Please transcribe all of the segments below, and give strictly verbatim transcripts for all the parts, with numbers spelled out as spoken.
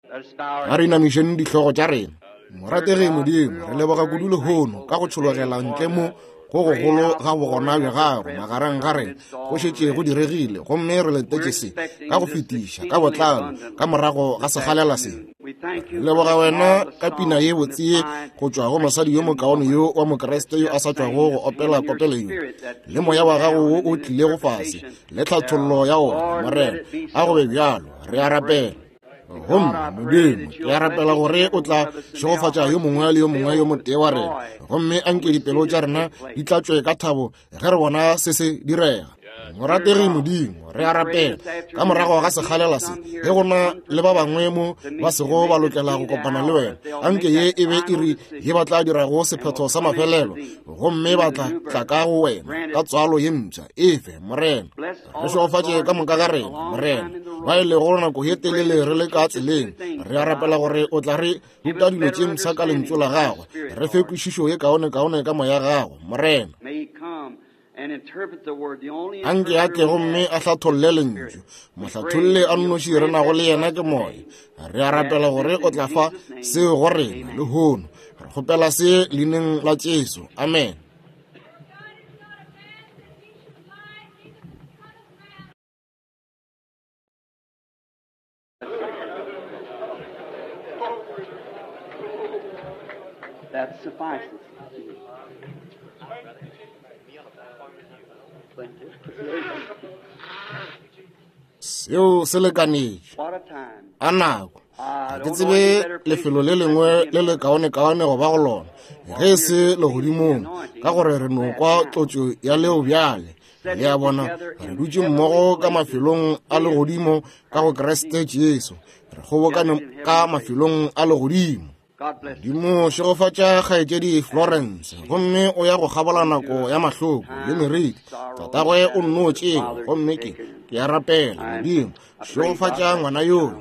A re inamišeng dihlogo tša rena. Morategi Modimo, re leboga kudu lehono ka go tšhologela ntle mo go gogolo ga bogona bja gago magareng ga rena. Go šetše go diregile, gomme re letetše se ka go fetiša ka botlalo ka morago ga sekgalela se. Re leboga wena ka pina ye botse ye go tšwa go mosadi yo mokaone yo wa Mokriste yo a sa tšwago go opela kopelo yo, le moya wa gago wo o tlilego fase le tlhathollo ya ona. Morena, a go be bjalo, re a rapela. Gomme Modimo, ke a rapela gore o tla šegofatša yo mongwe le yo mongwe yo motee wa rena, gomme anke dipelo tša rena di tlatšwe ka thabo ge re bona se se direga. Morategi Modimo, re a rapela ka morago ga sekgalela se, ge go na le ba bangwe mo ba sego ba lokela go kopana le wena, anke ye e be iri ye ba tla dirago sephetho sa mafelelo, gomme ba tla tla ka go wena ka tswalo ye mpsha. Efe, Morena, re šegofatše ka moka ga rena, Morena, ba e lego nako ye telele re le ka tseleng. Re a rapela gore o tla re ruta dilo tše mpsha ka lentšu la gagwe, re fe kwešišo ye kaonekaone ka moya gago, Morena. Anke a tle gomme a hlatholle lentšu. Mohlatholle a nnoši re nago le yena ke moya. Re a rapela gore o tla fa seo go rena lehono. Re kgopela se leineng la Jesu. Amen. That suffices. Seo se lekanetše. A nako. Ga ke tsebe lefelo le lengwe le le kaonekaone go ba go lona ge e se legodimong, ka gore re no kwa tlotšo ya leo bjale. Le a bona, re dutše mmogo ka mafelong a legodimo ka go Kriste Jesu. Re kgobokane ka mafelong a legodimo. Modimo, šegofatša kgaetšedi Florence, gomme o ya go kgabola nako ya mahloko le meriti. Tatagwe o nno tšewa, gomme ke ke a rapela, Modimo, šegofatša ngwana yola.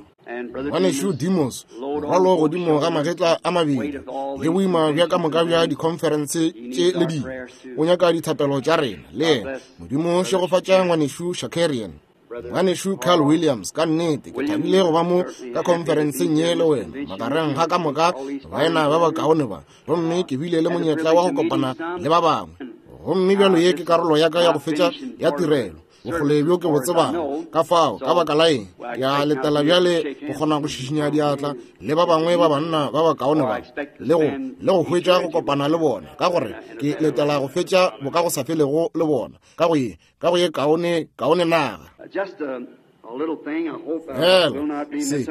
Ngwanešu Demos, morwalo godimo ga magetla a mabedi le boima bja ka moka bja dikhonferense tše le dingwe, o nyaka dithapelo tša rena le yena. Modimo, šegofatša ngwanešu Shakarian. Ngwanešu Carl Williams, ka nnete ke thabile go ba mo ka khonferenseng ye le wena magareng ga ka moka baena ba bakaone ba, gomme ke bile le monyetla wa go kopana le ba bangwe. Gomme bjalo ye ke karolo ya ka ya go fetša ya tirelo, bokgole bjo ke bo tsebang. Ka fao, ka baka la eng, ke a letela bjale go kgona go šišinya diatla le ba bangwe ba banna ba bakaone ba, le go le go hwetša go kopana le bona, ka gore ke letela go fetša boka go sa felego le bona ka go ye ka go ye kaone kaone naga. Fela se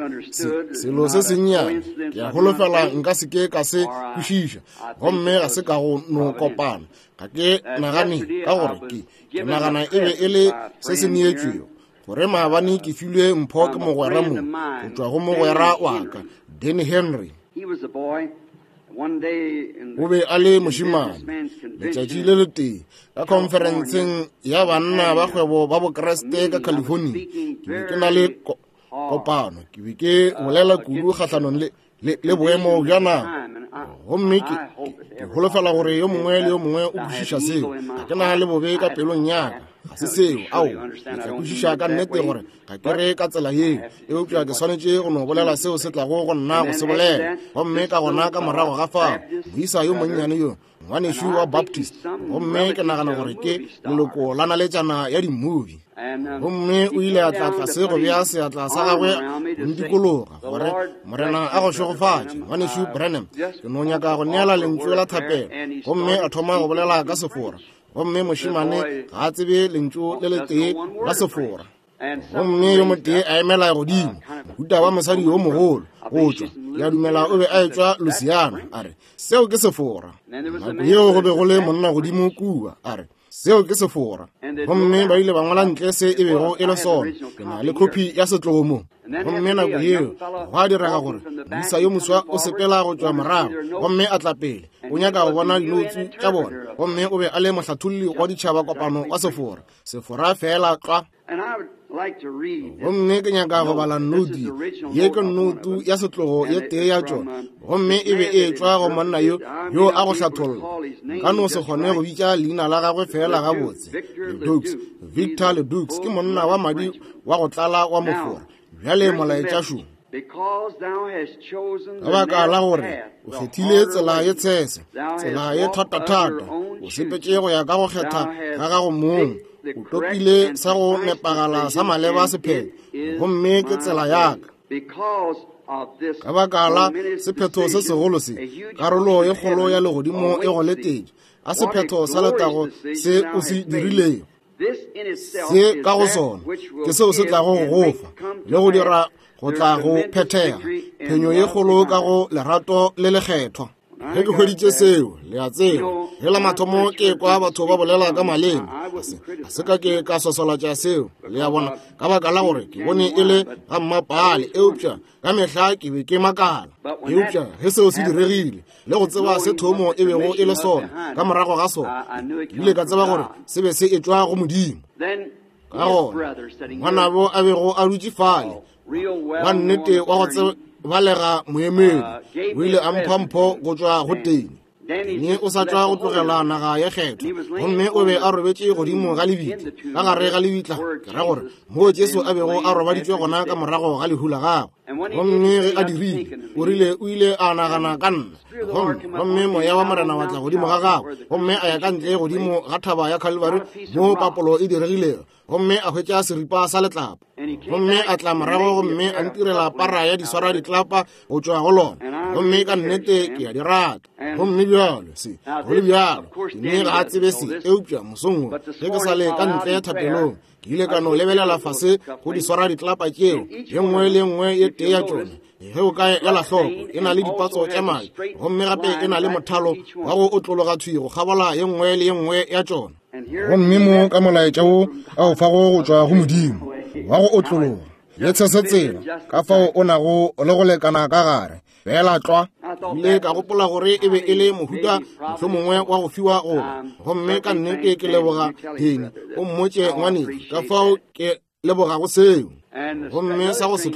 selo se sennyane ke a holofela nka se ke ka se kwešiša, gomme ga se ka go no kopana. Ga ke nagane, ka gore ke ke nagana e be e le se se neetšwego, gore maabane ke filwe mpho ke mogwera mo go tšwa go mogwera wa ka Danny Henry. O be a le mošemane letšatši le letee ka khonferenseng ya banna ba kgwebo ba Bokriste ka California. Ke be ke na le kopano, ke be ke bolela kudu kgahlanong le le, le boemo bja naga, gomme ke, ke holofela gore yo mongwe le yo mongwe o kwešiša seo. Ga ke na le bobe ka pelong ya ka, ga se seo. Ao, ke tla kwešiša ka nnete gore ga ke re ka tsela yeo, eupša ke swanetše go no bolela seo se tlago go nna go se bolela. Gomme ka gona ka morago ga fao, moisa yo monnyane yo, ngwanešu wa Baptist, gomme ke nagana gore ke leloko la naletšana ya di-movie, gomme o ile a tla tlase go bea seatla sa gagwe go ntikologa gore Morena a go šegofatše, ngwanešu Branham, ke no nyaka go neela lentšu la thapelo. Gomme a thoma go bolela ka Sefora, gomme mošemane ga a tsebe lentšu le letee la Sefora. Gomme yo motee a emela godimo, mohuta wa mosadi yo mogolo go tšwa, ke a dumela o be a etšwa Louisiana, a re, seo ke Sefora. Nako yeo go be go le monna godimo kua, a re, seo ke Sefora. Gomme ba ile ba ngwala ntle se e bego e le sona. Ke na le kopi ya setlogo mo. Gomme nako yeo gwa direga gore moisa yo moswa o sepela go tšwa morago, gomme a tla pele, o nyaka go bona dinoutsu tša bona, gomme o be a le mohlatholli wa ditšhaba kopano wa Sefora, Sefora fela tlwa. Gomme ke nyaka go bala notu ye, ke notu ya setlogo ye tee ya tšona, gomme e be e tšwa go monna yo yo a go hlatholla. Nka no se kgone go bitša leina la gagwe fela gabotse. Ledoux, Victor Ledoux, ke monna wa madi wa go tlala wa Mofora. Bjale molaetša šo. Ka baka la gore o kgethile tsela ye tshese, tsela ye thatathata, o sepetše go ya ka go kgetha ga gago mong, o topile sa go nepagala sa maleba sephetho, gomme ke tsela ya ka. Ka baka la sephetho se segolo se, karolo ye kgolo ya legodimo e go letetše, a sephetho sa letago se o se dirilego. Se ka go sona ke seo se tlago go go fa le go dira go tla go phethega phenyo ye kgolo ka go lerato le lekgethwa. Ge ke hweditše seo, le a tseba, ge la mathomo ke kwa batho ba bolela ka maleme, ga se ka ke ka swaswalatša seo, le a bona, ka baka la gore ke bone e le ga mmapale, eupša ka mehla ke be ke makala. Eupša ge seo se diregile, le go tseba se thomo e bego e le sona ka morago ga sona, ke ile ka tseba gore se be se etšwa go Modimo. Ka gona ngwanabo a bego a dutše fale, wa nnete wa go tsebalega moemedi, o ile a mpha mpho go tšwa go teng. Mme o sa tšwa go tlogela naga ya kgetho, gomme o be a robetše godimo ga lebitla, ka gare ga lebitla, ke ra gore moo Jesu a bego a robaditšwe gona ka morago ga lehu la gagwe. Gomme ge a dirile, o rile o ile a nagana ka nna, gomme gomme moya wa Morena wa tla godimo ga gagwe, gomme a ya ka ntle godimo ga thaba ya Calvary moo papolo e diregilego, gomme a hwetša seripa sa letlapa, gomme a tla morago gomme a ntirela para ya diswara ditlapa go tšwa go lona, gomme ka nnete ke a di rata. Gomme bjalo se go le bjalo, mme ga a tsebe se, eupša mosong wo ge ke sa le ka ntle thapelong, ke ile ka no lebelela fase go diswara ditlapa tšeo, ye nngwe le nngwe ye tee ya tšona, ge o ka ela hloko, e na le dipatso tša madi, gomme gape e na le mothalo wa go otlologa thwi go kgabola ye nngwe le ye nngwe ya tšona. Gomme mo ka molaetša wo a o fago go tšwa go Modimo wa go otlologa le tshese tsela ka fao o nago le go lekana ka gare fela tlwa. Ile ka gopola gore e be e le mohuta mohlomongwe wa go fiwa goba, gomme ka nnete ke leboga Deni o mmotše ngwaneng ka fao ke lebogago seo. Gomme sa go se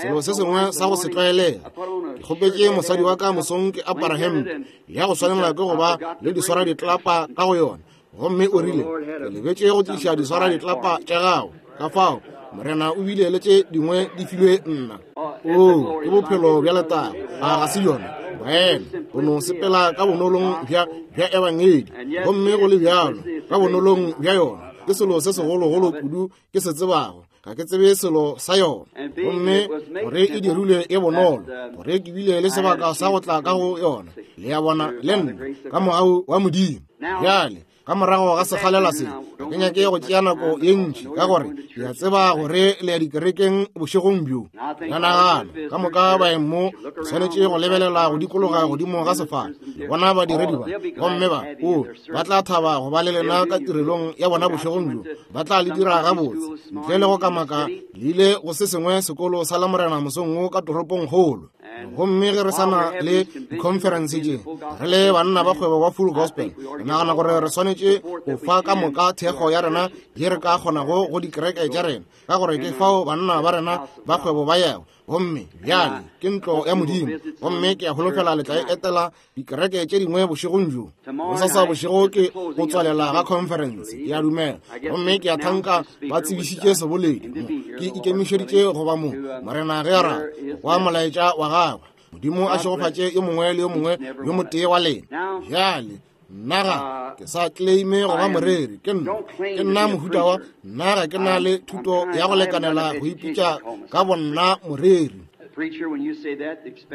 selo se sengwe sa go se tlwaelega, ke kgopetše mosadi wa ka mosong ke apara hempe ya go swanela ke go ba le diswara ditlapa ka go yona, gomme o rile ke lebetše go tliša diswara ditlapa tša gago, ka fao Morena o bile le tše dingwe di filwe nna. O ke bophelo bja letago, a ga se yona baena, o no sepela ka bonolong bja bja ebangedi, gomme go le bjalo ka bonolong bja yona ke selo se segologolo kudu ke se tsebago. Ga ke tsebe selo sa yona, gomme gore e dirilwe e bonolo, gore ke bile le sebaka sa go tla ka go yona, le ya bona le nna ka mogau wa Modimo. Bjale ka morago ga sekgalela se, ke nyake go tšea nako ye ntši, ka gore ke a tseba gore le ya dikerekeng bošegong bjo. Ka nagana ka moka baeng mo swanetše go lebelela go dikologa godimo ga sefala, le bona badiredi ba, gomme ba o ba tla thaba go ba le lena ka tirelong ya bona bošegong bjo, ba tla le dira gabotse ntle le go kamaka le ile go se sengwe sekolo sa Lamorena mosong wo ka toropong kgolo. Gomme ge re sa na le dikhonferense tše, re le banna ba kgwebo ba Full Gospel, re nagana gore re swanetše go fa ka moka thekgo ya rena ye re ka kgonago go dikereke tša rena, ka gore ke fao banna ba rena ba kgwebo ba yago. Gomme bjale ke ntlo ya Modimo, gomme ke a holofela le tla e etela dikereke tše dingwe bošegong bjo. Bosasa bošego ke go tswalela ga conference, ke a dumela, gomme ke a thanka ba tsebišitše seboledi mo. Ke ikemišeditše go ba mo, Morena ge a rata, go kwa molaetša wa gagwe. Modimo a šegofatše yo mongwe le yo mongwe yo motee wa lena. Bjale nna ga ke sa claime go ba moreri, ke nna ke nna mohuta wa nna ga ke na le thuto ya go lekanela go ipitša ka bonna moreri.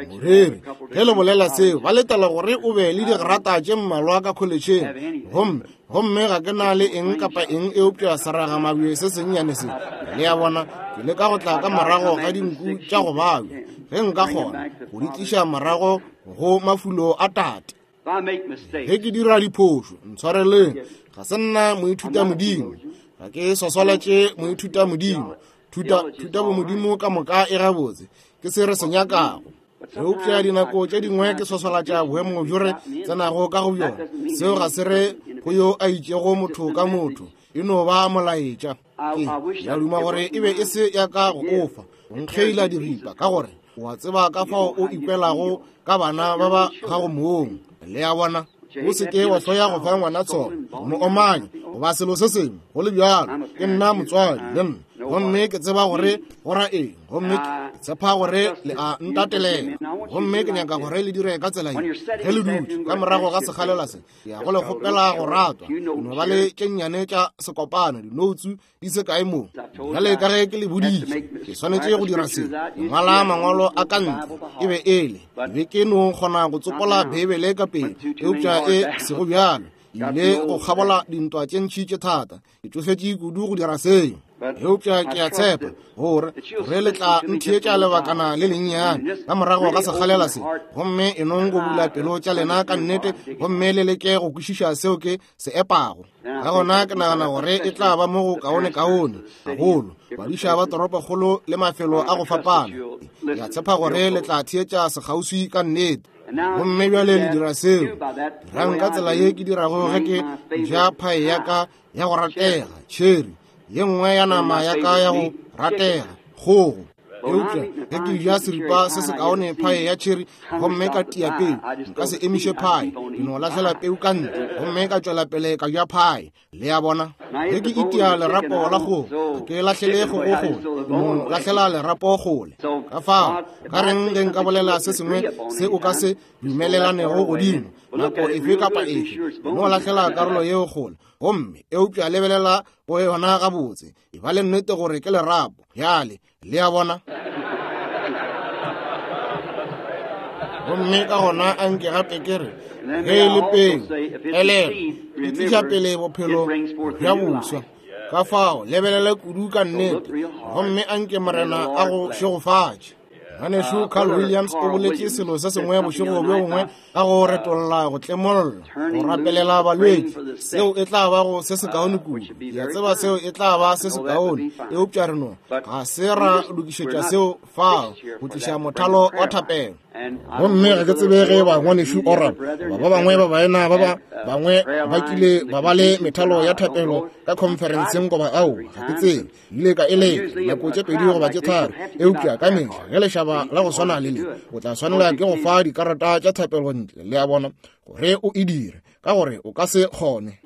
Moreri ge le bolela seo, ba letela gore o be le digrata tše mmalwa ka kholetšheng, gomme gomme ga ke na le eng kapa eng eupša seragamabje se sennyane se. Le a bona, ke leka go tla ka morago ga dinku tša go babja, ge nka kgona go di tliša morago go mafulo a tate. Ge ke dira diphošo, ntshwareleng, ga se nna moithuta modimo, ga ke swaswalatše moithuta modimo. Thuta thuta bomodimo ka moka e gabotse, ke se re se nyakago. Eupša dinako tše dingwe ke swaswalatša boemo bjo re tsenago ka go bjona. Seo ga se re go yo a itšego motho ka motho, e no ba molaetša. Ke ya duma gore e be e se ya ka go ofa go nkgeila diripa, ka gore o a tseba ka fao o ikwelago ka bana ba ba gago mong. Le a bona, o se ke wa hloya go fa ngwana tshona, mo omanya goba selo se sengwe go le bjalo. Ke nna motswadi le nna, Gomme ke tseba gore go ra eng, gomme ke tshepa gore le a ntatelela. Gomme ke nyaka gore le dire ka tsela ye. Ge le dutše ka morago ga sekgalela se, ke ya go le kgopela go ratwa. No ba le tše nnyane tša sekopano, dinoutsu di se kae mo. Bjale ka ge ke le boditše, ke swanetše go dira se. Ke ngwala mangwalo a ka ntle, e be e le. Ke be ke no kgona go tsopola Beibele ka pele, eupša e sego bjalo. Ile go kgabola dintwa tše ntši tše thata. Ke tšofetše kudu go dira seo. Eupša ke a tshepa gore gore le tla ntheetša lebakana le lennyane ka morago ga sekgalela se, gomme e nong go bula pelo tša lena ka nnete, gomme le leke go kwešiša seo ke se epago. Ka gona ke nagana gore e tla ba mo go kaone-kaone gagolo badiša ba toropokgolo le mafelo a go fapana. Ke a tshepa gore le tla theetša sekgauswi ka nnete. Gomme bjale le dira seo. Dirang ka tsela ye ke dirago ge ke ja phae ya ka ya go ratega, tšheri, ye nngwe ya nama ya ka ya go ratega, kgogo. Eupša ge ke ja seripa se sekaone phae ya tšheri gomme ka tia peu, nka se emiše phae, ke no lahlela peu ka ntle gomme ka tšwela pele ka ja phae. Le a bona? Ge ke itia lerapo la kgogo, ga ke lahlele kgogo kgole, no lahlela lerapo kgole. Ka fao, ka reng ge nka bolela se sengwe se o ka se dumelelanego godimo nako efe kapa efe, no lahlela karolo yeo kgole. Gomme eupša lebelela go yona gabotse, e ba le nnete gore ke lerapo. Bjale, le a bona? Gomme ka gona a nke gape ke re, ge e le peu, elelwa, e tliša pele bophelo bja boswa. Ka fao, lebelela kudu ka nnete, gomme a nke Morena a go šegofatše. Ngwanešu Carl Williams o boletše selo se sengwe bošego bjo bongwe ka go retolla go tlemolla, go rapelela balwetši. Seo e tla ba go se sekaone kudu. Ke a tseba seo e tla ba se sekaone, eupša re no ga se ra lokišetša seo fao go tliša mothalo wa thapelo. Gomme ga ke tsebe ge ba ngwanešu Oral goba ba bangwe ba baena ba ba bangwe ba kile ba ba le methalo ya thapelo ka khonferenseng goba ao, ga ke tsebe. Ile ka eletša nako tše pedi goba tše tharo, eupša ka mehla ge lešaba la go swana le le, o tla swanela ke go fa dikarata tša thapelo ntle, le a bona, gore o e dire, ka gore o ka se kgone.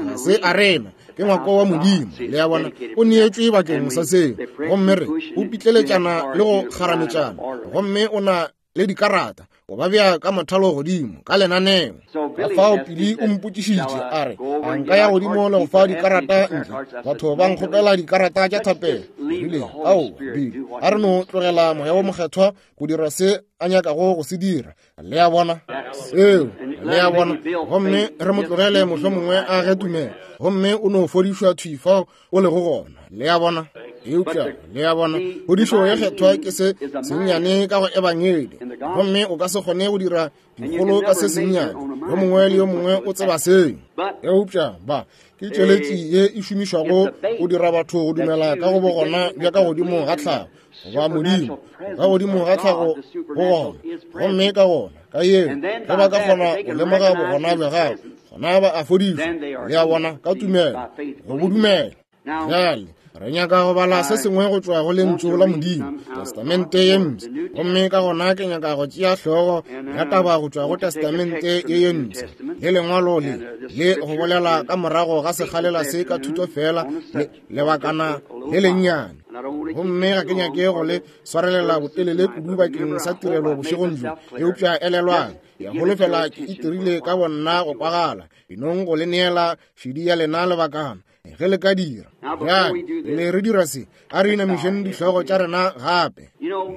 Ga se arena, ke ngwako wa Modimo, le a bona, o neetšwe bakeng sa seo. Gomme re o pitleletšana le go kgarametšana, gomme o na le dikarata, o ba bea ka mothalo godimo ka lenaneo. Ka fao Pili o mpotšišitše a re, a nka ya godimo le go fa dikarata ntle? Batho ba nkgopela dikarata tša thapelo. Rile, ao, Bili, a re no tlogela Moya wo Mokgethwa go dira se a nyakago go se dira. Le a bona? Seo, le a bona? Gomme re mo tlogele mohlomongwe a ge tumelo, gomme o no fodišwa thwi fao o lego gona. Le a bona? Eupša, le a bona, phodišo ye kgethwa ke se sennyane ka go ebangedi, gomme o ka se kgone go dira dikgolo ka se sennyane. Yo mongwe le yo mongwe o tseba seo. Eupša ba ke tšweletši ye e šomišwago go dira batho go dumela ka go bogona bja ka godimo ga tlhago, goba Modimo ka godimo ga tlhago go gona. Gomme ka gona ka yeo ge ba ka kgona go lemoga bogona bja gagwe, gona ba a fodišwa. Le a bona? Ka tumelo, go bo dumela. Bjale re nyaka go bala se sengwe go tšwa go lentšu la Modimo, Testamente ye mpsha. Gomme ka gona ke nyaka go tšea hlogo ya taba go tšwa go Testamente ye ye mpsha le lengwalo le le go bolela ka morago ga sekgalela se ka thuto fela le lebakana le lennyane. Gomme ga ke nyake go le swarelela botelele kudu bakeng sa tirelo bošegong bjo, eupša elelwang, ke a holofela ke itirile ka bonna go kwagala, enong go le neela šedi ya lena lebakana ge le ka dira. Bjale pele re dira se, a re inamišeng dihlogo tša rena gape.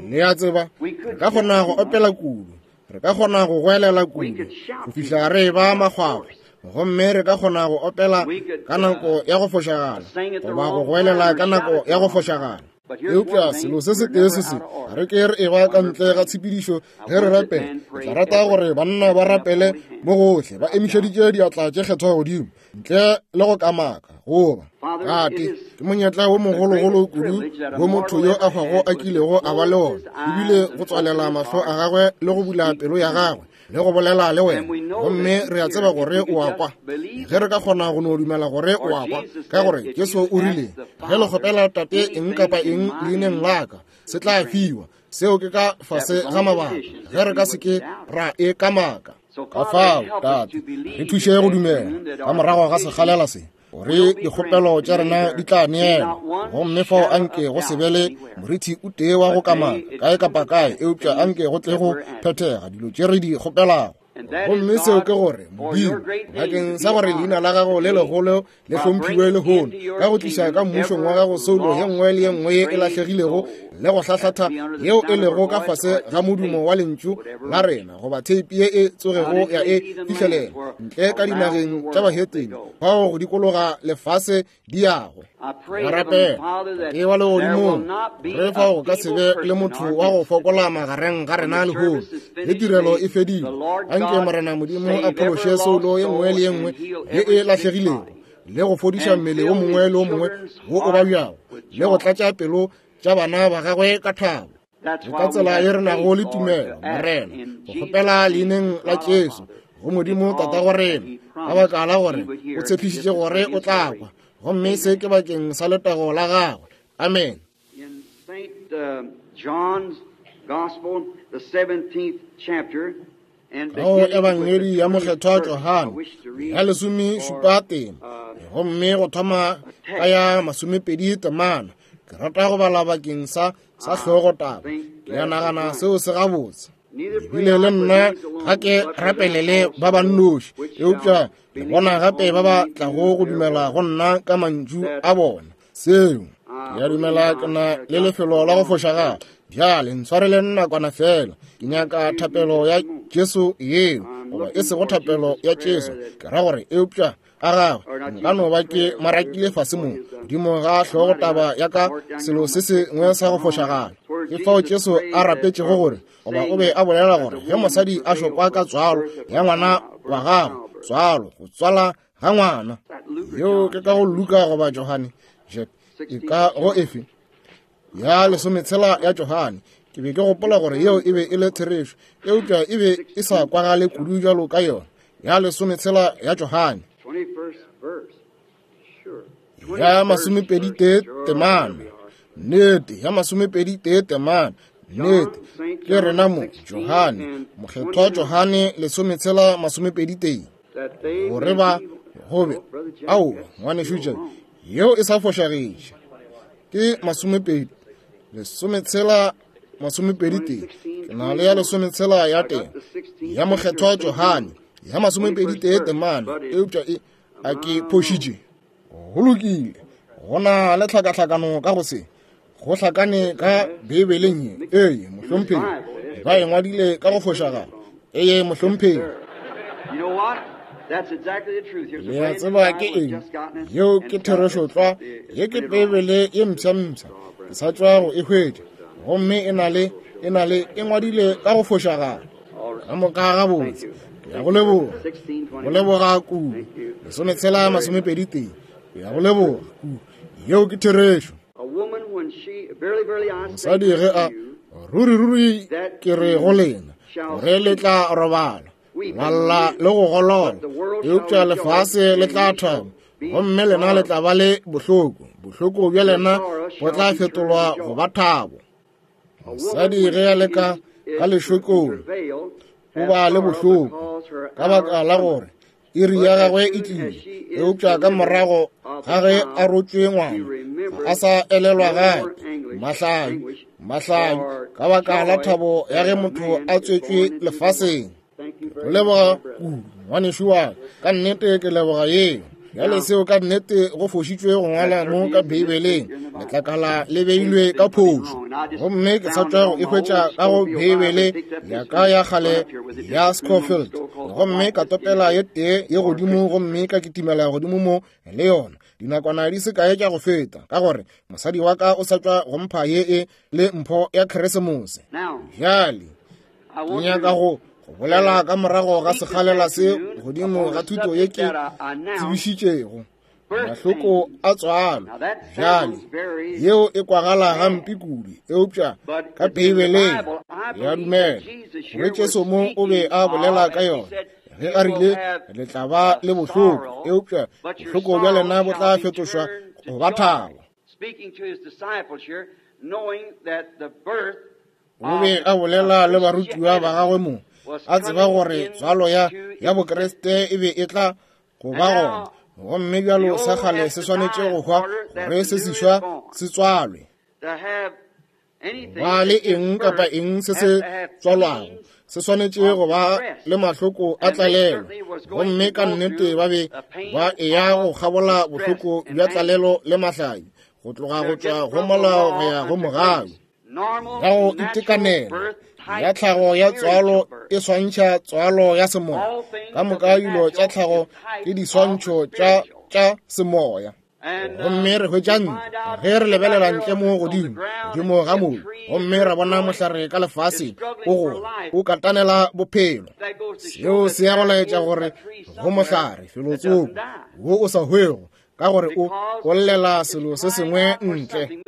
Le a tseba, re ka kgona go opela kudu, re ka kgona go goelela kudu go fihla re ba makgwakgwa, gomme re ka kgona go opela ka nako ya go fošagala goba go goelela ka nako ya go fošagala. Eupša selo se setee se se, re ke re e ba ka ntle ga tshepedišo ge re rapela. Ke tla rata gore banna ba rapele mo gohle ba emišeditše diatla tše kgethwa godimo ntle le go kamaka goba tate. Ke monyetla wo mogologolo kudu wo motho yo a hwago a kilego a ba le ona, ebile go tswalela mahlo a gagwe le go bula pelo ya gagwe le go bolela le wena. Gomme re a tseba gore o a kwa. Ge re ka kgona go no dumela gore o a kwa, ka gore Jesu o rile, ge le kgopela Tate eng kapa eng leineng la ka, se tla fiwa. Seo ke ka fase ga mabaka, ge re ka se ke ra e kamaka. Ka fao, Tate, re thuše go dumela ka morago ga sekgalela se, gore dikgopelo tša rena di tla neelwa. Gomme fao anke go se be le morithi o tee wa go kamaka kae kapa kae, eupša anke go tle go phethega dilo tše re di kgopelago. Gomme seo ke gore, Modimo, bakeng sa gore leina la gago le legolo le hlomphiwe lehono, ka go tliša ka mmušong wa gago soulo ye nngwe le ye nngwe ye e lahlegilego le go hlahlatha yeo e lego ka fase ga modumo wa lentšu la rena goba theipi ye e tsogego ya e fihlelela ntle ka dinageng tša bahetene bao go dikologa lefase di yago. Re rapela Tate wa legodimong, re fao go ka se be le motho wa go fokola magareng ga rena lehono. Ge tirelo e fedile, anke Morena Modimo a phološe soulo ye nngwe le ye nngwe ye e lahlegilego, le go fodiša mmele wo mongwe le wo mongwe wo o babjago, le go tlatša pelo tša bana ba gagwe ka thabo. Ke ka tsela ye re nago le tumelo, Morena, go kgopela leineng la Jesu go Modimo Tatago rena, ka baka la gore o tshepišitše gore o tla kwa, gomme se ke bakeng sa letago la gagwe. Amen. In Saint uh, John's Gospel, the seventeenth chapter, ka go Ebangedi ya Mokgethwa Johane ya lesome šupa tema, gomme go thoma ka ya masomepedi temana, ke rata go bala bakeng sa sa hlogo taba. Ke a nagana seo se gabotse. Ebile le nna ga ke rapelele ba ba nnoši, eupša le bona gape ba ba tlago go dumela go nna ka mantšu a bona. Seo ke a dumela ke na le lefelo la go fošagala. Bjale ntshwarele nakwana fela, ke nyaka thapelo ya Jesu yeo, goba e sego thapelo ya Jesu, ke ra gore eupša a gagwe nka no ba ke marakile fase mo godimo ga hlogo taba ya ka selo se sengwe sa go fošagala. Ke fao Jesu a rapetšego gore, goba o be a bolela gore ge mosadi a šokwa ka tswalo ya ngwana wa gagwe, tswalo go tswala ga ngwana yeo ke ka go Luka goba Johane, e ka go efe ya lesometshela ya Johane. Ke be ke gopola gore yeo e be e le therešo, eupša e be e sa kwagale kudu bjalo ka yona. Ya lesometshela ya Johane ya masomepedi tee temana, nnete, ya masomepedi tee temana, nnete, ke rena mo Johane, Mokgethwa Johane lesometshela masomepedi tee, gore ba gobe ao ngwanešu Jack, yeo e sa fošagetše, ke masomepedi lesometshela masomepedi tee. Ke na le ya lesometshela ya teng ya Mokgethwa Johane ya masomepedi tee temana, eupša e a ke phošitše. Go lokile, go na le tlhakatlhakano ka go se go hlakane ka Beibeleng ye. Ee mohlomphegi, ba e ngwadile ka go fošagala. Ee mohlomphegi. Le a tseba ke eng? Yeo ke therešo tlwa. Ye ke Beibele ye mpsha-mpsha, ke sa tšwa go e hwetša, gomme e na le e na le e ngwadile ka go fošagala. Ka moka gabotse, ke ya go leboga, go leboga kudu. Lesometshela masomepedi tee, ke ya go leboga kudu. Yeo ke therešo. Mosadi ge a ruri ruri ke re go lena gore le tla robala la lla le go golola, eupša lefase le tla thaba, gomme lena le tla ba le bohloko. Bohloko bja lena bo tla fetolwa go ba thabo. Mosadi ge a le ka ka lešokong o ba le bohloko ka baka la gore iri ya gagwe e tlile, eupša ka morago ga ge a rotšwe ngwana ga a sa elelwa gape mahlabi mahlabi ka baka la thabo ya ge motho a tswetšwe lefaseng. Go leboga kudu ngwanešu wa ka, nnete ke leboga yeo. Bjale seo ka nnete go fošitšwe go ngwala mo ka Beibeleng, letlakala le beilwe ka phošo, gomme ke sa tšwa go e hwetša ka go Beibele ya ka ya kgale ya Scofield, gomme ka topela ye tee ye godimo, gomme ka kitimela godimo mo le yona dinakwana di se kae tša go feta, ka gore mosadi wa ka o sa tšwa go mpha ye e le mpho ya Keresemose. Bjale ke nyaka go go bolela ka morago ga sekgalela se godimo ga thuto ye ke tsebišitšego, mahloko a tswalo. Bjale yeo e kwagala gampe kudu, eupša ka Beibeleng ya dumela gore Jesu mo o be a bolela ka yona ge a rile le tla ba le bohloko, eupša bohloko bja lena bo tla fetošwa go ba thabo. O be a bolela le barutiwa ba gagwe mo, a tseba gore tswalo ya ya Bokriste e be e tla go ba gona. Gomme bjalo sa kgale se swanetše go hwa gore se seswa se tswalwe. Ba le eng kapa eng se se tswalwago se swanetše go ba le mahloko a tlalelo. Gomme ka nnete ba be ba eya go kgabola bohloko bja tlalelo le mahlai, go tloga go tšwa go molao go ya go mogau. Ya go itekanela ya tlhago ya tswalo e swantšha tswalo ya semoya. Ka moka dilo tša tlhago ke diswantšho tša tša semoya. Gomme re hwetša ntle ge re lebelela ntle mo godimo godimo ga mobu, gomme ra bona mohlare ka lefaseng o gola o katanela bophelo. Seo se ya go laetša gore go mohlare felotsoko wo o sa hwego, ka gore o o llela selo se sengwe ntle.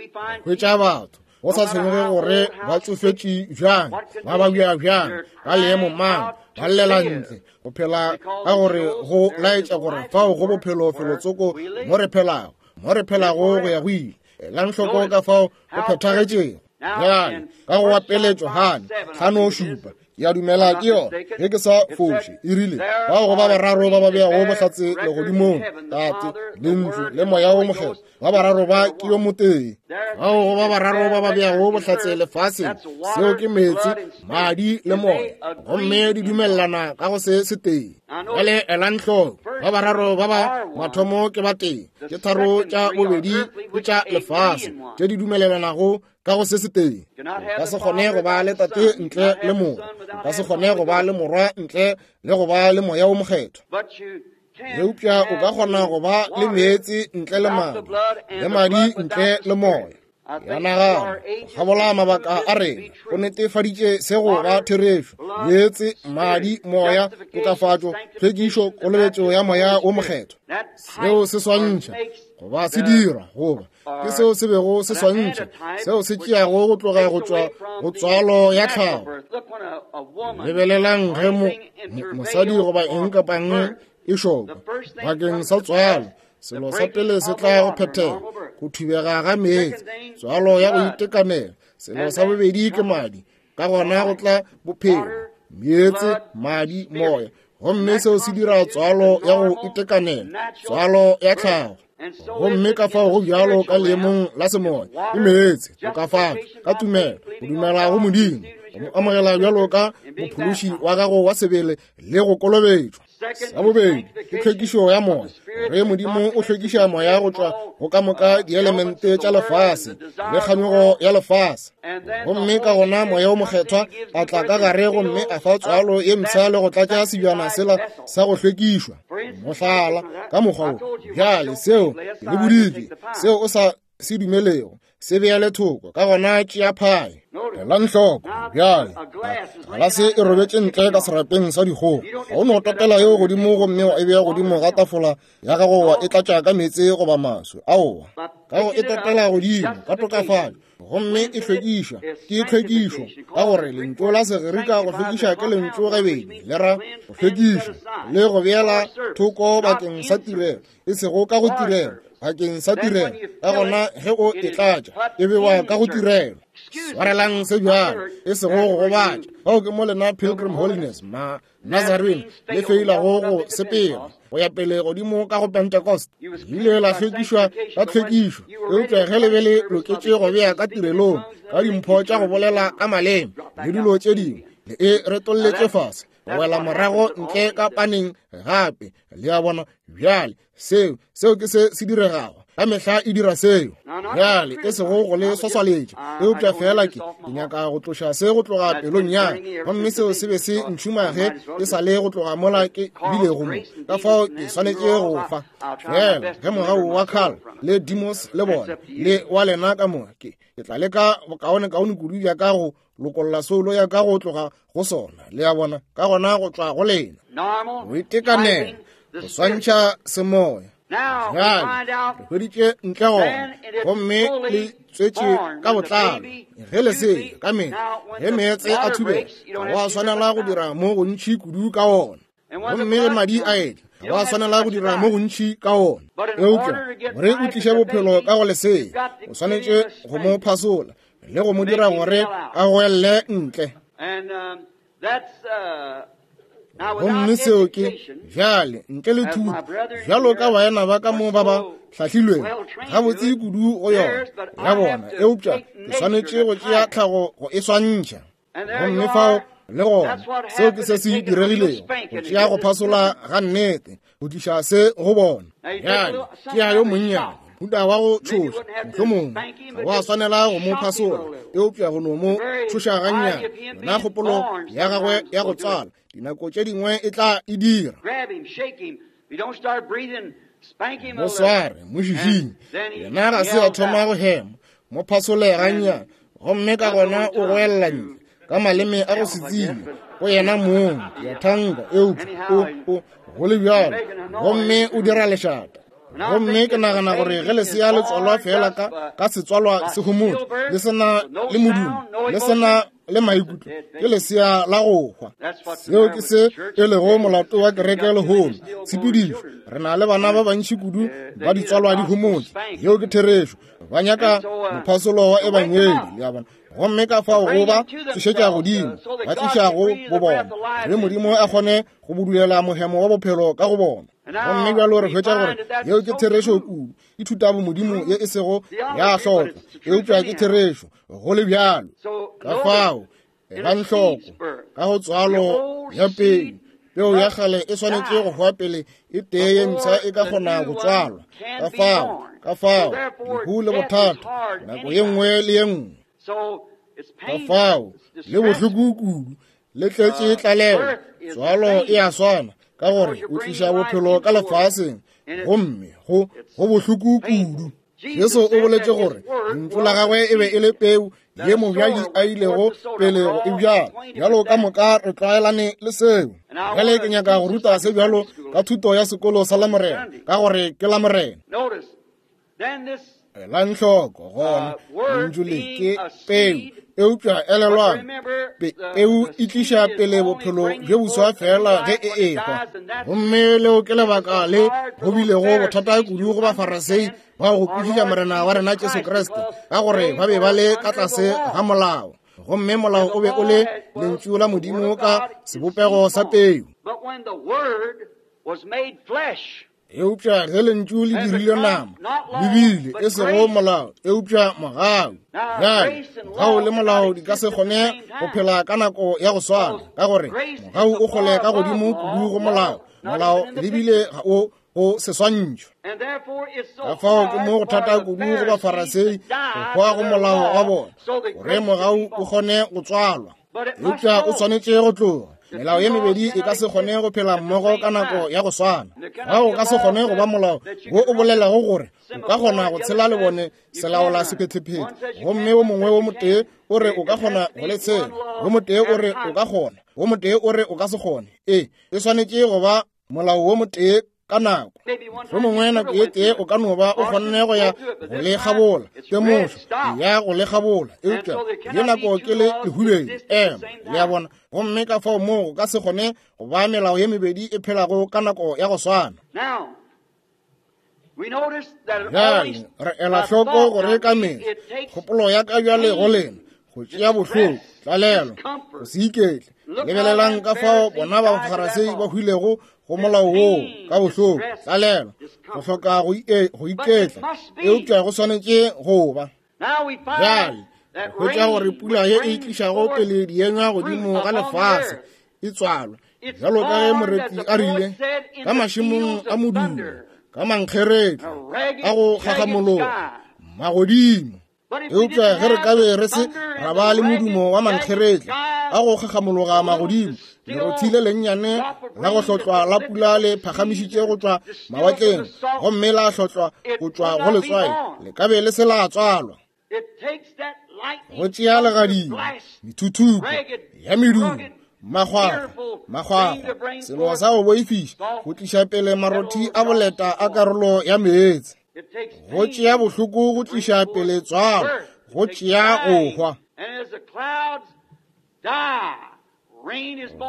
Hwetša batho go sa tshwenyege gore ba tsofetše bjang, ba babja bjang, ba leemo mang, ba llela ntle go phela, ka gore go laetša gore fao go bophelo felotsoko mo re phelago, mo re phelago go ya go ile. Elang hloko ka fao go phethagetšego. Bjale ka go wa pele Johane tlhano šupa, ke a dumela ke yona, ge ke sa foše, e rile bao go ba bararo ba ba beago bohlatse legodimong, Tate, Lentšu le Moya wo Mokgethwa, ba bararo ba ke yo motee. Bao go ba bararo ba ba beago bohlatse lefaseng, seo ke meetse, madi le moya, gomme di dumelelana ka go se setee. Bjale elang hloko, ba bararo ba ba mathomo ke ba tee, ke tharo tša bobedi ke tša lefase tše di dumelelanago ka go se setee. O ka se kgone go ba le Tate ntle le Morwa, o ka se kgone go ba le Morwa ntle le go ba le Moya wo Mokgethwa. Eupša o ka kgona go ba le meetse ntle le madi, le madi ntle le moya. Ya nagana go kgabola mabaka a rena go netefaditše se go ba therešo. Meetse, madi, moya, tokafatšo, tlhwekišo, kolobetšo ya Moya wo Mokgethwa. Seo se swantšha goba se dira goba ke seo se bego se swantšha, seo se tšeago go tloga go tšwa go tswalo ya tlhago. Lebelelang ge mo, mosadi goba eng kapa eng e šokwa bakeng sa tswalo, selo sa pele se tla go phethega, go thubega ga meetse, tswalo ya go itekanela. Selo sa bobedi ke madi, ka gona go tla bophelo, meetse, madi, moya, gomme seo se dira tswalo ya go itekanela, tswalo ya tlhago. Gomme ka fao go bjalo ka leemong la semoya, ke meetse, tokafatšo ka tumelo, go dumela go Modimo, go mo amogela bjalo ka mophološi wa gago wa sebele le go kolobetšwa. Sa bobedi ke tlhwekišo ya moya, gore Modimo o hlwekiša moya go tšwa go ka moka dielemente tša lefase le kganyogo ya lefase. Gomme ka gona Moya wo Mokgethwa a tla ka gare gomme a fa tswalo ye mpsha le go tlatša sebjana sela sa go hlwekišwa. Mohlala ka mokgwa wo, bjale seo ke le boditše, seo o sa se dumelego se beele thoko, ka gona tšea phae. Elang hloko bjale, galase e robetše ntle ka serapeng sa dikgogo. Ga o no topela yeo godimo gomme wa e bea godimo ga tafola ya gago wa e tlatša ka meetse goba maswi. Aowa, ka go e topela godimo ka tokafatšo, gomme e hlwekišwa, ke tlhwekišo, ka gore lentšu la Segerika go hlwekiša ke lentšu gabedi, le ra go hlwekiša le go beela thoko bakeng sa tirelo, e sego ka go tirelo, bakeng sa tirelo. Ka gona ge o e tlatša, e bewa ka go tirelo. Swarelang se bjalo, e sego go gobatša. Bao ke mo lena Pilgrim Holiness, ma Nazarene, le feilago go sepela go ya pele godimo ka go Pentecost. Le ile la hlwekišwa ka tlhwekišo, eupša ge le be le loketše go bea ka tirelong ka dimpho tša go bolela ka maleme le dilo tše dingwe, le e retolletše fase go wela morago ntle ka paneng gape. Le a bona bjale, seo seo ke se se diregago ka mehla, e dira seo. Bjale e sego go le swaswaletša, eupša fela ke ke nyaka go tloša se go tloga pelong ya ka, gomme seo se be se ntšhuma ge e sa le go tloga mola ke bilego mo. Ka fao ke swanetše go fa fela ge mogau wa Carl le Demos le bona le wa lena ka moka, ke ke tla leka bokaonekaone kudu bja ka go lokolla soulo ya ka go tloga go sona. Le a bona, ka gona go tšwa go lena go itekanela, go swantšha semoya. Bjale re hweditše ntle gona, gomme le tswetše ka botlalo ge lesea ka mehla ge meetse a thubega, ga wa swanela go dira mo gontši kudu ka ona. Gomme ge madi a etla, ga wa swanela go dira mo gontši ka ona. Eupša gore o tliše bophelo ka go lesea, o swanetše go mo phasola le go mo dira gore a goelle ntle. Gomme seo ke bjale ntle le thuto, bjalo ka baena ba ka mo ba ba hlahlilwego gabotse kudu go yona ya bona, eupša ke swanetše go tšea tlhago go e swantšha. Gomme fao le gona seo ke se se diregilego, go tšea go phasola ga nnete go tliša se go bona. Bjale tšea yo monnyane mohuta wa go tšhoša, mohlomongwe ga wa swanela go mo phasola, eupša go no mo tšhoša gannyane. Yona kgopolo ya gagwe ya go tswala dinako tše dingwe e tla e dira. Mo sware, mo šišinye, yena ga se a thoma go hema, mo phasole gannyane, gomme ka gona o goelela ntle ka maleme a go se tsebe go yena mong, ya thanka, eupša o o go le bjalo, gomme o dira lešata. Gomme ke nagana gore ge lesea le tswalwa fela ka ka setswalwa se homotse, le sena le modumo, le sena le maikutlo, ke lesea la go hwa. Seo ke se e lego molato wa kereke lehono, tshepedišo. Re na le bana ba bantši kudu ba ditswalwa di homotse. Yeo ke therešo. Ba nyaka mophasolo wa ebangedi, le a bona. Gomme ka fao go ba tsošetša godimo, ba tliša go bo bona, gore Modimo a kgone go budulela mohemo wa bophelo ka go bona. Gomme bjalo re hwetša gore yeo ke therešo kudu, ke thutabomodimo ye e sego ya hlokwa, eupša ke therešo go le bjalo. Ka fao elang hloko ka go tswalo ya pele, peo ya kgale e swanetše go hwa pele e tee ye mpsha e ka kgona go tswalwa. Ka fao, ka fao lehu le bothata nako ye nngwe le ye nngwe. Ka fao le bohloko kudu, le tletše tlalelo. Tswalo e a swana, ka gore o tliša bophelo ka lefaseng, gomme go go bohloko kudu. Jesu o boletše gore lentšu la gagwe e be e le peu ye mobjadi a ilego pele go e bjala. Bjalo ka moka re tlwaelane le seo. Bjale ke nyaka go ruta se bjalo ka thuto ya sekolo sa Lamorena, ka gore ke Lamorena. Elang hloko gona lentšu le ke peu, eupša elelwang, peu e tliša pele bophelo bjo boswa fela ge e ehwa. Gomme leo ke lebaka le go bilego bothata kudu go Bafarasei ba go kwešiša Morena wa rena Jesu Kriste, ka gore ba be ba le ka tlase ga molao, gomme molao o be o le lentšu la Modimo ka sebopego sa peu. Eupša ge lentšu le dirile nama, le bile e sego molao, eupša mogau. Bjale mogau le molao di ka se kgone go phela ka nako ya go swana, ka gore mogau o kgole ka godimo kudu go molao, molao le bile ga o go seswantšho. Ka fao ke mo go thata kudu go Bafarasei go hwa go molao wa bona, gore mogau o kgone go tswalwa, eupša o swanetše go tloga. Melao ye mebedi e ka se kgone go phela mmogo ka nako ya go swana. Ga o ka se kgone go ba molao wo o bolelago gore o ka kgona go tshela le bone selaola sephetephete, gomme wo mongwe wo motee o re o ka kgona go le tshela, wo motee o re o ka kgona, wo motee o re o ka se kgone. Ee, e swanetše go ba molao wo motee ka nako. Mohlomongwe nako ye tee o ka no ba o kgonne go ya go le kgabola, temošo ya go le kgabola, eupša ye nako ke le lehubedi, ema, le a bona. Gomme ka fao moo go ka se kgone go ba melao ye mebedi e phelago ka nako ya go swana. Bjale re ela hloko gore ka mehla kgopolo ya ka bjale go lena go tšea bohloko, tlalelo, go se iketle. Lebelelang ka fao bona ba Bafarasei ba hwilego go molao woo ka bohloko, tlalelo, go hloka go iketla, eupša go swanetše go ba. Bjale hwetša gore pula ye e tlišago pele dienywa godimo ga lefase e tswalwa, bjalo ka ge moreti a rile, ka mašemong a modumo, ka mankgeretla a go kgagamologa magodimo. Eupša ge re ka be re se ra ba le modumo wa mankgeretla a go kgagamologa magodimo, lerothi le lennyane la go hlotlwa la pula le phagamišitše go tšwa mawatleng, gomme la hlotlwa go tšwa go letswai, le ka be le se la tswalwa. Go tšea legadima, methuthupo ya medumo, makgwakgwa, makgwakgwa, selo sa go boifiša, go tliša pele marothi a boleta a karolo ya meetse. Go tšea bohloko go tliša pele tswalo, go tšea go hwa.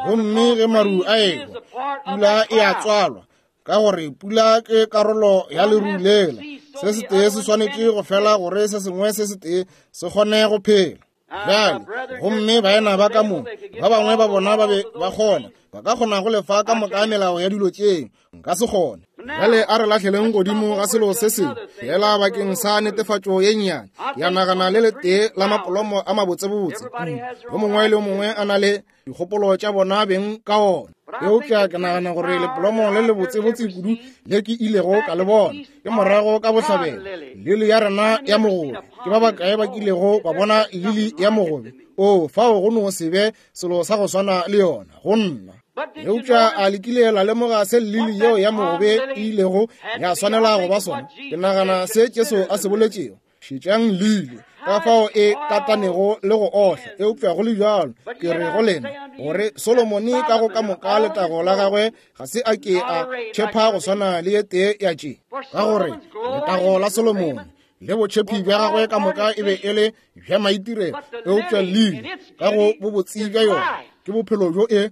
Gomme ge maru a ehwa, pula e a tswalwa, ka gore pula ke karolo ya leru lela. Se setee se swanetše go fela gore se sengwe se setee se kgone go phela. Bjale, gomme baena ba ka mo, ba bangwe ba bona ba be ba kgona, ba ka kgona go lefa ka moka melao ya dilo tšeo, nka se kgone. Bjale a re lahleleng godimo ga selo se sengwe fela bakeng sa netefatšo ye nnyane. Ke a nagana le letee la mapolomo a mabotsebotse kudu, yo mongwe le yo mongwe a na le dikgopolo tša bona beng ka ona. Eupša ke nagana gore lepolomo le lebotsebotse kudu le ke ilego ka le bona ke morago ka bohlabela, lili ya rena ya mogobe. Ke ba bakae ba kilego ba bona lili ya mogobe? O fao go no se be selo sa go swana le yona go nna. Eupša a le kile la lemoga se lili yeo ya mogobe e ilego ya swanela go ba sona? Ke nagana se Jesu a se boletšego, šetšang lili ka fao e katanego le go ohla. Eupša go le bjalo ke re go lena gore Solomone ka go ka moka letago la gagwe ga se a ke a tšhepha go swana le ye tee ya tše. Ka gore letago la Solomone le botšhephi bja gagwe ka moka e be e le bja maitirelo, eupša lili ka go bobotse bja yona ke bophelo bjo e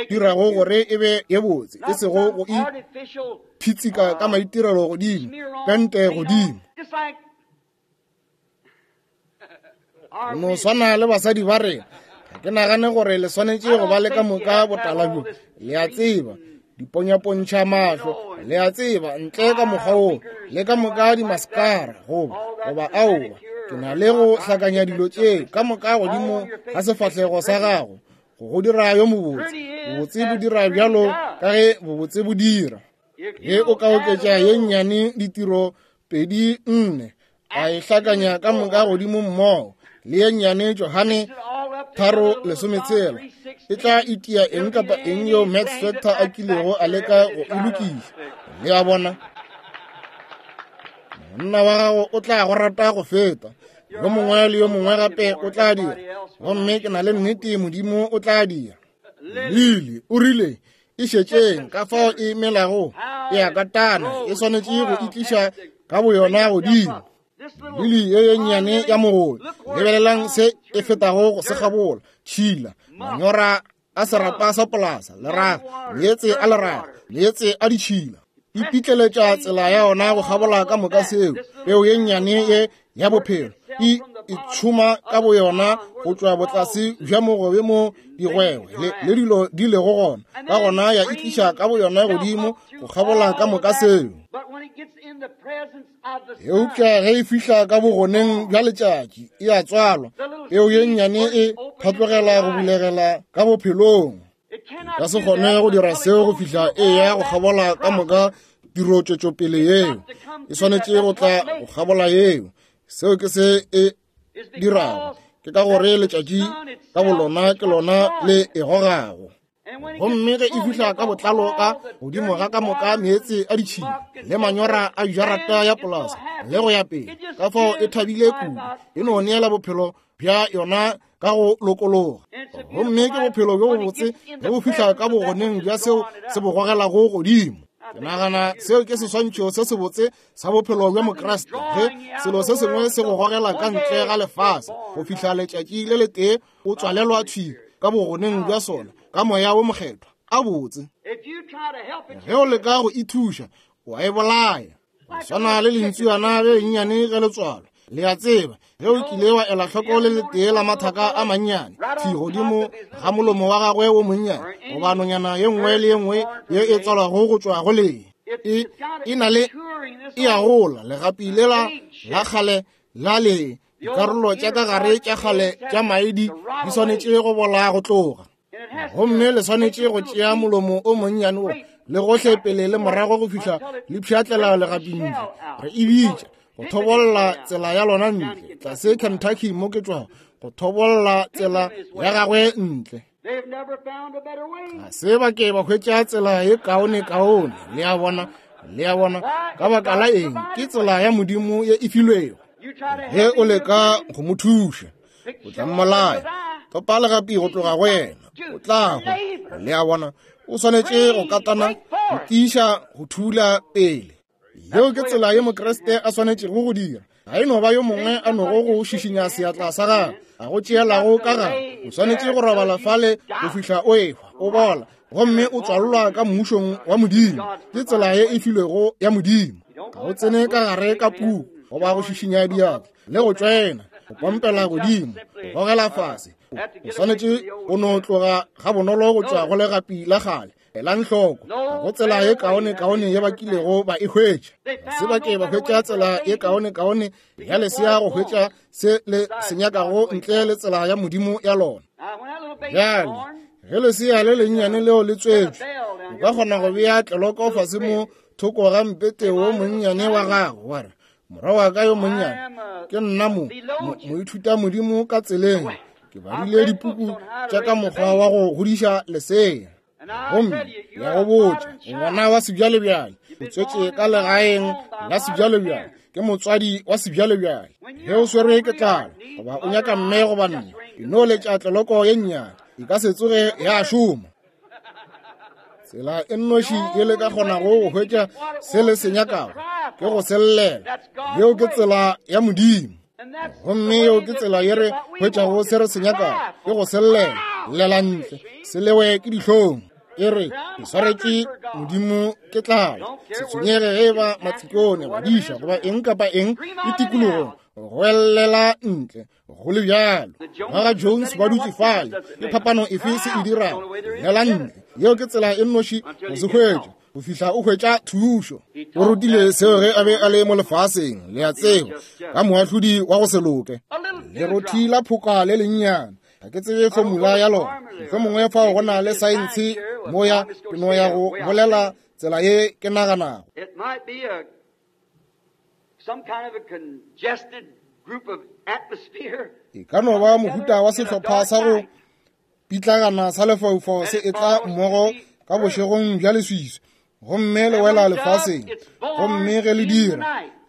dirago gore e be ye botse, e sego go iphitsika ka maitirelo godimo, pente godimo. No swana le basadi ba rena, ga ke nagane gore le swanetše go ba le ka moka botala bjo, le a tseba, diponyapontšha mahlo, le a tseba, ntle ka mokgwa wo, le ka moka dimaskara, goba goba aowa, ke na le go hlakanya dilo tše ka moka godimo ga sefahlego sa gago go go dira yo mobotse. Bobotse bo dira bjalo ka ge bobotse bo dira. Ge o ka oketša ye nnyane ditiro pedi nne, a e hlakanya ka moka godimo mmogo le ye nnyane Johane tharo lesometshela, e tla itia eng kapa eng yeo Max Factor a kilego a leka go e lokiša. Le a bona, monna wa gago o tla go rata go feta yo mongwe le yo mongwe gape o tla dira, gomme ke na le nnete Modimo o tla dira. Lili o rile e šetšeng ka fao e melago, e a katana, e swanetše go itliša ka boyona godimo. Lili ye ye nnyane ya mogobe, lebelelang se e fetago go se gabola, tšhila, manyora a serapa sa polasa, leraga, meetse a leraga, meetse a ditšhila, e pitleletša tsela ya yona go gabola ka moka seo. Peo ye nnyane ye ya bophelo e itšhoma ka boyona go tšwa botlase bja mogobe mo digwegwe le, le dilo di lego gona, ka gona ya itliša ka boyona godimo go gabola ka moka seo. Eupša ge e fihla ka bogoneng bja letšatši e a tswalwa, peo ye nnyane e phatlogela go bulegela ka bophelong. Ka se kgone go dira seo go fihla e ya go gabola ka moka tiro tšwetšopele yeo, e swanetše go tla go gabola yeo. Seo ke se e dirago, ke ka gore letšatši ka bolona ke lona le e gogago. Gomme ge e fihla ka botlalo ka godimo ga ka moka meetse a ditšhila le manyora a jarata ya polasa le go ya pele, ka fao e thabile kudu, e no neela bophelo bja yona ka go lokologa. Gomme ke bophelo bjo bobotse ge bo fihla ka bogoneng bja seo se bo gogelago godimo. Ke nagana seo ke seswantšho se sebotse sa bophelo bja Mokriste, ge selo se sengwe se go gogela ka ntle ga lefase go fihla letšatši le letee o tswalelwa thwi ka bogoneng bja sona ka moya wo mokgethwa. A botse. Ge o leka go ithuša, o a e bolaya. Go swana le lentsuana le lennyane ge le tswalwa, le a tseba, ge o kile wa ela hloko le letee la mathaka a mannyane thwi godimo ga molomo wa gagwe wo monnyane, goba nonyana ye nngwe le ye nngwe ye e tswalwago go tšwa go lee, e e na le e a gola legapi lela la kgale la lee, dikarolo tša ka gare tša kgale tša maedi di swanetše go bola go tloga. Gomme le swanetše go tšea molomo o monnyane wo le gohle pele le morago go fihla le pšhatlela legapi ntle. Re e bitša go thobolla tsela ya lona ntle, tlase Kentucky mo ke tšwago, go thobolla tsela ya gagwe ntle. Ga se ba ke ba hwetša tsela ye kaone kaone, le a bona, le a bona, ka baka la eng? Ke tsela ya Modimo ye e filwego. Ge o leka go mo thuša, o tla mmolaya. Topa legapi go tloga go yena, o tla hwa. Le a bona, o swanetše go katana, go tiiša, go thula pele. Yeo ke tsela ye Mokriste a swanetšego go dira. Ga e no ba yo mongwe a nogo go šišinya seatla sa gagwe, a go tšeelago ka gare. O swanetše go robala fale go fihla o ehwa, o bola, gomme o tswalelwa ka mmušong wa Modimo. Ke tsela ye e filwego ya Modimo. Ga o tsene ka gare ka puku goba go šišinya diatla le go tšwena. go pompela godimo, go gogela fase. O swanetše go no tloga gabonolo go tšwa go legapi la kgale. Elang hloko, ga go tsela ye kaonekaone ye ba kilego ba e hwetša. Ga se ba ke ba hwetša tsela ye kaonekaone ya lesea go hwetša se le se nyakago ntle le tsela ya Modimo ya lona. Bjale, ge lesea le lennyane leo le tswetšwe, o ka kgona go bea tleloko fase mo thoko ga mpete wo monnyane wa gago, wa re, morwa wa ka yo monnyane, ke nna mo moithuta Modimo ka tseleng, ke badile dipuku tša ka mokgwa wa go godiša lesea. Gomme ya go botša, ngwana wa sebjalebjale, o tswetše ka legaeng la sebjalebjale, ke motswadi wa sebjalebjale. Ge o swerwe ke tlala goba o nyaka mme goba nna, e no letša tleloko ye nnyane, e ka se tsoge ya šoma. Tsela e nnoši e le ka kgonago go hwetša se le se nyakago ke go se llela. Yeo ke tsela ya Modimo. Gomme yeo ke tsela ye re hwetšago se re se nyakago, ke go se llela. Llela ntle, se lewe ke dihlong. E re, ke swaretše Modimo ke tlala. Se tshwenyege ge e ba matsikone, badiša goba eng kapa eng e tikologong, go ellela ntle go le bjalo. Ba ga Jones ba dutše fale, ke phapano efe se e dirago? Llela ntle. Yeo ke tsela e nnoši go se hwetša, go fihla o hwetša thušo. O rutile seo ge a be a le mo lefaseng, le a tseba, ka moahlodi wa go se loke. Lerothi la phoka le lennyane, ga ke tsebe formula ya lona, mohlomongwe fao go na le saense moya, ke no ya go bolela tsela ye ke naganago. E ka no ba mohuta wa sehlopha sa go pitlagana sa lefaufau se etla mmogo ka bošegong bja leswiswi, gomme le wela lefaseng, gomme ge le dira,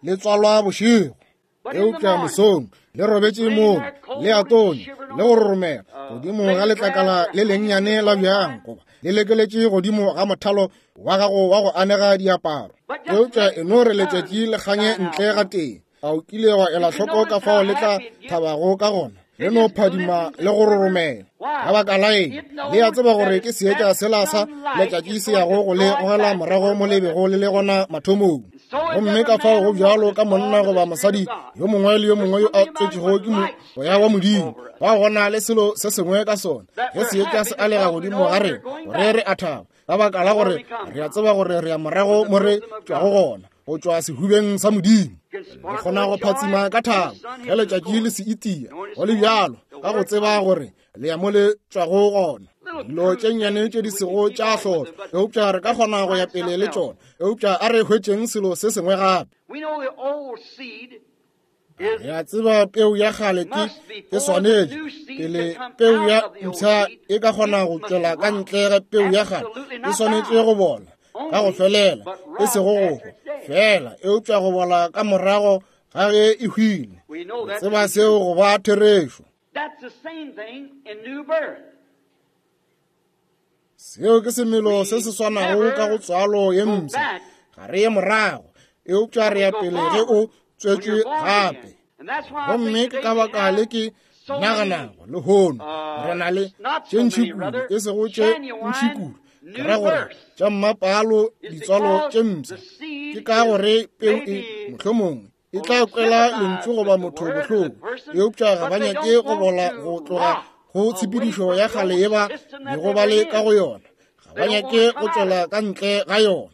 le tswalwa bošego. Eupša mosong le robetše moo, le a tonya le go roromela godimo ga letlakala le lennyane la bjang, goba le lekeletše godimo ga mothalo wa gago wa go anega diaparo. Eupša e no re letšatši le kganye ntle ga tee, a o kile wa ela hloko ka fao le tla thabago ka gona, le no phadima le go roromela. Ka baka la eng? Le a tseba gore ke seetša sela sa letšatši se yago go le gogela morago mo le bego le le gona mathomong. Gomme ka fao go bjalo ka monna goba mosadi yo mongwe le yo mongwe yo a tswetšego ke moya wa Modimo, ba gona le selo se sengwe ka sona. Ge seetša se alega godimo ga rena, gore re a thaba, ka baka la gore re a tseba gore re ya morago mo re tšwago gona, go tšwa sehubeng sa Modimo. Re kgona go phatsima ka thabo ge letšatši le se itia, go le bjalo, ka go tseba gore le ya mo le tšwago gona. Dilo tše nnyane tše di sego tša hlola, eupša re ka kgona go ya pele le tšona. Eupša a re hwetšeng selo se sengwe gape. Re a tseba peu ya kgale ke e swanetše pele peu ya mpsha e ka kgona go tšwela ka ntle ga peu ya kgale, e swanetše go bola ka go felela, e sego go hwa fela, eupša go bola ka morago ga ge e hwile. Re tseba seo go ba therešo. Seo ke semelo se se swanago ka go tswalo ye mpsha. Ga re ye morago, eupša re ya pele ge o tswetšwe gape. Gomme ke ka baka le ke naganago lehono re na le tše ntši kudu, e sego tše ntši kudu, ke ra gore tša mmapalo ditswalo tše mpsha. Ke ka gore peu e mohlomongwe e tla kwela lentšu goba motho bohloko, eupša ga ba nyake go bola go tloga go tshepedišo ya kgale ye ba bego ba le ka go yona. Ga ba nyake go tšwela ka ntle ga yona.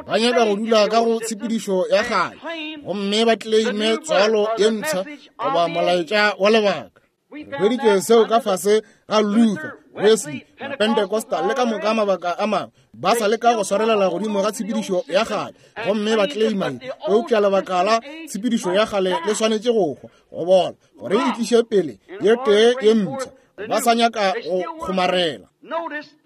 Ba nyaka go dula ka go tshepedišo ya kgale, gomme ba claime tswalo ye mpsha goba molaetša wa lebaka. Re hweditše seo ka fase ga Luther, Wesley, Pentecostal le ka moka mabaka a mangwe, ba sa leka go swarelela godimo ga tshepedišo ya kgale, gomme ba claima ye. Eupša lebaka la tshepedišo ya kgale le swanetše go hwa, go bola, gore e tliše pele ye tee ye mpsha. Ba sa nyaka go kgomarela.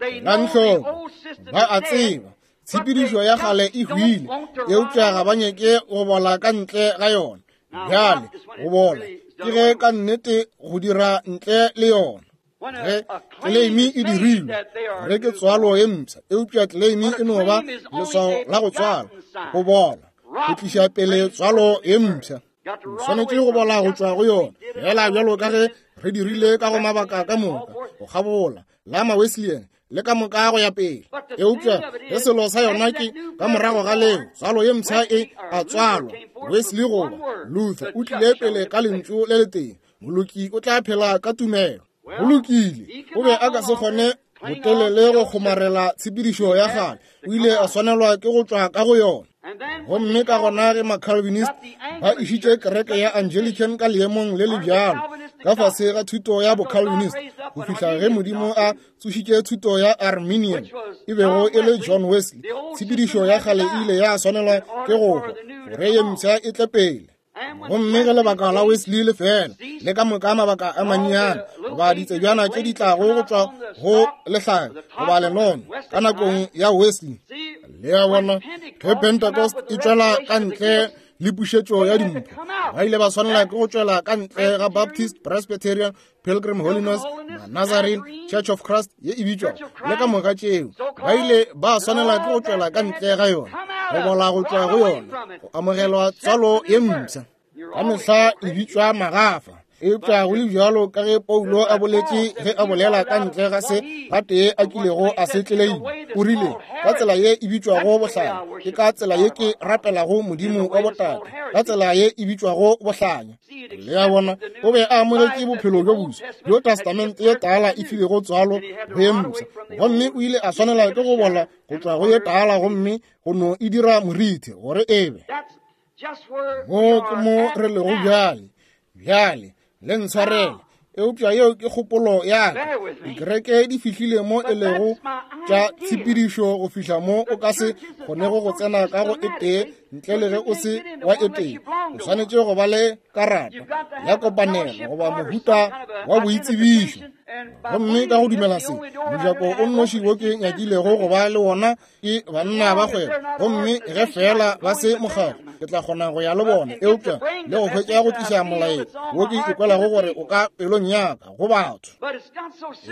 Elang hloko, ba a tseba tshepedišo ya kgale e hwile, eupša ga ba nyake go bola ka ntle ga yona. Bjale go bola ke ge ka nnete go dira ntle le yona. Ge claim e dirilwe gore ke tswalo ye mpsha, eupša claim e no ba leswao la go tswala, go bola, go tliša pele tswalo ye mpsha. O swanetše go bola go tšwa go yona, fela bjalo ka ge re dirile ka go mabaka ka moka, go kgabola la ma-Wesleyan le ka moka go ya pele. Eupša ge selo sa yona ke ka morago ga leo, tswalo ye mpsha e a tswalwa. Wesley goba Luther o tlile pele ka lentšu le letee, Moloki o tla phela ka tumelo. Go lokile, o be a ka se kgone botelele go kgomarela tshepedišo ya kgale. O ile a swanelwa ke go tšwa ka go yona. Gomme ka gona ge ma-Calvinist ba išitše kereke ya Anglican ka leemong le le bjalo ka fase ga thuto ya bo-Calvinist go fihla ge Modimo a tsošitše thuto ya Arminian e bego e le John Wesley, tshepedišo ya kgale e ile ya swanelwa ke go hwa gore ye mpsha e tle pele. Gomme ge lebaka la Wesley le fela, le ka moka mabaka a mannyane goba ditsebjana tše di tlago go tšwa go lehlare goba lenono ka nakong ya Wesley, le a bona, ge Pentecost e tšwela ka ntle le pušetšo ya dimpho, ba ile ba swanela ke go tšwela ka ntle ga Baptist, Presbyterian, Pilgrim Holiness, Nazarene, Church of Christ ye e bitšwago, le ka moka tšeo. Ba ile ba swanela ke go tšwela ka ntle ga yona, go bola go tšwa go yona, go amogelwa tswalo ye mpsha. Ka mehla e bitšwa magafa, eupša go le bjalo ka ge Paulo a boletše ge a bolela ka ntle ga se gatee a kilego a se tleleima, o rile, ka tsela ye e bitšwago bohlanya, ke ka tsela ye ke rapelago Modimo wa botate, ka tsela ye e bitšwago bohlanya. Le a bona, o be a amogetše bophelo bjo boswa bjo Testamente ye tala e filego tswalo go ye mpsha, gomme o ile a swanela ke go bola go tšwa go ye tala gomme go no e dira moriti gore e be. Mo ke mo re lego bjale. Bjale le ntshwarele, eupša yeo ke kgopolo ya ka. Dikereke di fihlile mo e lego tša tshepedišo go fihla mo o ka se kgonego go tsena ka go e tee ntle le ge o se wa e tee. O swanetše go ba le karata ya kopanelo goba mohuta wa boitsebišo. Gomme ka go dumela se, mojako o nnoši wo ke nyakilego go ba le wona ke banna ba kgwebo, gomme ge fela ba se mokgatlo, ke tla kgona go ya le bona, eupša le go hwetša go tliša molaetša wo ke ikwelago gore o ka pelong ya ka go batho.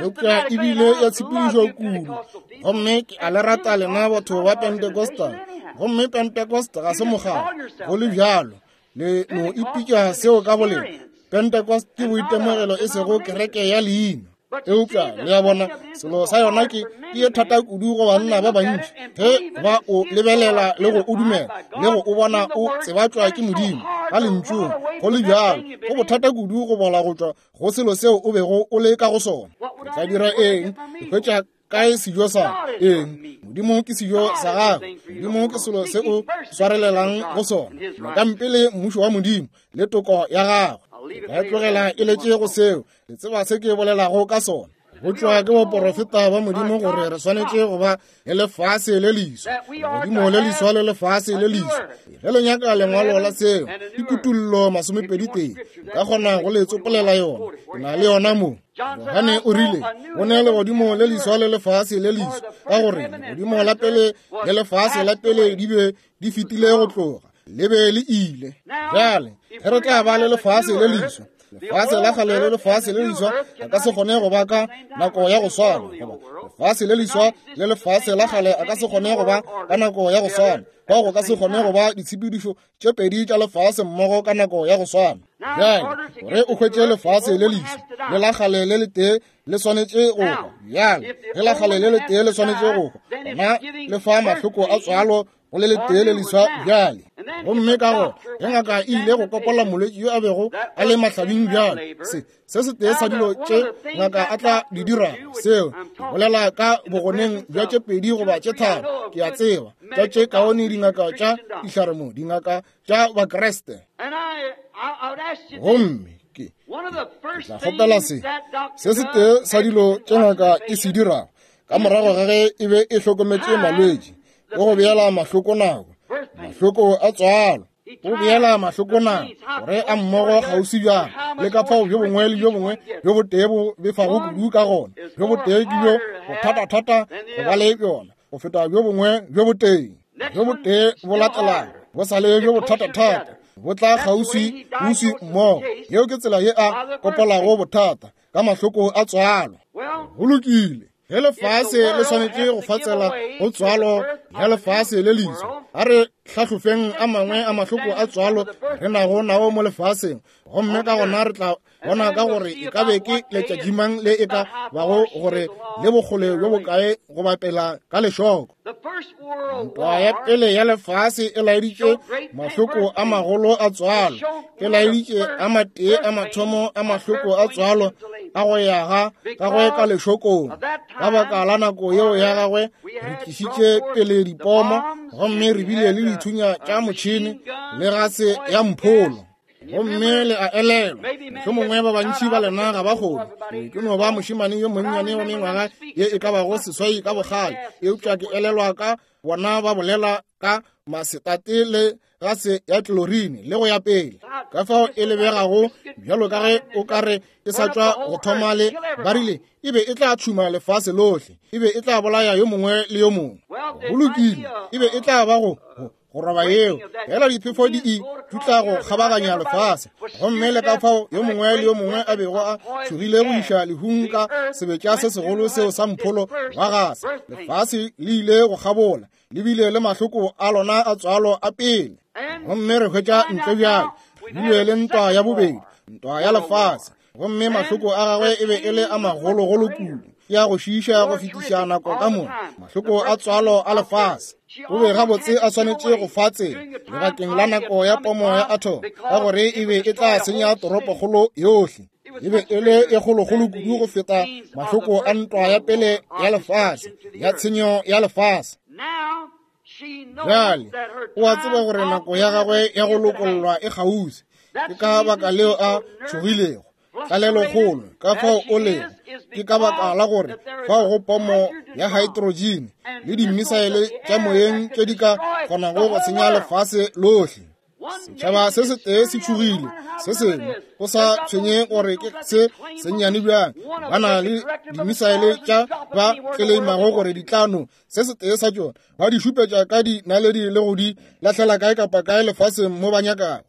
Eupša ebile ya tshepedišo kudu, gomme ke a le rata lena batho ba Pentecostal, gomme Pentecost ga se mokgatlo, go le bjalo le no ipitša seo ka bolena. Pentecost ke boitemogelo e sego kereke ya leina. Eupša le a bona, selo sa yona ke ke ye thata kudu go banna ba bantši ge ba o lebelela le go o dumela le go o bona o tsebatšwa ke Modimo ka lentšung. Go le bjalo, go bothata kudu go bola go tšwa go selo seo o bego o le ka go sona. Ke tla dira eng? Ke hwetša kae sejo sa eng? Modimo ke sejo sa gago. Modimo ke selo se o swarelelang go sona. Nyakang mmušo wa Modimo le toko ya gagwe. Ke tlogela e letše go seo. Le tseba se ke bolelago ka sona. Go tšwa ke boporofeta ba Modimo gore re swanetše go ba le lefase le leswa, legodimo le leswa le lefase le leswa. Ge le nyaka lengwalo la seo, ke Kutullo masomepedi tee. Nka kgona go le tsopolela yona, ke na le yona mo. Johane o rile, go ne legodimo le leswa le lefase le leswa, ka gore legodimo la pele le lefase la pele di be di fetile go tloga, le be le ile. Bjale ge re tla ba le lefase le leswa, lefase la kgale le lefase le leswa a ka se kgone go ba ka nako ya go swana, goba lefase le leswa le lefase la kgale a ka se kgone go ba ka nako ya go swana, bao go ka se kgone go ba ditshepedišo tše pedi tša lefase mmogo ka nako ya go swana. Bjale gore o hwetše lefase le leswa le la kgale le letee le swanetše go hwa. Bjale ge la kgale le letee le swanetše go hwa, gona le fa mahloko a tswalo go le letee le leswa bjale. Gomme ka go ge ngaka e ile go kopola molwetši yo a bego a le mahlabing bjale, se se setee sa dilo tše ngaka a tla di dira, seo ke bolela ka bogoneng bja tše pedi goba tše tharo, ke a tseba tša tše kaone dingaka tša dihlare mo, dingaka tša Bakreste. Gomme ke tla kgopela se se setee sa dilo tše ngaka e se dirago ka morago ga ge e be e hlokometše malwetši, ke go beela mahloko nako, mahloko a tswalo. O beela mahloko nako gore a mmogo kgauswi bjang le ka fao bjo bongwe le bjo bongwe bjo botee bo befago kudu ka gona. Bjo botee ke bjo bothatathata go ba le bjona go feta bjo bongwe bjo botee. Bjo botee bo latelang bo sa le bjo bothatathata, bo tla kgauswi uswi mmogo. Yeo ke tsela ye a kopolago bothata ka mahloko a tswalo. Go lokile. Ge lefase le swanetše go fatsela go tswalo ya lefase le leswa, a re hlahlofeng a mangwe a mahloko a tswalo re nago nao mo lefaseng, gomme ka gona re tla bona ka gore e ka be ke letšatšimang le e ka bago gore le bokgole bjo bokae go bapela ka lešoko. Ntwa ya pele ya lefase e laeditše mahloko a magolo a tswalo, e laeditše a matee a mathomo a mahloko a tswalo a go ya ga gagwe ka lešokong. Ka baka la nako yeo ya gagwe re tlišitše pele dipomo, gomme re bile le dithunya tša motšhene le gase ya mpholo. Gomme le a elelwa, mohlomongwe ba bantši ba lena ga ba kgone. Ke no ba mošemane yo monnyane wa mengwaga ye e ka bago seswai ka bogale, eupša ke elelwa ka bona ba bolela ka masetate le gase ya tlorine le go ya pele, ka fao e lebegago bjalo ka ge o ka re e sa tšwa go thoma le ba rile e be e tla tšhuma lefase lohle, e be e tla bolaya yo mongwe le yo mongwe. Go lokile, e be e tla ba go go roba yeo fela diphefo di e dutla go kgabaganya lefase, gomme le ka fao yo mongwe le yo mongwe a bego a tšhogile go iša lehung ka sebetša se segolo seo sa mpholo wa gase. Lefase le ile go kgabola, le bile le mahloko a lona a tswalo a pele, gomme re hwetša ntle bjale bile le ntwa ya bobedi, ntwa ya lefase, gomme mahloko a gagwe e be e le a magologolo kudu, ya go šiiša go fetiša nako ka moka, mahloko a tswalo a lefase. O be gabotse a swanetše go fa tsela lebakeng la nako ya pomo ya atom, ka gore e be e tla senya toropokgolo yohle. E be e le e kgolokgolo kudu go feta mahloko a ntwa ya pele ya lefase, ya tshenyo ya lefase. Bjale o a tseba gore nako ya gagwe ya go lokollwa e kgauswi, ke ka baka leo a tšhogilego tlalelokgolo ka fao o lego. Ke ka baka la gore fao go pomo ya hydrogen le dimisaele tša moyeng tše di ka kgonago go senya lefase lohle. Setšhaba se setee se tšhogile se sengwe, go sa tshwenye gore ke se sennyane bjang, ba na le dimisaele tša ba tleleimago gore di tla no se setee sa tšona ba di šupetša ka dinaledi le go di lahlela kae kapa kae lefaseng mo ba nyakago.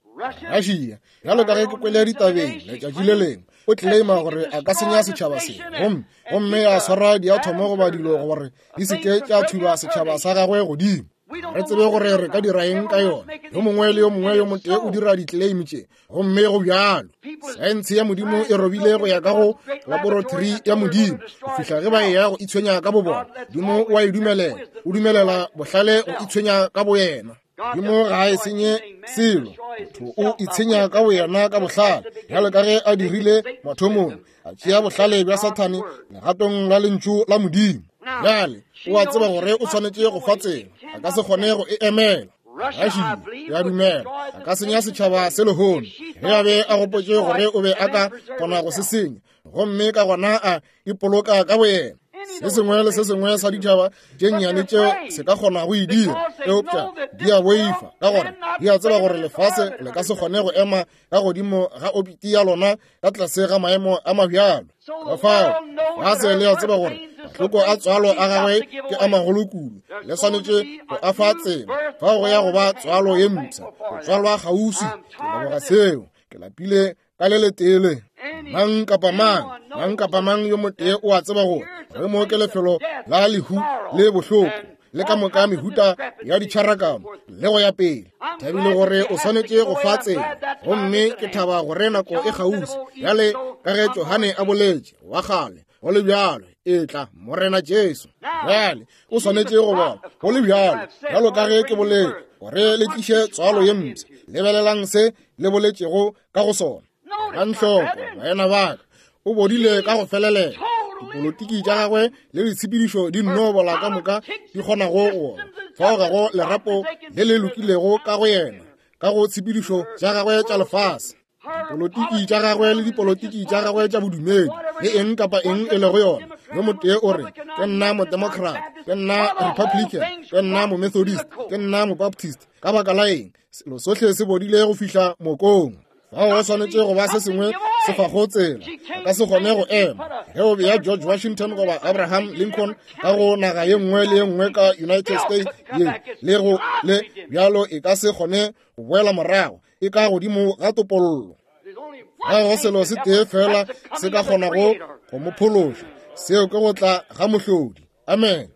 Russia, bjalo ka ge ke kwele ditabeng letšatši le lengwe, o tleleima gore a ka senya setšhaba se, gomme gomme a swara diathomo goba dilo gore di se ke tša thuba setšhaba sa gagwe godimo. Re tsebe gore re ka dira eng ka yona. Yo mongwe le yo mongwe yo motee o dira di-claim tše, gomme go bjalo. Saense ya Modimo e robile go ya ka go laboratory ya Modimo go fihla ge ba eya go itshwenya ka bobona. Modimo o a e dumelela, o dumelela bohlale go itshwenya ka boyena. Modimo ga a e senye selo, motho o itshenya ka boyena ka bohlale, bjalo ka ge a dirile mathomong, a tšea bohlale bja Sathane legatong la lentšu la Modimo. Bjale o a tseba gore o swanetše go fa tsela, a ka se kgone go e emela. Russia ya dumela a ka senya setšhaba se lehono ge a be a gopotše gore o be a ka kgona go se senya, gomme ka gona a ipoloka ka boyena. Se sengwe le se sengwe sa ditšhaba tše nnyane tšeo se ka kgona go e dira, eupša di a boifa ka gore di a tseba gore lefase le ka se kgone go ema ka godimo ga obiti ya lona ka tlase ga maemo a mabjalo. Ka fao lefase le a tseba gore mahloko a tswalo a gagwe ke a magolo kudu, le swanetše go a fa tsela fao go ya go ba tswalo ye mpsha, go tswalwa kgauswi. Ke leboga seo, ke lapile ka le letee le. Mang kapa mang, mang kapa mang yo motee o a tseba gore re mo ke lefelo la lehu le bohloko le ka moka mehuta ya ditšharakano le go ya pele. Thabile gore o swanetše go fa tsela, gomme ke thaba gore nako e kgauswi. Bjale ka ge Johane a boletše wa kgale, go le bjalo e tla Morena Jesu. Bjale o swanetše go bona go le bjalo, bjalo ka ge ke boletše gore le tliše tswalo ye mpsha. Lebelelang se le boletšego ka go sona. Elang hloko, baena ba ka, o bodile ka go felelela. Dipolotiki tša gagwe le ditshepedišo di nno bola ka moka di kgonago go bona. Fao ga go lerapo le le lokilego ka go yena, ka go tshepedišo tša gagwe tša lefase, dipolotiki tša gagwe le dipolotiki tša gagwe tša bodumedi, le eng kapa eng e lego yona. Yo motee o re, ke nna modemocrat, ke nna republican, ke nna momethodist, ke nna mobaptist. Ka baka la eng? Selo sohle se bodile go fihla mokong. Fao go swanetše go ba se sengwe se fago tsela, a ka se kgone go ema. Ge o bea George Washington goba Abraham Lincoln ka go naga ye nngwe le ye nngwe ka United States ye le go le bjalo, e ka se kgone go boela morago, e ka godimo ga topollo. Ga go selo se tee fela se ka kgonago go mo phološa, Seo ke go tla ga mohlodi. Amen.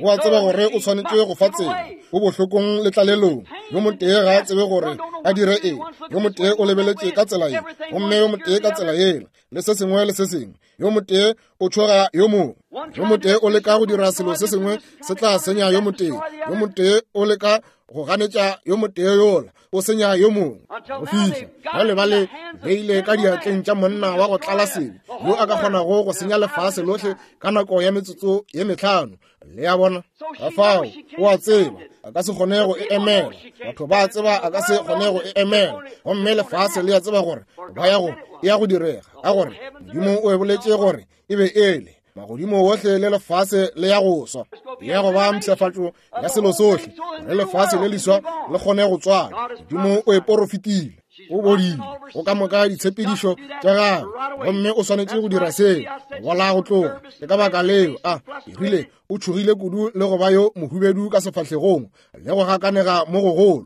O a tseba gore o swanetše go fa tsela. O bohlokong le tlalelong. Yo motee ga a tsebe gore a dire eng. Yo motee o lebeletše ka tsela ye, gomme yo motee ka tsela yela, le se sengwe le se sengwe. Yo motee o tšhoga yo mongwe. Yo motee o leka go dira selo se sengwe se tla senya yo motee. Yo motee o leka go ganetša yo motee yola, o senya yo mongwe. Go fihla bjale ba le beile ka diatleng tša monna wa go tlala sebe, yo a ka kgonago go senya lefase lohle ka nako ya metsotso ye mehlano. Le a bona? Ka fao o a tseba a ka se kgone go e emela. Batho ba a tseba a ka se kgone go e emela. Gomme lefase le a tseba gore ba ya go e ya go direga, ka gore Modimo o e boletše gore e be ele. Magodimo ohle le lefase le ya go swa, ya go ba mpshafatšo ya selo sohle, le lefase le leswa le kgone go tswala. Modimo o e porofetile, o bodile go ka moka ditshepedišo tša gagwe, gomme o swanetše go dira seo bola go tloga. Ke ka baka leo a rile o tšhogile kudu le go ba yo mohubedu ka sefahlegong le go gakanega mo gogolo.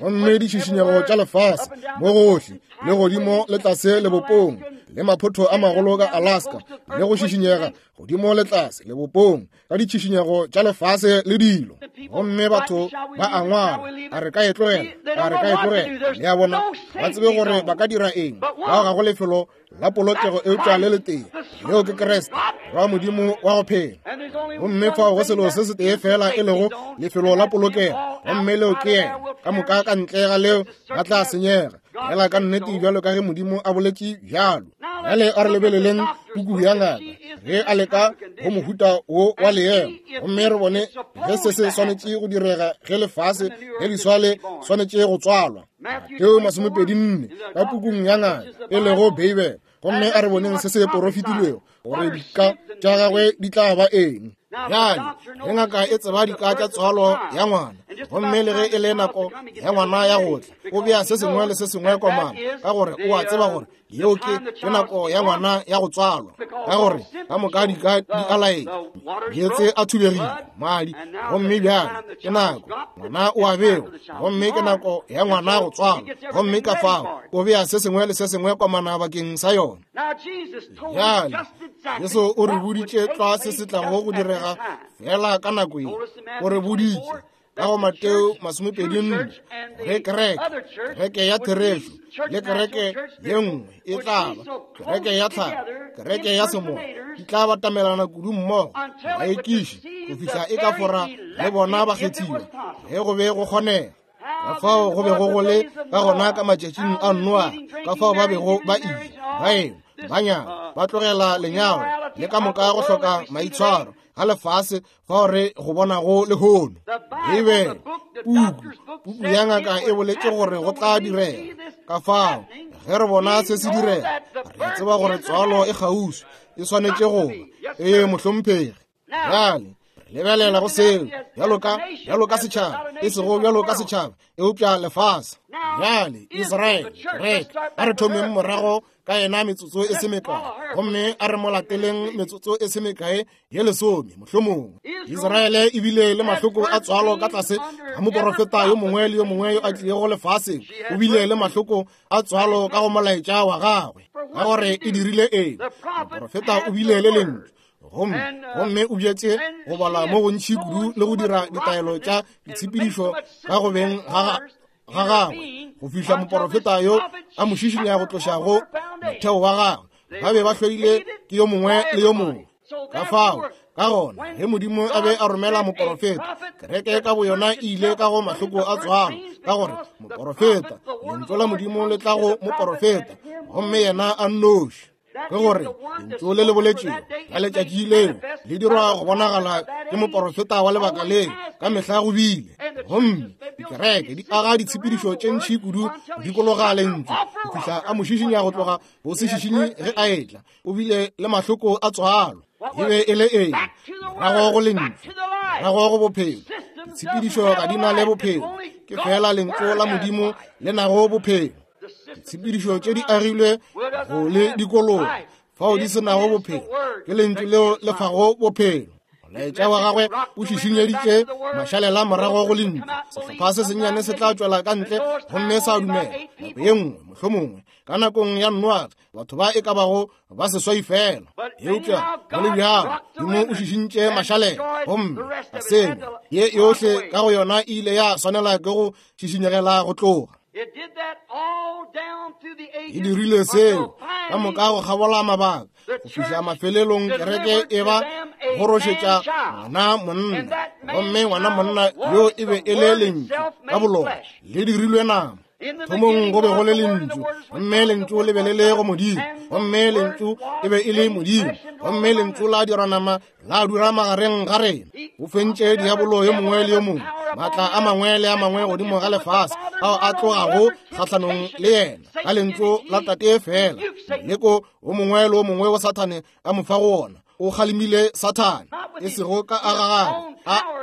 Gomme ditšhišinyego tša lefase mo gohle, le godimo le tlase lebopong, le maphotho a magolo ka Alaska, le go šišinyega godimo le tlase lebopong ka ditšhišinyego tša lefase le dilo. Gomme batho ba a ngwala, a re ka e tlogela, a re ka e tlogela. Le a bona, ba tsebe gore ba ka dira eng. Bao ga go lefelo la polokego eupša le letee, leo ke Kriste, wa Modimo wa go phela. Gomme fao go selo se setee fela e lego lefelo la polokego, gomme leo ke yena. Ka moka ka ntle ga leo ba tla senyega, fela ka nnete bjalo ka ge Modimo a boletše bjalo. Bjale a re lebeleleng puku ya ngaka ge a leka go mohuta wo wa leemo, gomme re bone ge se se swanetše go direga ge lefase le leswa le swanetše go tswalwa. Mateo masomepedi nne ka pukung ya ngaka e lego Beibele, gomme a re boneng se se porofetilwego gore dika tša gagwe di tla ba eng. Bjale ge ngaka e tseba dika tša tswalo ya ngwana, gomme le ge e le nako ya ngwana ya go tla, o bea se sengwe le se sengwe komana, ka gore o a tseba gore yeo ke ke nako ya ngwana ya go tswalwa, ka gore ka moka dika di a laetša meetse a thubegile, madi, gomme bjale ke nako ngwana o a bewa, gomme ke nako ya ngwana go tswalwa, gomme ka fao o bea se sengwe le se sengwe komana bakeng sa yona. Bjale Jesu o re boditše tlwa se se tlago go direga fela ka nako ye. O re boditše ka go Mateo masomepedi nne ge kereke, kereke ya therešo le kereke ye nngwe e tla ba kereke ya tlhago, kereke ya semoya, di tla batamelana kudu mmogo, baekiši go fihla e ka fora le bona bakgethiwa ge go be go kgonega. Ka fao go bego go le ka gona ka matšatšing a Noa, ka fao ba bego ba ile ba enwa, ba nyala, ba tlogela lenyalo le ka moka go hloka maitshwaro ga lefase fao re go bonago lehono. Beibele, puku, puku ya ngaka e boletše gore go tla direga. Ka fao ge re bona se se direga, re tseba gore tswalo e kgauswi, e swanetše go ba. Ee, mohlomphegi. Bjale lebelela go seo bjalo ka bjalo ka setšhaba, e sego bjalo ka setšhaba, eupša lefase. Bjale Israele, kereke, a re thomeng morago ka yena metsotso e se mekae, gomme a re mo lateleng metsotso e se mekae ye lesome mohlomongwe. Israele e bile le mahloko a tswalo ka tlase ga moporofeta yo mongwe le yo mongwe yo a tlilego lefaseng. O bile le mahloko a tswalo ka go molaetša wa gagwe, ka gore e dirile eng? Moporofeta o bile le lentšu, gomme gomme o bjetše go bala mo gontši kudu le go dira ditaelo tša ditshepedišo ka go beng ga ga gagwe, go fihla moporofeta yo a mo šišinya go tloša go motheo wa gagwe. Ba be ba hloile ke yo mongwe le yo mongwe. Ka fao ka gona ge Modimo a be a romela moporofeta, kereke ka boyona e ile ka go mahloko a tswalo, ka gore moporofeta, lentšu la Modimo le tla go moporofeta, gomme yena a nnoši. Ke gore lentšu le le boletšego ka letšatši leo le dirwa go bonagala ke moporofeta wa lebaka leo ka mehla go bile. Gomme dikereke di aga ditshepedišo tše ntši kudu go dikologa lentšu go fihla a mo šišinya go tloga go se šišinye ge a etla. O bile le mahloko a tswalo. E be e le eng? Morago go lentšu, morago go bophelo. Ditshepedišo ga di na le bophelo, ke fela lentšu la Modimo le nago bophelo. Ditshepedišo tše di agilwe go le dikologa fao di se nago bophelo, ke lentšu leo le fago bophelo. Molaetša wa gagwe o šišinyeditše mašalela morago go lentšu. Sehlopha se sennyane se tla tšwela ka ntle gomme sa dumela. Nako ye nngwe, mohlomongwe, ka nakong ya Noage, batho ba e ka bago ba seswai fela. Eupša go le bjalo, Modimo o šišintše mašalela gomme a senya. Ye yohle ka go yona e ile ya swanela ke go šišinyegela go tloga. E dirile seo ka moka go kgabola mabaka go fihla mafelelong kereke e ba gorošetša ngwana monna, gomme ngwana monna yo e be e le lentšu ka bolona le dirilwe nama. Thomong go be go le lentšu, gomme lentšu le be le le go Modimo, gomme lentšu e be e le Modimo, gomme lentšu la dirwa nama la dula magareng ga rena. O fentše diabolo yo mongwe le yo mongwe, maatla a mangwe le a mangwe godimo ga lefase ao a tlogago kgahlanong le yena ka lentšu la Tate fela. Moleko o mongwe le o mongwe wa Sathane a mo fa go ona, o kgalemile Sathane, e sego ka a gagwe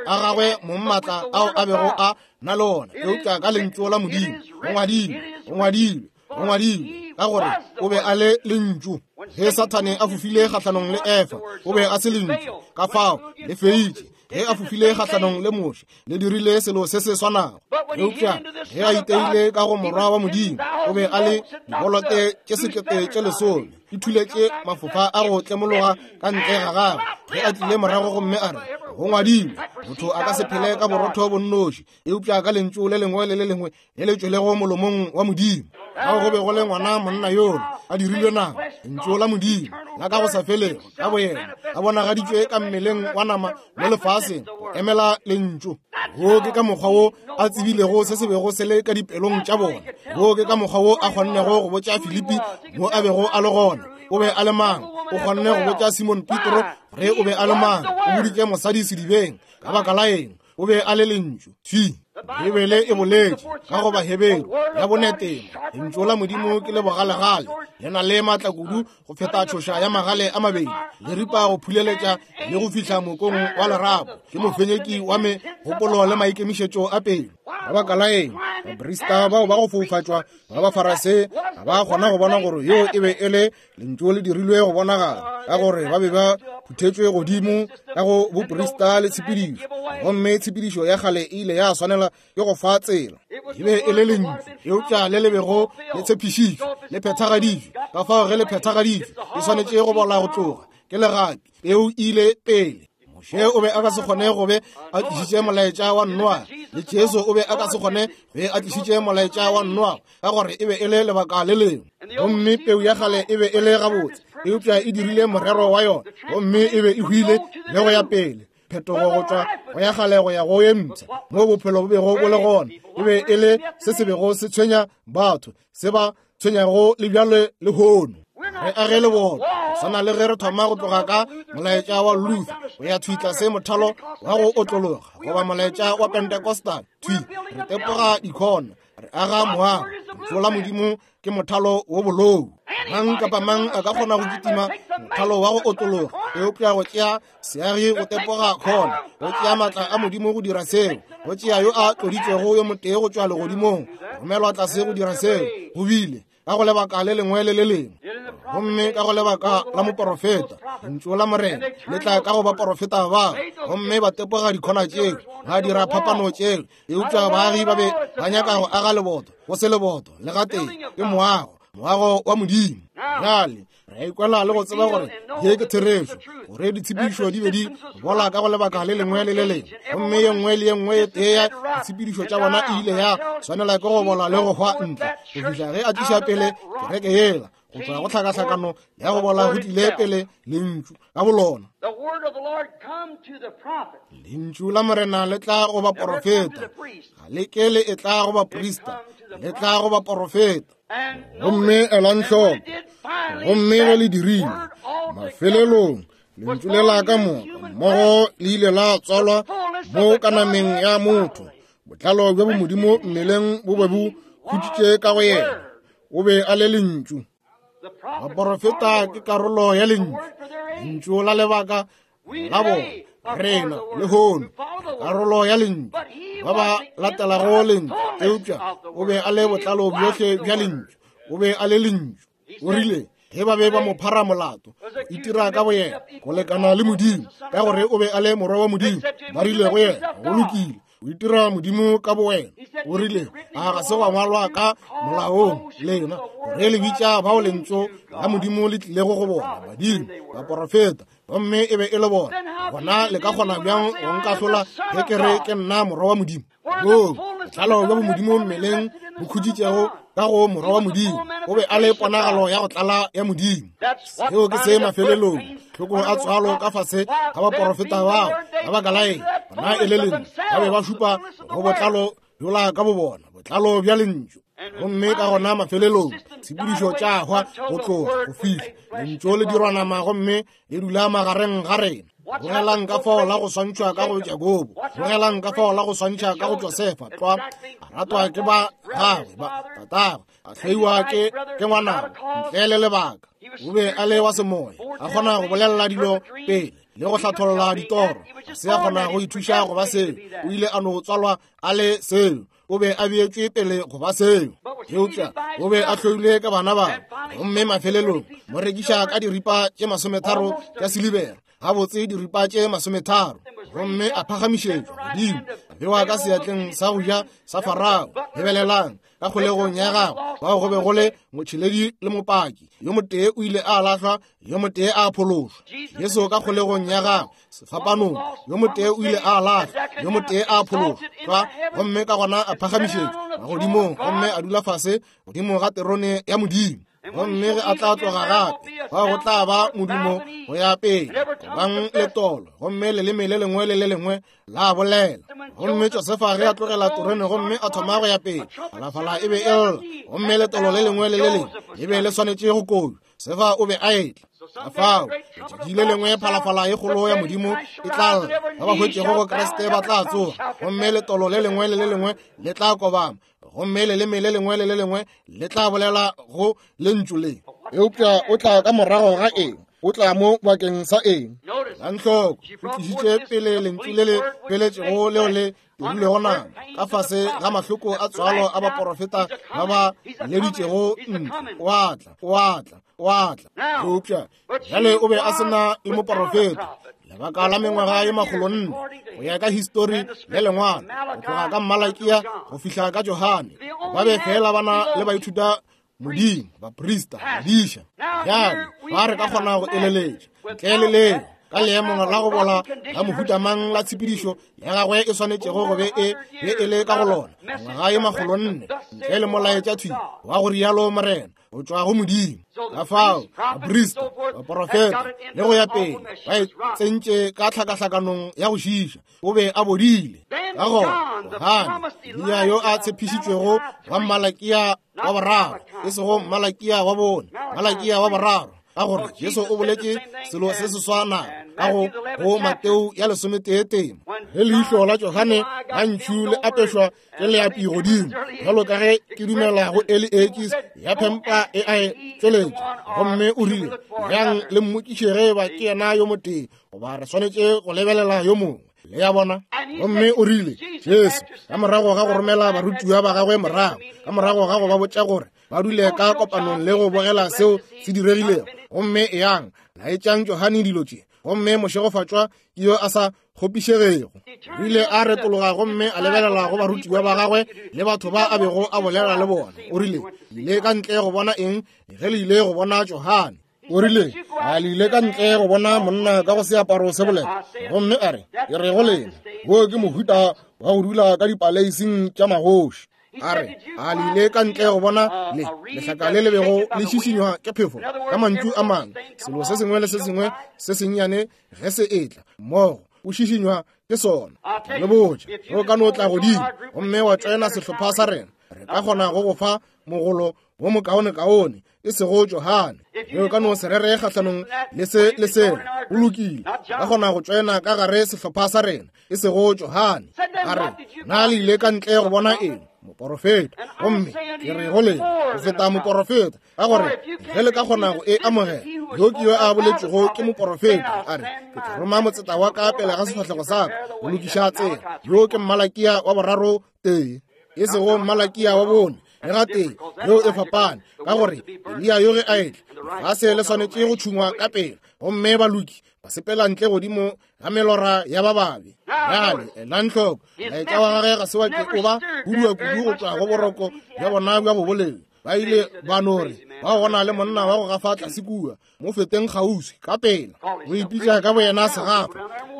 a gagwe mong maatla ao a bego a na le ona, eupša ka lentšu la Modimo. Go ngwadilwe, go ngwadilwe, go ngwadilwe, ka gore o be a le lentšu. Ge Sathane a fofile kgahlanong le Efa, o be a se lentšu, ka fao le feitše. Ge a fofile kgahlanong le Moshe, le dirile selo se se swanago. Eupša ge a iteile ka go morwa wa Modimo, o be a le dibolote tše sekete tše lesome, di thuletše mafofa a go tlemologa ka ntle ga gagwe. Ge a tlile morago gomme a re, go ngwadilwe, motho a ka se phele ka borotho bo nnoši, eupša ka lentšu le lengwe le le lengwe le le tšwelego molomong wa Modimo. Kao go be go le ngwana monna yola a dirilwe nama, lentšu la Modimo la ka go sa felego ka boyena a bonagaditšwe ka mmeleng wa nama mo lefaseng go emela lentšu. Wo ke ka mokgwa wo a tsebilego se se bego se le ka dipelong tša bona. Wo ke ka mokgwa wo a kgonnego go botša Filipi mo a bego a le gona o be a le mang. O kgonne go botša Simon Petro ge o be a le mang. O boditše mosadi sedibeng ka baka la eng, o be a le lentšu. Thwi Bibele e boletše ka go Baheberu ya boneteng, lentšu la Modimo ke le bogalegale, le na le maatla kudu go feta tšhoša ya magale a mabedi, le ripa go phuleletša le go fihla mokong wa lerapo. Ke mofenyeki wa megopolo le maikemišetšo a pelo. Ka baka la eng, baprista bao ba go foufatšwa ba Bafarase ga ba kgona go bona gore yo e be e le lentšu le dirilwe go bonagala, ka gore ba be ba phuthetšwe godimo ka go boprista le tshepedišo, gomme tshepedišo ya kgale e ile ya swanela ke go fa tsela. E be e le lentšu, eupša le le bego le tshepišitšwe le phethagaditšwe. Ka fao ge le phethagaditšwe, e swanetše go bola go tloga ke legapi. Peu ile pele. Moshe o be a ka se kgone go be a tlišitše molaetša wa Noa, le Jesu o be a ka se kgone be a tlišitše molaetša wa Noa, ka gore e be e le lebaka le lengwe. Gomme peu ya kgale e be e le gabotse, eupša e dirile morero wa yona, gomme e be e hwile le go ya pele. Phetogo go tšwa go ya kgale go ya go ye mpsha, mo bophelo bo bego bo le gona, e be e le se se bego se tshwenya batho, se ba tshwenyago le bjale lehono. Re age le bona swana le ge re thoma go tloga ka molaetša wa Luther go ya thwi tlase mothalo wa go otlologa goba molaetša wa Pentecostal, thwi re tepoga dikhona, re aga moago. Lentšu la Modimo ke mothalo wo bolou. Mang kapa mang a ka kgona go kitima mothalo wa go otlologa, eupša go tšea seagi go tepoga khona, go tšea maatla a Modimo go dira seo, go tšea yo a tloditšwego yo motee go tšwa legodimong, romelwa tlase go dira seo. Go bile ka go lebaka le lengwe le le lengwe, gomme ka go lebaka la moporofeta, lentšu la Morena le tla ka go baporofeta ba, gomme ba tepoga dikhona tšeo, ba dira phapano tšeo. Eupša baagi ba be ba nyaka go aga leboto, go se leboto le gatee, ke moago, moago wa Modimo. Bjale re ikwela le go tseba gore ye ke therešo, gore ditshepedišo di be di bola ka go lebaka le lengwe le le lengwe, gomme ye nngwe le ye nngwe e tee ya ditshepedišo tša bona e ile ya swanela ke go bola le go hwa ntle go fihla ge a tliša pele kereke yela go tšwa go tlhakahlakano ya go bola go tlile pele lentšu ka bolona. Lentšu la Morena le tla go baporofeta, ga le ke le e tla go baprista, le tla go baporofeta. Gomme elang hloko, gomme ge le dirile, mafelelong lentšu le la ka moka mmogo le ile la tswalwa mo ka nameng ya motho. Botlalo bja bomodimo mmeleng bo be bo khutšitše ka go yena. O be a le lentšu. Baporofeta ke karolo ya lentšu, lentšu la lebaka la bona. Rena lehono karolo ya lentšu, ba ba latelago lentšu, eupša o be a le botlalo bjohle bja lentšu. O be a le lentšu. O rile Ge ba be ba mo phara molato, itira ka boyena go lekana le Modimo, ka gore o be a le morwa wa Modimo. Ba rile go yena, go lokile, o itira Modimo ka bowena. O rile, a ga se gwa ngwalwa ka molaong lena gore le bitša bao lentšu la Modimo le tlilego go bona, badimo, baporofeta, gomme e be e le bona. Gona le ka kgona bjang go nkahlola ge ke re ke nna morwa wa Modimo? Boo botlalo bja bomodimo mmeleng bo khutšitšego ka go morwa wa Modimo. O be a le ponagalo ya go tlala ya Modimo. Seo ke se mafelelong tlhoko a tswalo ka fase ga baporofeta bao. Ka baka la eng? Bona e le lentšu. Ba be ba šupa go botlalo bjola ka bobona, botlalo bja lentšu. Gomme ka gona mafelelong tshepedišo tša hwa go tloga go fihla lentšu le dirwa nama gomme le dula magareng ga rena. Bogelang ka fao la go swantšhwa ka go Jakobo, bogelang ka fao la go swantšha ka go Josefa. Tlwa a ratwa ke ba gagwe ba tatagwe, a hloiwa ke ke ngwanabo ntle le lebaka. O be a le wa semoya, a kgona go bolelela dilo pele le go hlatholla ditoro. A se a kgona go ithuša go ba seo, o ile a no tswalwa a le seo. O be a beetšwe pele go ba seo, eupša o be a hloilwe ka bana babo. Gomme mafelelong mo rekiša ka diripa tše masometharo tša silibera, gabotse diripa tše masometharo. Gomme a phagamišetšwa godimo, a bewa ka seatleng sa go ja sa Farao. Lebelelang ka kgolegong ya gagwe, bao go be go le motšheledi le mopaki. Yo motee o ile a lahlwa, yo motee a phološwa. Jesu ka kgolegong ya gagwe sefapanong, yo motee o ile a lahlwa, yo motee a phološwa. Gomme ka gona a phagamišetšwa magodimong, gomme a dula fase godimo ga terone ya Modimo. Gomme ge a tla tloga gape, fao go tla ba modumo go ya pele, gobang letolo, gomme leleme le lengwe le le lengwe la bolela. Gomme Josefa ge a tlogela terone gomme a thoma go ya pele, phalafala e be e lla, gomme letolo le lengwe le le lengwe le be le swanetše go kojwa. Josefa o be a etla. Ka fao letšatši le lengwe phalafala e kgolo ya Modimo e tla lla, ba ba hwetšego go Kriste ba tla tsoga, gomme letolo le lengwe le le lengwe le tla kobama, gomme leleme le lengwe le le lengwe le tla bolela go lentšu le. Eupša o tla ka morago ga eng? O tla mo bakeng sa eng? Elang hloko, o tlišitše pele lentšu le le feletšego leo le dirilwego nama ka fase ga mahloko a tswalo a baporofeta ba ba leditšego ntle. O a tla, o a tla, o a tla. Eupša bjale o be a se na le moporofeta lebaka la mengwaga ye makgolo nne go ya ka histori le lengwalo, go tloga ka Malakia go fihla ka Johane. Ba be fela ba na le baithuta Modimo, baprista, badiša. Bjale ba re ka kgona go eleletša ntle le leo ka leemong la go bola la mohuta mang la tshepedišo ya gagwe e swanetšego go be e be e le ka go lona ngwaga ye makgolo nne ntle le molaetša thwi wa go rialo Morena go tšwa go Modimo. Ka fao baprista, baporofeta le go ya pele ba e tsentše ka tlhakahlakanong ya go šiša. O be a bodile. Ka gona Johane, Eliya yo a tshepišitšwego wa Malakia wa boraro, e sego Malakia wa bone, Malakia wa boraro, ka gore Jesu o boletše selo se se swanago ka go go Mateo ya lesometee temo. Ge leihlo la Johane la ntšhu le apešwa ke leapi godimo, bjalo ka ge ke dumela go Eli Ekis ya phempa e a e tšweletša, gomme o rile, yang le mmotšiše ge eba ke yena yo motee goba re swanetše go lebelela yo mongwe. Le ya bona? Gomme o rile, Jesu ka morago ga go romela barutiwa ba gagwe morago, ka morago ga go ba botša gore ba dule ka kopanong le go bogela seo se diregilego, gomme eyang laetšang Johane dilo tše, gomme mošegofatšwa ke yo a sa kgopišegego. O ile a retologa gomme a lebelela go barutiwa ba gagwe le batho ba a bego a bolela le bona. O rile, ile ka ntle go bona eng ge le ile go bona Johane? O rile, a le ile ka ntle go bona monna ka go seaparo se boleta? Gomme a re, ke re go lena, wo ke mohuta wa go dula ka dipaleising tša magoši. A re, a le ile ka ntle go bona le lehlaka le le bego le šišinywa ke phefo? Ka mantšu a mangwe, selo se sengwe le se sengwe se sennyane ge se etla mmogo, o šišinywa ke sona. Le botša, ge o ka no tla godimo gomme wa tšoena sehlopha sa rena, re ka kgona go go fa mogolo wo mokaonekaone, e sego Johane. Ge o ka no se rere kgahlanong le se le sela, o lokile, ka kgona go tšoena ka gare sehlopha sa rena, e sego Johane. A re, na le ile ka ntle go bona eng? Moporofeta. Gomme ke re go lena, go feta moporofeta, ka gore ge le ka kgona go e amogela, yo ke yo a boletšego ke moporofeta. A re, ke tla roma motseta wa ka pele ga sefahlego sa ka go lokiša tsela. Yo ke Malakia wa boraro tee, e sego Malakia wa bone le gatee. Yeo e fapane, ka gore Eliya yo ge a etla Lefase le swanetše go tšhungwa ka pela, gomme baloki ba sepela ntle godimo ga melora ya ba babe. Bjale elang hloko, molaetša wa gagwe ga se wa ke o ba hudua kudu go tšwa go boroko bja bona bja boboledi. Ba ile ba no re, ba go na le monna wa go gafa tlase kua, mo feteng kgauswi ka pela. O ipitša ka boyena segafa,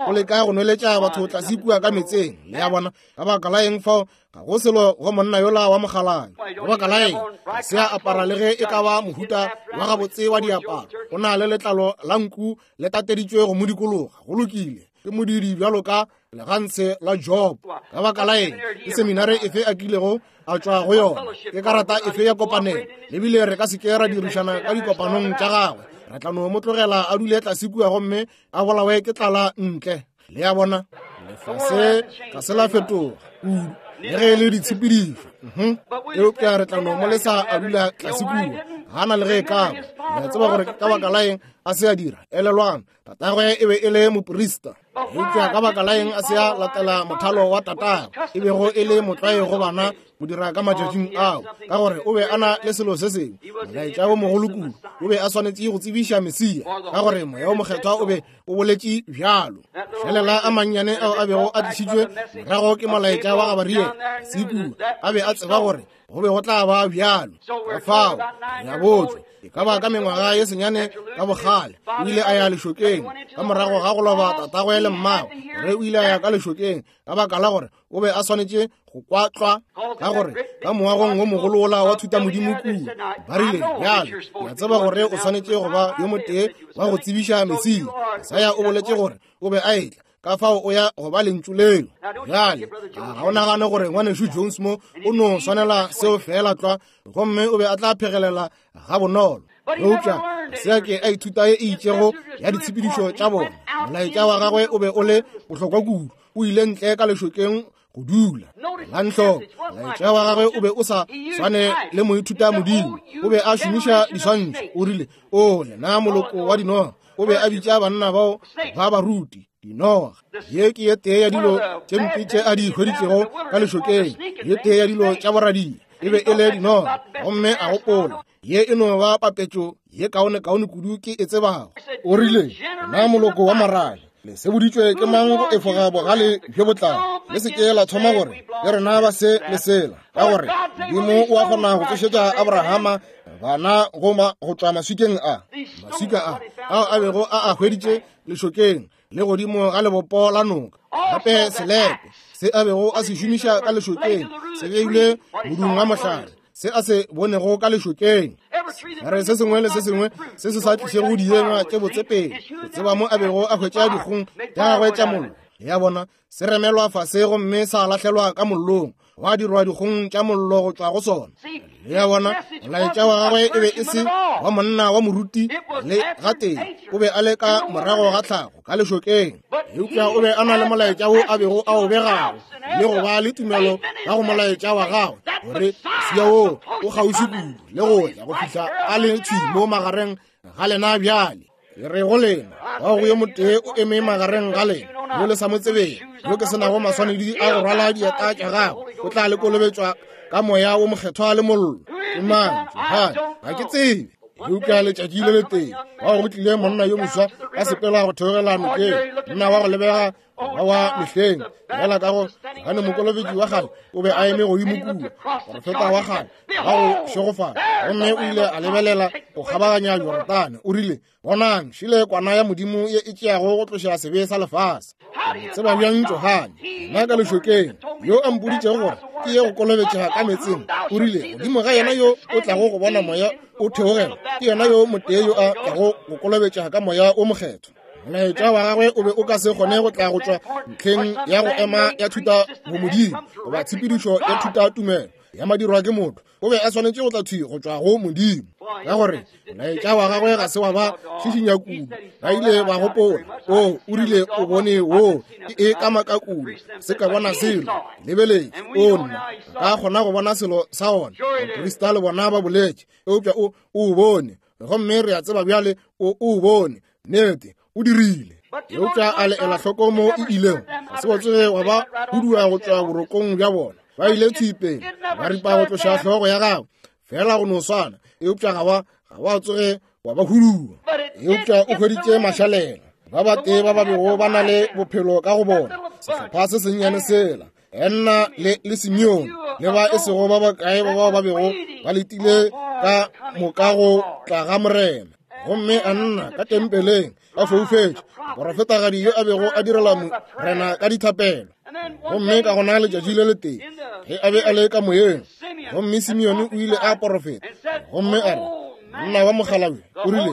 o leka go nweletša batho tlase kua ka metseng. Le a bona, ka baka la eng fao ga go selo go monna yola wa mokgalabje? Ka baka la eng ga se a apara le ge e ka ba mohuta wa gabotse wa diaparo? O na le letlalo la nku le tateditšwe go mo dikologa. Go lokile, ke modidi bjalo ka legantshe la Job. Ka baka la eng ke seminare efe a kilego a tšwa go yona? Ke karata efe ya kopanelo? Ebile re ka se ke ra dirišana ka dikopanong tša gagwe. Re tla no mo tlogela a dule tlase kua gomme a bolawe ke tlala ntle. Le a bona, lefase ga se la fetoga kudu le ge e le ditshepedišo. Eupša re tla no mo lesa a dula tlase kua, ga na le ge e ka ba. Le a tseba gore ka baka la eng a se a dira? Elelwang, tatagwe e be e le moprista. Eupša ka baka la eng a se a latela mothalo wa tatagwe, e bego e le motlwae go bana go dira ka matšatšing ao, ka gore o be a na le selo se sengwe, molaetša wo mogolo kudu. O be a swanetše go tsebiša Mesia, ka gore Moya wo Mokgethwa o be o boletše bjalo. Mašalela a mannyane ao a bego a tlišitšwe morago ke molaetša wa Gabariele Sekua, a be a tseba gore go be go tla ba bjalo. Ka fao re a botšwa, e ka ba ka mengwaga ye senyane ka bogale, o ile a ya lešokeng ka morago ga go loba tatagwe le mmagwe, gore o ile a ya ka lešokeng ka baka la gore o be a swanetše go kwatlwa, ka gore ka moagong wo mogolo wola wa thutamodimo kua ba rile, bjale ke a tseba gore o swanetše go ba yo motee wa go tsebiša Mesia. Jesaya o boletše gore o be a etla, ka fao o ya go ba lentšu leo. Bjale ga o nagane gore ngwanešu Jones mo o no swanela seo fela tlwa, gomme o be a tla phegelela ga bonolo. Eupša se a ke a ithuta ye e itšego ya ditshepedišo tša bona. Molaetša wa gagwe o be o le bohlokwa kudu, o ile ntle ka lešokeng go dula. Elang hloko, molaetša wa gagwe o be o sa swane le moithuta modimo. O be a šomiša diswantšho. O rile, o lena moloko wa dinoga. O be a bitša banna bao ba baruti dinoga. Ye ke ye tee ya dilo tše mpe tše a di hweditšego ka lešokeng, ye tee ya dilo tša boradia e be e le dinoga. Gomme a gopola, ye e no ba papetšo ye kaonekaone kudu ke e tsebago. O rile, na moloko wa marabe, le seboditšwe ke mang go efoga bogale bjo bo tlago? Le se ke la thoma gore le rena ba se le sela, ka gore Modimo o a kgona go tsošetša Abrahama bana go go tšwa maswikeng a. Maswika a ao a bego a a hweditše lešokeng le godimo ga lebopo la noka. Gape selepe se a bego a se šomiša ka lešokeng se beilwe modung wa mohlare, se a se bonego ka lešokeng. Re se sengwe le se sengwe se se sa tlišego dienywa tše botse pele, go tseba mo a bego a hwetša dikgong tša gagwe tša mollo. Ya bona, se remelwa fase gomme sa lahlelwa ka mollong, gwa dirwa dikgong tša mollo go tšwa go sona. Le a bona, molaetša wa gagwe e be e se wa monna wa moruti le gatee, o be a le ka morago ga tlhago ka lešokeng. Eupša o be a na le molaetša wo a bego a o begago, le go ba le tumelo ka go molaetša wa gagwe, gore Mesia wo o kgauswi kudu le go ya go fihla a le thwi mo magareng ga lena bjale. Ke re go lena, wa go yo motee o eme magareng ga lena, yo le sa mo tsebeng, yo ke senago maswanedi a go rwala dieta tša gagwe, o tla le kolobetšwa ka Moya wo Mokgethwa le mollo. Ke mang? Johane, ga ke tsebe. Eupša letšatši le letee wa go tlile monna yo moswa a sepela go theogela nokeng, monna wa go lebega ba wa mehleng, bjala ka go Johane Mokolobetši wa kgale o be a eme godimo kua, porofeta wa kgale wa go šegofala, gomme o ile a lebelela go kgabaganya Jorodane. O rile, bonang, šile kwana ya Modimo ye e tšeago go tloša sebe sa lefase. Ke tseba bjang Johane, nna ka lešokeng, yo a mpoditšego gore ke ye go kolobetša ka metseng? O rile, godimo ga yena yo o tlago go bona moya o theogela, ke yena yo motee yo a tlago go kolobetša ka Moya o Mokgethwa. Molaetša wa gagwe o be o ka se kgone go tla go tšwa ntlheng ya go ema ya thuta bomodimo goba tshepedišo ya thuta tumelo ya madirwa ke motho. O be a swanetše go tla thwi go tšwa go Modimo, ka gore molaetša wa gagwe ga se wa ba šišinya kudu. Ba ile ba gopola, o o rile o bone wo ke e ka maka kudu, se ka bona selo lebeletše o nna ka kgona go bona selo sa ona. Baprista le bona ba boletše, eupša o o bone, gomme re a tseba bjale o o bone. Nnete o dirile. Eupša a le ela hloko mo e ilego, ga se wa tsoge wa ba hudua go tšwa borokong bja bona. Ba ile thwi pele ba ripa go tloša hlogo ya gagwe, fela go no swana, eupša ga wa ga wa tsoge wa ba hudua. Eupša o hweditše mašalela ba batee ba ba bego ba na le bophelo ka go bona, sehlopha se sennyane sela, Anna le, le Simeone le ba e sego ba bakae ba bao ba bego ba letile ka moka go tla ga Morena. Gomme Anna ka tempeleng a foufetše, moprofetagadi yo a bego a direla Morena ka dithapelo. Gomme ka gona letšatši le letee ge a be a le ka moyeng, gomme Simeone o ile a porofeta gomme a re, monna wa mokgalabje o rile,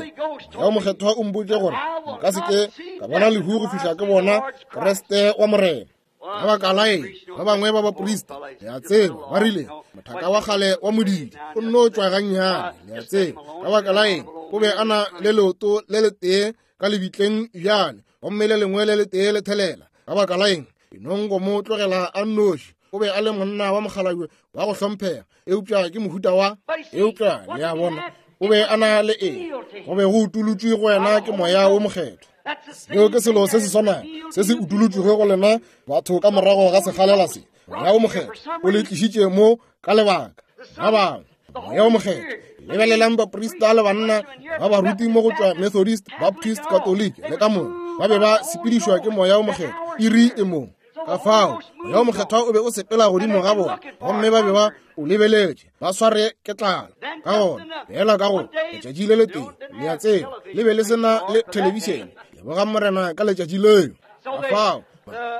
Moya o Mokgethwa o mpotše gore nka se ke ka bona lehu go fihla ke bona Kriste wa Morena. Ka baka la eng ba bangwe ba baprista, le a tseba, ba rile mothaka wa kgale wa modidi o nno tšwa gannyane, le a tseba. Ka baka la eng o be a na le leoto le letee ka lebitleng bjale, gomme le lengwe le letee le thelela. Ka baka la eng enong go mo tlogela a nnoši? O be a le monna wa mokgalabje wa go hlomphega, eupša ke mohuta wa, eupša le a bona, o be a na le eng? Go be go utolotšwe go wena ke Moya wo Mokgethwa. Seo ke selo se se swanago se se utolotšwego go lena batho ka morago ga sekgalela se. Moya wo Mokgethwa o le tlišitše mo ka lebaka. Ba bangwe, Moya wo Mokgethwa, lebelelang baprista le banna ba baruti mo go tšwa Methodist, Baptist, Catholic le ka moka, ba be ba sepedišwa ke Moya wo Mokgethwa iri e mong. Ka fao Moya wo Mokgethwa o be o sepela godimo ga bona, gomme ba be ba o lebeletše ba sware ke tlala. Ka gona fela ka go letšatši le letee, le a tseba, le be le se na le thelebišene. Leboga Morena ka letšatši leo. Ka fao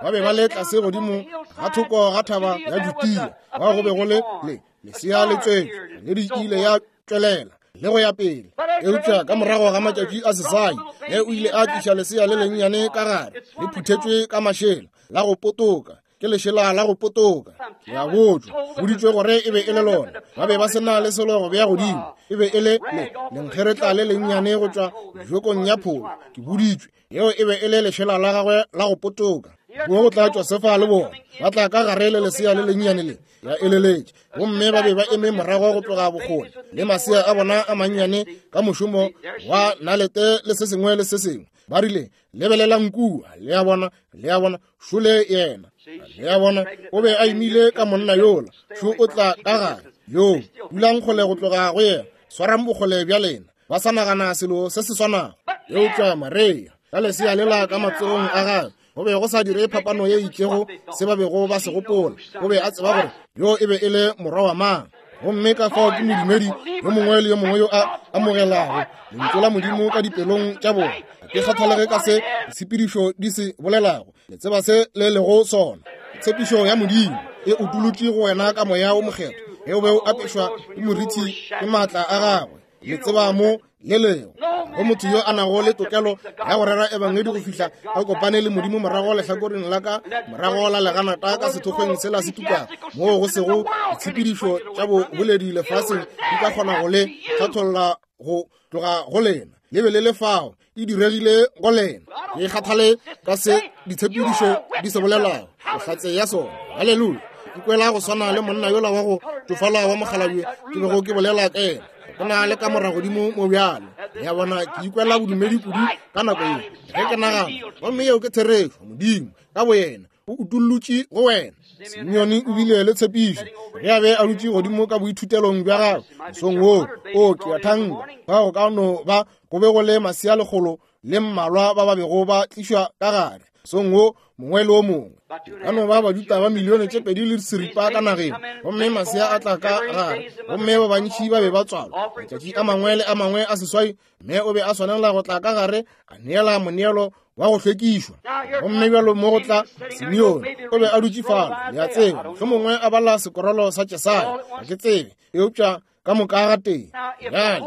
ba be ba le tlase godimo ga thoko ga thaba ya Judea, bao go be go le le lesea le tswetšwe le di ile ya tšwelela le go ya pele. Eupša ka morago ga matšatši a seswai, ge o ile a tliša lesea le lennyane ka gare, le phuthetšwe ka mašela la go potoka, ke lešela la go potoka. Ke a botšwa, boditšwe gore e be e le lona. Ba be ba se na le selo go bea godimo, e be e le le lenkgeretla le lennyane go tšwa jokong ya pholo. Ke boditšwe yeo e be e le lešela la gagwe la go potoka. Mo go tla Josefa le bona ba tla ka gare le lesea le lennyane le, ya eleletše, gomme ba be ba eme morago go tloga bokgole le masea a bona a mannyane ka mošomo wa nalete le se sengwe le se sengwe. Ba rile, lebelelang kua, le a bona, le a bona, šole yena, le a bona, o be a imile ka monna yola, šo o tla ka gare, yo dulang kgole go tloga go yena, swarang bokgole bja lena. Ba sa nagana selo se se swanago. Eupša Maria ka lesea lela ka matsogong a gagwe, go be go sa dire phapano ye itšego se ba bego ba se gopola. O be a tseba gore yo e be e le morwa wa mang. Gomme ka fao ke modumedi yo mongwe le yo mongwe yo a amogelago lentšu la Modimo ka dipelong tša bona. Ga ke kgathalege ka se ditshepedišo di se bolelago, le tseba se le lego sona. Tshepišo ya Modimo e utolotšwe go wena ka Moya wo Mokgethwa, ge o be o apešwa ke moriti ke maatla a gagwe. Le tseba mo le lego go motho yo a nago le tokelo ya go rera ebangedi go fihla a kopane le Modimo morago lehlakoreng la ka morago la leganata ka sethokgweng sela se tukago, moo go sego ditshepedišo tša boboledi lefaseng di ka kgona go le hlatholla go tloga go lena. Le be le le fao, e diregile go lena. Ke kgathale ka se ditshepedišo di se bolelago, bohlatse ya sona. Haleluya! Ke kwela go swana le monna yola wa go tšofala wa mokgalabje ke bego ke bolela ka yena. Go na le ka morago godimo mo bjalo. Le a bona, ke ikwela bodumedi kudu ka nako ye ge ke nagana, gomme yeo ke therešo. Modimo ka boyena o utollotše go wena. Simeone o bile le tshepišo ge a be a dutše godimo ka boithutelong bja gagwe mosong woo. O ke a thanka fa go ka no ba go be go le masea lekgolo le mmalwa ba ba bego ba tlišwa ka gare mosong wo mongwe le o mongwe. Ka no ba Bajuda ba milione tše pedi le seripa ka nageng, gomme masea a tla ka gare, gomme ba bantši ba be ba tswalwa matšatši a mangwe le a mangwe a seswai. Mme o be a swanela go tla ka gare a neela moneelo wa go hlwekišwa. Gomme bjalo mo go tla Simeone, o be a dutše fale, le a tseba, mohlomongwe a bala sekorolo sa Jesaya, ga ke tsebe, eupša ka moka ga tee. Bjale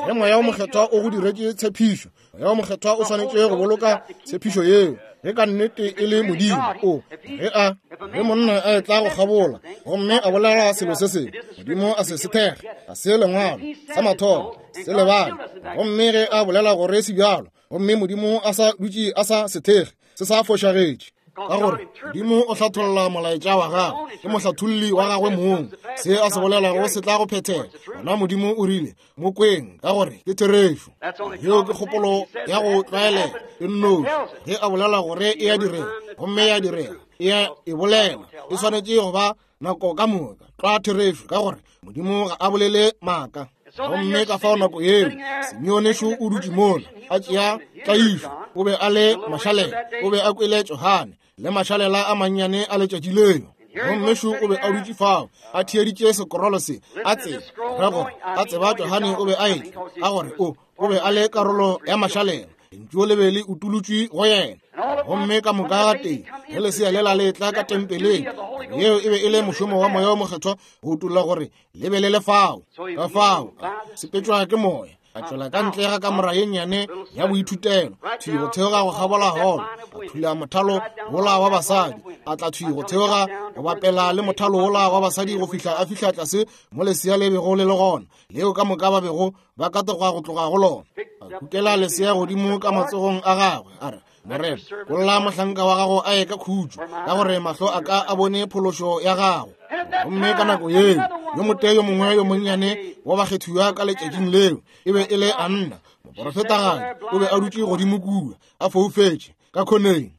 ge Moya wo Mokgethwa o go diretše tshepišo, Moya wo Mokgethwa o swanetše go boloka tshepišo yeo. Ge ka nnete e le Modimo, o ge a ge monna a etla go kgabola gomme a bolela selo se sengwe, Modimo a se se thekge, ga se lengwalo sa mathomo se lebale, gomme ge a bolela gore se bjalo, gomme Modimo a sa dutše a sa se thekge, se sa fošagetše. Ka gore Modimo o hlatholla molaetša wa gagwe, ke mohlatholli wa gagwe mong. Se a se bolelago se tla go phethega. Gona Modimo o rile, mo kweng, ka gore ke therešo. Yeo ke kgopolo ya go tlwaelega e nnoši. Ge a bolela gore e a direga, gomme ya direga, e a e bolela, e swanetše go ba nako ka moka tlwa therešo, ka gore Modimo ga a bolele maaka. Gomme ka fao nako yeo Simeone šo o dutše mola a tšea tlaišo, o be a le mašalela, o be a kwele Johane le mašalela a mannyane a letšatši leo. Gomme šo o be a dutše fao a theeditše sekorolo se, a tseba ra gore a tseba Johane o be a etla, ka gore o o be a le karolo ya mašalela. Lentšu le be le utolotšwe go yena. Gomme ka moka ga tee ge lesea lela le tla ka tempeleng, yeo e be e le mošomo wa Moya o Mokgethwa go utolla gore le be le le fao. Ka fao sepetšwa ke moya, a tšwela ka ntle ga kamora ye nnyane ya boithutelo, thwi go theoga go kgabola holo, a thula mothalo wola wa basadi, a tla thwi go theoga go bapela le mothalo wola wa basadi go fihla a fihla tlase mo lesea le bego le le gona, leo ka moka ba bego ba katoga go tloga go lona. A kukela lesea godimo ka matsogong a gagwe, a re, Morena, kolla mohlanka wa gago a ye ka khutšo, ka gore mahlo a ka a bone phološo ya gago. Gomme ka nako yeo yo motee yo mongwe yo monnyane wa bakgethiwa ka letšatšing leo e be e le Anna, moporofetagadi, o be a dutše godimo kua a foufetše ka khoneng,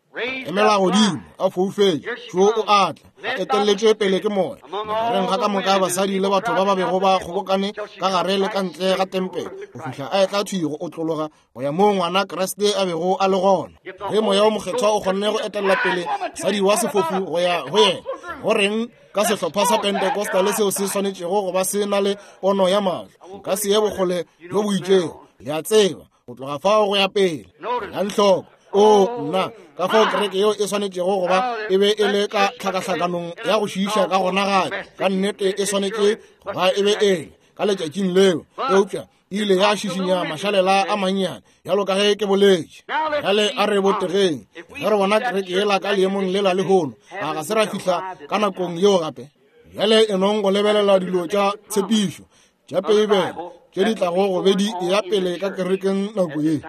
emela godimo a foufetše, šo o atla a etelletšwe pele ke moya magareng ga ka moka basadi le batho ba ba bego ba kgobokane ka gare le ka ntle ga tempele, go fihla a etla thwi go otlologa go ya moo ngwana Kriste a bego a le gona. Ge Moya o Mokgethwa o kgonne go etelela pele mosadi wa sefofu go ya go yena, go reng ka sehlopha sa Pentecostal seo se swanetšego go ba se na le pono ya mahlo? Nka se ye bokgole bjo bo itšego, le a tseba, go tloga fao go ya pele. Elang hloko. O nna, ka fao kereke yeo e swanetšego go ba e be e le ka tlhakahlakanong ya go šiiša ka gona gape, ka nnete e swanetše go ba e be e le ka letšatšing leo, eupša ile ya šišinya mašalela a mannyane bjalo ka ge ke boletše. Bjale a re botegeng, ge re bona kereke yela ka leemong lela lehono, a ga se ra fihla ka nakong yeo gape? Bjale e nong go lebelela dilo tša tshepišo tša Beibele tše di tlago go be di eya pele ka kerekeng nako ye.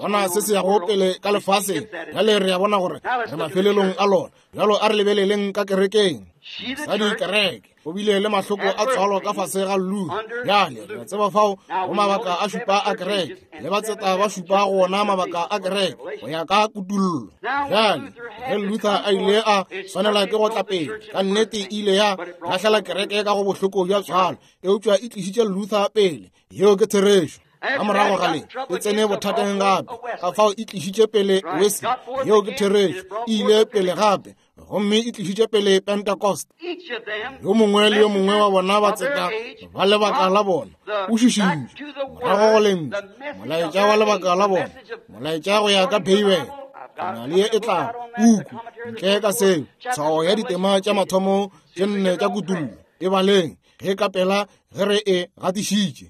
Bona se se yago pele ka lefaseng. Bjale re a bona gore re mafelelong a lona. Bjalo a re lebeleleng ka kerekeng. Mosadi kereke o bile le mahloko a tswalo ka fase ga Luther. Bjale re tseba fao go mabaka a šupa a kereke, le batseta ba šupa go ona mabaka a kereke go ya ka kutullo. Bjale ge Luther a ile a swanela ke go tla pele, ka nnete e ile ya lahlela kereke ka go bohloko bja tswalo, eupša e tlišitše Luther pele. Yeo ke therešo. Ka morago ga le e tsene bothateng gape, ka fao e tlišitše pele Wesley. Yeo ke therešo. E ile pele gape, gomme e tlišitše pele Pentecost. Yo mongwe le yo mongwe wa bona batseta ba lebaka la bona o šišintšwe morago go lentšu, molaetša wa lebaka la bona, molaetša go ya ka Beibele. Ke na le ye e tlago puku ntle ka seo, tshwao ya ditema tša mathomo tše nne tša kutullo, e baleng ge ka pela ge re e gatišitše,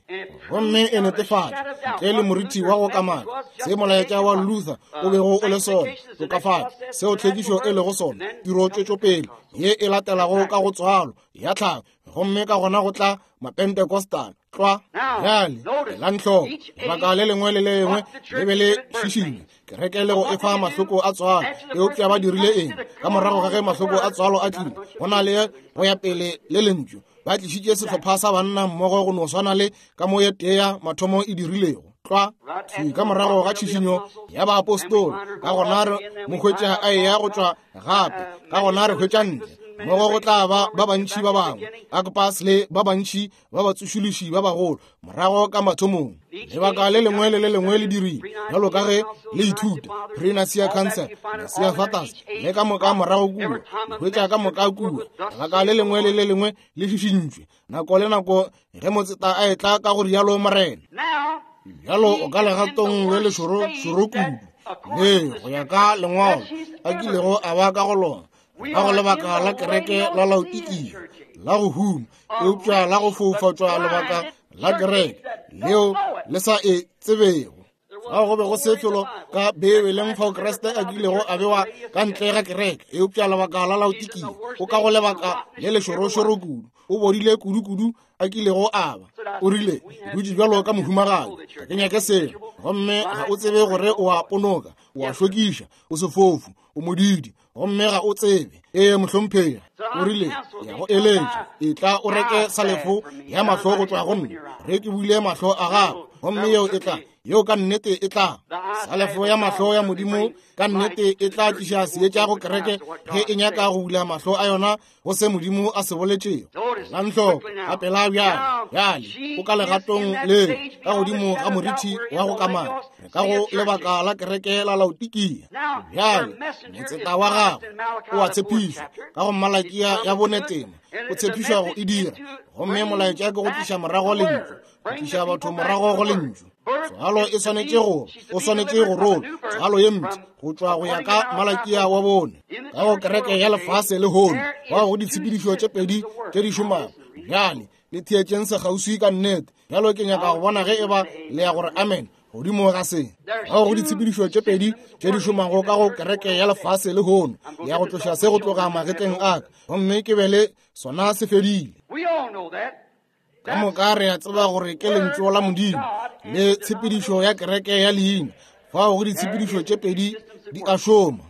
gomme e netefatša ntle le moriti wa go kamaka se molaetša wa Luther o bego o le sona, tokafatšo seo tlhwekišo e lego sona, tiro tšwetšopele ye e latelago ka go tswalo ya tlhago, gomme ka gona go tla Mapentecostal tlwa. Bjale elang hloko, lebaka le lengwe le lengwe le be le šišinya kereke le go efa mahloko a tswalo. Eupša ba dirile eng ka morago ga ge mahloko a tswalo a tlile? Go na le go ya pele le lentšu, ba tlišitše sehlopha sa banna mmogo go no swana le ka mo ye tee ya mathomo e dirilego tlwa thwi ka morago ga tšhišinyo ya baapostola. Ka gona re mo hwetša a eya go tšwa gape, ka gona re hwetša ntle mmogo go tla ba ba bantši ba bangwe, Agpas le ba bantši ba batsošološi ba bagolo morago ka mathomong. Lebaka le lengwe le le lengwe le dirile bjalo ka ge le ithuta Pre-Nicea Council, Nicea Fathers le ka moka morago kua, le hwetša ka moka kua. Lebaka le lengwe le le lengwe le šišintšwe nako le nako ge motseta a etla ka go rialo Morena. Bjalo o ka legatong le lešoro šoro kudu le go ya ka lengwalo a kilego a ba ka go lona, ka go lebaka la kereke la Laodikia la go huma, eupša la go foufatšwa lebaka la kereke leo le sa e tsebego. Ga go be go se felo ka Beibeleng fao Kriste a kilego a bewa ka ntle ga kereke, eupša lebaka la Laodikia o ka go lebaka le lešorošoro kudu, o bodile kudu-kudu a kilego a ba. O rile, dutše bjalo ka mohumagadi, ga ke nyake selo, gomme ga o tsebe gore o a ponoka, o a šokiša, o sefofu, o modidi, gomme ga o tsebe. Ee, mohlomphegi. O rile, ya go eletša, etla o reke salefo ya mahlo go tšwa go nna, ge ke buile mahlo a gago, gomme yeo e tla Yeo ka nnete e tla. Salefo ya mahlo ya Modimo ka nnete e tla tliša seetša go kereke ge e nyaka go bula mahlo a yona go se Modimo a se boletšego. Elang hloko, ka pela bjale, bjale o ka legatong le ka godimo ga moriti wa go kamana, re ka go lebaka la kereke la Laodikia. Bjale motseta wa gagwe o a tshepišwa ka go Malakia ya bonetema, o tshepišwa go e dira, gomme molaetša ke go tliša morago lentšu, go tliša batho morago go lentšu. Tswalo e swanetše go, o swanetše go rola tswalo ye mpsha go tšwa go ya ka Malakia wa bone ka go kereke ya lefase lehono, bao go ditshepedišo tše pedi tše di šomago. Bjale le theetšeng sekgauswi ka nnete. Bjalo ke nyaka go bona ge e ba le ya gore amen godimo ga se. Bao go ditshepedišo tše pedi tše di šomago ka go kereke ya lefase lehono, le ya go tloša se go tloga magetleng a ka, gomme ke be le sona se fedile. Ka moka re a tseba gore ke lentšu la Modimo le tshepedišo ya kereke ya leina. Fao go ditshepedišo tše pedi di a šoma,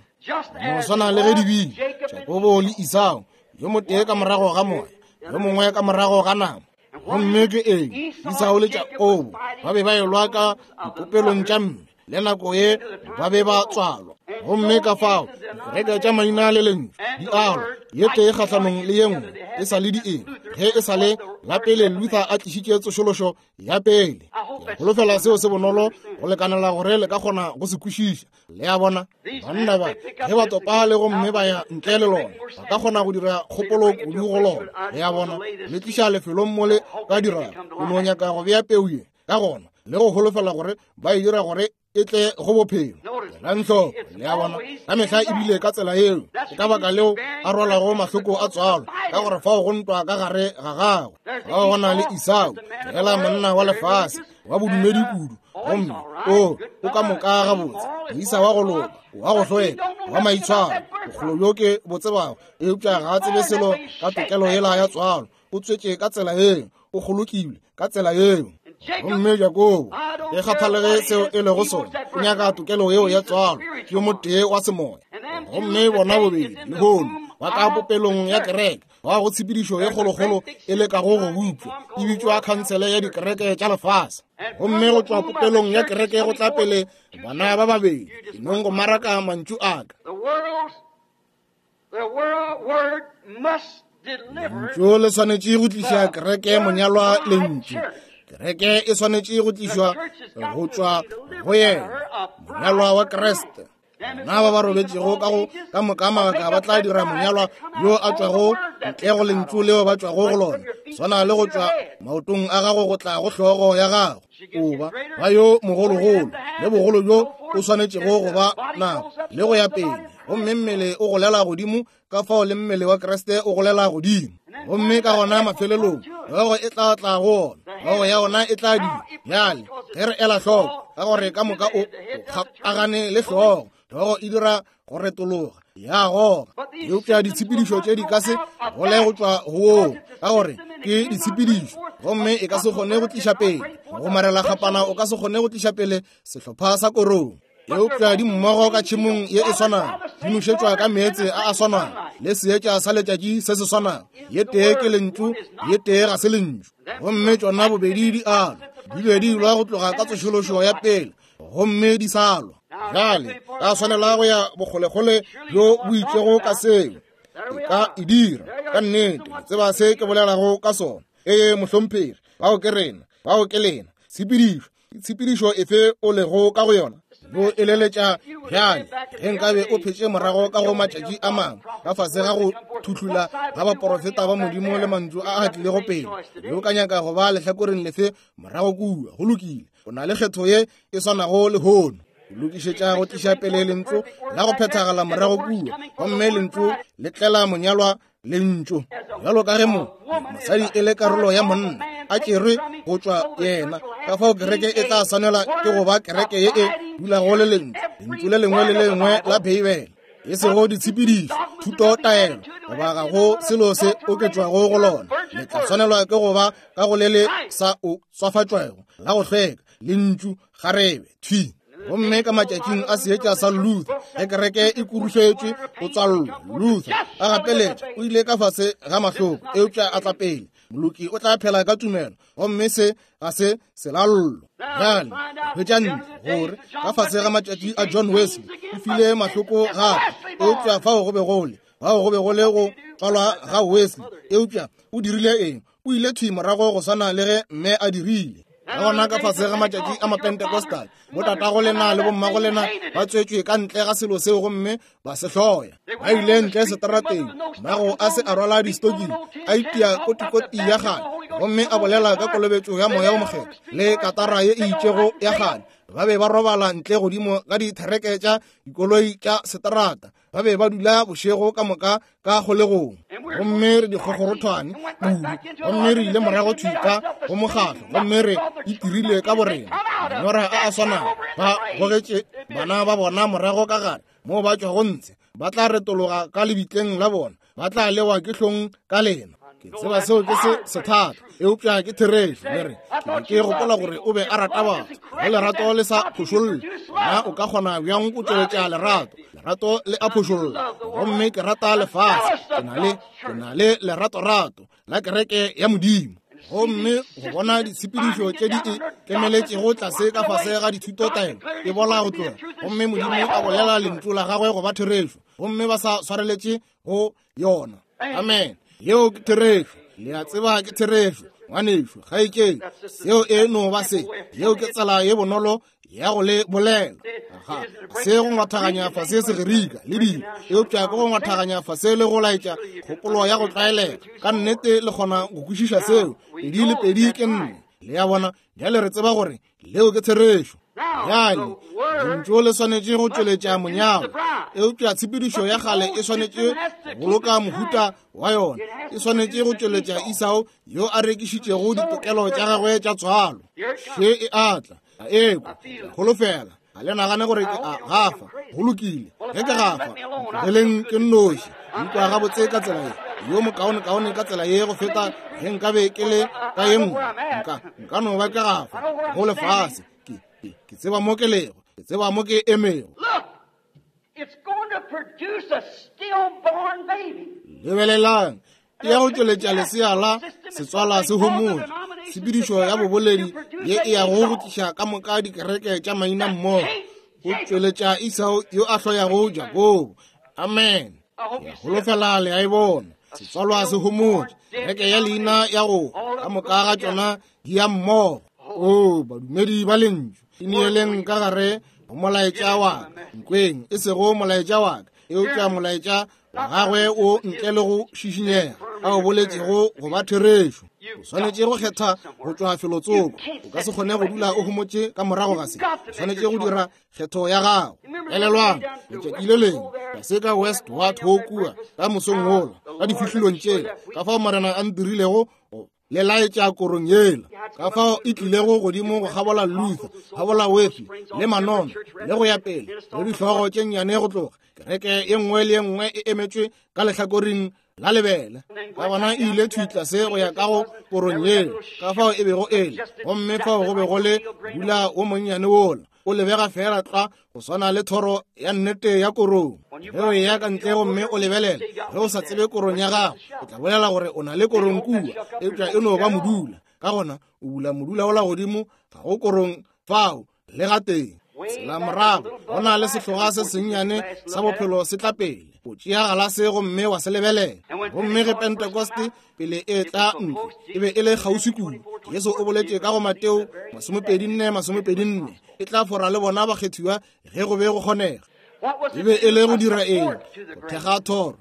no swana le ge di bile Jakobo le Esau, yo motee ka morago ga moya, yo mongwe ka morago ga nama. Gomme ke eng? Esau le Jakobo ba be ba elwa ka dipopelong tša mme, le nako ye ba be ba tswalwa. Gomme ka fao dikereke tša maina le lentšu di alwa, ye tee kgahlanong le ye nngwe, e sa le di eng ge e sa le la pele Luther a tlišitše tsošološo ya pele. Ke holofela seo se bonolo go lekanela gore le ka kgona go se kwešiša. Le a bona, banna ba ge ba topa le gomme ba ya ntle le lona, ba ka kgona go dira kgopolo kudu go lona. Le a bona, le tliša lefelong mo le ka dirago, o no nyaka go bea peu ye ka gona le go holofela gore ba e dira gore e tle go bophelo. Elang hloko, le a bona, ka mehla ebile ka tsela yeo. Ke ka baka leo a rwalago mahloko a tswalo, ka gore fao go ntwa ka gare ga gagwe. Fao go na le Esau, fela monna wa lefase wa bodumedi kudu, gomme o o ka moka gabotse, moisa wa go loka, wa go hlweka, wa maitshwaro, bokgolo bjo ke bo tsebago, eupša ga a tsebe selo ka tokelo yela ya tswalo. O tswetše ka tsela yeo, o kgolokilwe ka tsela yeo. Gomme Jakobo, ge kgathalege seo e lego sona, o nyaka tokelo yeo ya tswalo, ke yo motee wa semoya. Gomme bona bobedi lehono ba ka popelong ya kereke, ba go tshepedišo ye kgolokgolo e lekago go bopša, e bitšwa khansele ya dikereke tša lefase. Gomme go tšwa popelong ya kereke go tla pele bana ba babedi, ke nong go maraka mantšu a ka. Lentšu le swanetše go tliša kereke monyalwa lentšu. Kereke e swanetše go tlišwa go tšwa go yena, monyalwa wa Kriste. Bona ba ba robetšego ka go ka moka mabaka ba tla dira monyalwa yo a tšwago ntle go lentšu leo ba tšwago go lona, swana le go tšwa maotong a gago go tla go hlogo ya gago. O ba ba yo mogologolo le bogolo bjo o swanetšego go ba nabo le go ya pele. Gomme mmele o golela godimo, ka fao le mmele wa Kriste o golela godimo. Gomme ka gona mafelelong hlogo e tla tla go ona, hlogo ya ona e tla dira. Bjale ge re ela hloko, ka gore ka moka o kgapagane le hlogo, hlogo e dira go retologa ya goga. Eupša ditshepedišo tše di ka se gole go tšwa go woo, ka gore ke ditshepedišo, gomme e ka se kgone go tliša pele go marela kgapana, o ka se kgone go tliša pele sehlopha sa korong. Eupša di mmogo ka tšhemong ye e swanago, di nošetšwa ka meetse a a swanago le seetša sa letšatši se se swanago. Ye tee ke lentšu, ye tee ga se lentšu. Gomme tšona bobedi di alwa, di be di lwa go tloga ka tsošološo ya pele, gomme di sa lwa. Bjale ka swanela go ya bokgolekgole bjo bo itšego ka seo. E ka e dira ka nnete, le tseba se ke bolelago ka sona. Ee mohlomphegi, bao ke rena, bao ke lena. Tshepedišo, tshepedišo efe o lego ka go yona? Bo eleletša bjale, ge nkabe o phetše morago ka go matšatši a mangwe, ka fase ga go thuhlula ga baporofeta ba Modimo le mantšu a a tlilego pele, yo ka nyaka go ba lehlakoreng lefe morago kua? Go lokile, o na le kgetho ye e swanago lehono. O lokišetša go tliša pele lentšu la go phethagala morago kua, gomme lentšu le tlela monyalwa lentšu. Bjalo ka ge mo mosadi e le karolo ya monna a tšerwe go tšwa yena, ka fao kereke e tla swanela ke go ba kereke ye e dulago le lentšu, lentšu le lengwe le le lengwe la Beibele, e sego ditshepedišo, thuto, taelo, goba ga go selo se oketšwago go lona. Le tla swanelwa ke go ba ka go le le sa o swafatšwego la go hlweka lentšu kgarebe thwi. Gomme ka matšatšing a seetša sa Luther, ge kereke e kurušetšwe go tswallwa, Luther a gapeletša o ile ka fase ga mahloko, eupša a tla pele. Moloki o tla phela ka tumelo, gomme se ga se selallo. Bjale hwetša ntle gore ka fase ga matšatši a John Wesley o file mahloko gape, eupša fao go be go le fao go be go le go tswalwa ga Wesley. Eupša o dirile eng? O ile thwi morago go swana le ge mme a dirile. Ka gona ka fase ga matšatši a Mapentecostal, botatago lena le bommago lena ba tswetšwe ka ntle ga selo seo gomme ba se hloya. Ba ile ntle seterateng, mmago a se a rwala distoking, a itia kotikoti ya kgale, gomme a bolela ka kolobetšo ya Moya o Mokgethwa le katara ye e itšego ya kgale. Ba be ba robala ntle godimo ga dithereke tša dikoloi tša seterata. Ba be ba dula bošego ka moka ka kgolegong, gomme re dikgokgorothwane kudu, gomme re ile morago thwi ka go mokgatlo, gomme re itirile ka borena manyora a a swanago. Ba gogetše bana ba bona morago ka gare moo ba tšwago ntshe, ba tla retologa ka lebitleng la bona, ba tla lewa ke hlong ka lena. Ke tseba seo ke se sethata, eupša ke therešo. Le re, ke gopola gore o be a rata batho. Ge lerato le sa phošolle, na o ka kgona bjang go tšweletša lerato? Lerato le a phošolla, gomme ke rata lefase. Ke na le ke na le leratorato la kereke ya Modimo. Gomme go bona ditshepedišo tše di e kemeletšego tlase ka fase ga dithutotaelo e bola go tloga, gomme Modimo a bolela lentšu la gagwe go ba therešo, gomme ba sa swareletše go yona. Amen. Yeo ke therešo. Le a tseba ke therešo, ngwanešo, kgaetšedi. Seo e no ba se. Yeo ke tsela ye bonolo ya go le bolela. Ga se go ngwathaganya fase Segerika le dilo, eupša ke go ngwathaganya fase le go laetša kgopolo ya go tlwaelega. Ka nnete le kgona go kwešiša seo. Pedi le pedi ke nne. Le a bona, bjale re tseba gore leo ke therešo. Bjale lentšu le swanetše go tšweletša monyalo, eupša tshepedišo ya kgale e swanetše go boloka mohuta wa yona. E swanetše go tšweletša Esau yo a rekišitšego ditokelo tša gagwe tša tswalo. Še e atla, a ekwa, holofela. Ga le nagane gore ke a gafa. Go lokile, ge ke gafa, ntlogeleng ke nnoši. Nkwa gabotse ka tsela ye, yo mokaonekaone ka tsela ye go feta ge nkabe ke le ka ye nngwe. Nka nka no ba ke gafa go lefase. Ke, ke, ke tseba mo ke lego, ke tseba mo ke emego. Lebelelang, e ya go tšweletša lesea la setswala se homotše. Tshepedišo ya boboledi ye e yago go tliša ka moka dikereke tša maina mmogo, go tšweletša Esau yo a hloyago Jakobo. Amen. Ke holofela le a e bona. Setswalwa se homotše, kereke ya leina ya go ka moka ga tšona di ya mmogo. O badumedi ba lentšu, ineeleng ka gare go molaetša wa ka. Nkweng, e sego molaetša wa ka, eupša molaetša wa gagwe o ntle le go šišinyega, a o boletšego go ba therešo. O swanetše go kgetha go tšwa felotsoko. O ka se kgone go dula o homotše ka morago ga se. O swanetše go dira kgetho ya gago. Elelwang, letšatši le lengwe tlase ka West Ward ho kua ka mosong wola, ka difihlolong tšela, ka fao Morena a ntirilego le laetša korong yela, ka fao e tlilego godimo go kgabola Luther, kgabola Wesley le Manono le go ya pele, le dihlogo tše nnyane go tloga. Kereke ye nngwe le ye nngwe e emetšwe ka lehlakoreng la lebele. Ka gona e ile thwi tlase go ya ka go korong yela, ka fao e bego e le. Gomme fao go be go le modula wo monnyane wola, o lebega fela tlwa go swana le thoro ya nnete ya korong. Ge o eya ka ntle gomme o lebelela, ge o sa tsebe korong ya gago, o tla bolela gore o na le korong kua, eupša e no ba modula. Ka gona o bula modula ola godimo, ga go korong fao le gatee. Tsela morago, go na le sehloga se sennyane sa bophelo se tla pele. O tšea galase gomme wa se lebelela. Gomme ge Pentecoste pele e tla ntle, e be e le kgauswi kudu. Jesu o boletše ka go Mateo masomepedi nne masomepedi nne, e tla fora le bona bakgethiwa ge go be go kgonega. E be e le go dira eng? Go thekga thoro.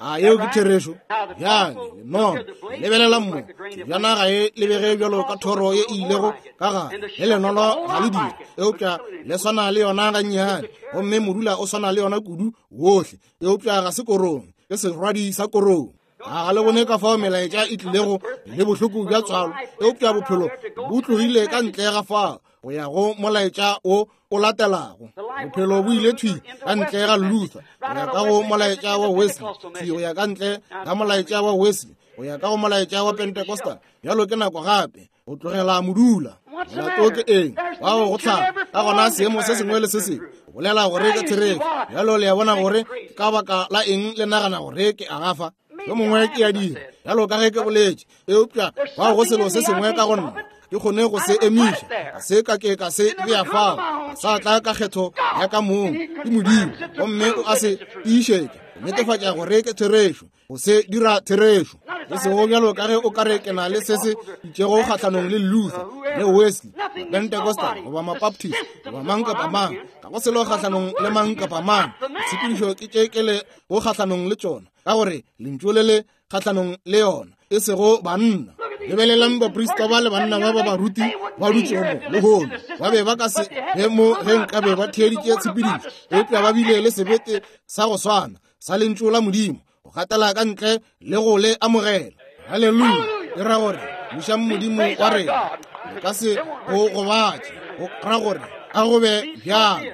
A yeo ke therešo? Bjale lenono, lebelela mo. Tsebjana ga e lebege bjalo ka thoro ye e ilego ka gare, le lenono ga le dire, eupša le swana le yona gannyane, gomme modula o swana le yona kudu wohle, eupša ga se korong, ke serwadi sa korong. A ga le bone ka fao melaetša e tlilego le bohloko bja tswalo, eupša bophelo bo tlogile ka ntle ga fao go ya go molaetša o o latelago. Bophelo bo ile thwi ka ntle ga Luther, go ya ka go molaetša wa Wesley, thwi go ya ka ntle ga molaetša wa Wesley, go ya ka go molaetša wa Pentecostal. Bjalo ke nako gape go tlogela modula. Molato ke eng? Bao go tlhaga. Ka gona seemo se sengwe le se sengwe bolela gore ke therešo. Bjalo le a bona gore ke ka baka la eng le nagana gore ke a gafa. Yo mongwe ke a dira, bjalo ka ge ke boletše, eupša fao go selo se sengwe ka go nna. Ke kgone go se emiša, ga se ka ke ka se bea fao, ga sa tla ka kgetho ya ka mong, ke Modimo, gomme o a se tiišetša, go netefatša gore ke therešo, go se dira therešo. E sego bjalo ka ge o ka re ke na le se se itšego kgahlanong le Luther, le Wesley, Pentecostal, goba Mabaptist, goba mang kapa mang, ga go selo kgahlanong le mang kapa mang. Ditshepedišo ke tše ke le go kgahlanong le tšona, ka gore lentšu le le kgahlanong le yona, e sego banna. Lebelelang baprista ba le banna ba ba baruti ba dutšego mo lehono, ba be ba ka se be mo ge nkabe ba theeditše tshepedišo, eupša ba bile le sebete sa go swana sa lentšu la Modimo, go gatela ka ntle le go le amogela. Haleluya! E ra gore bušang Modimo wa rena, le ka se go gobatše, go ra gore a go be bjalo.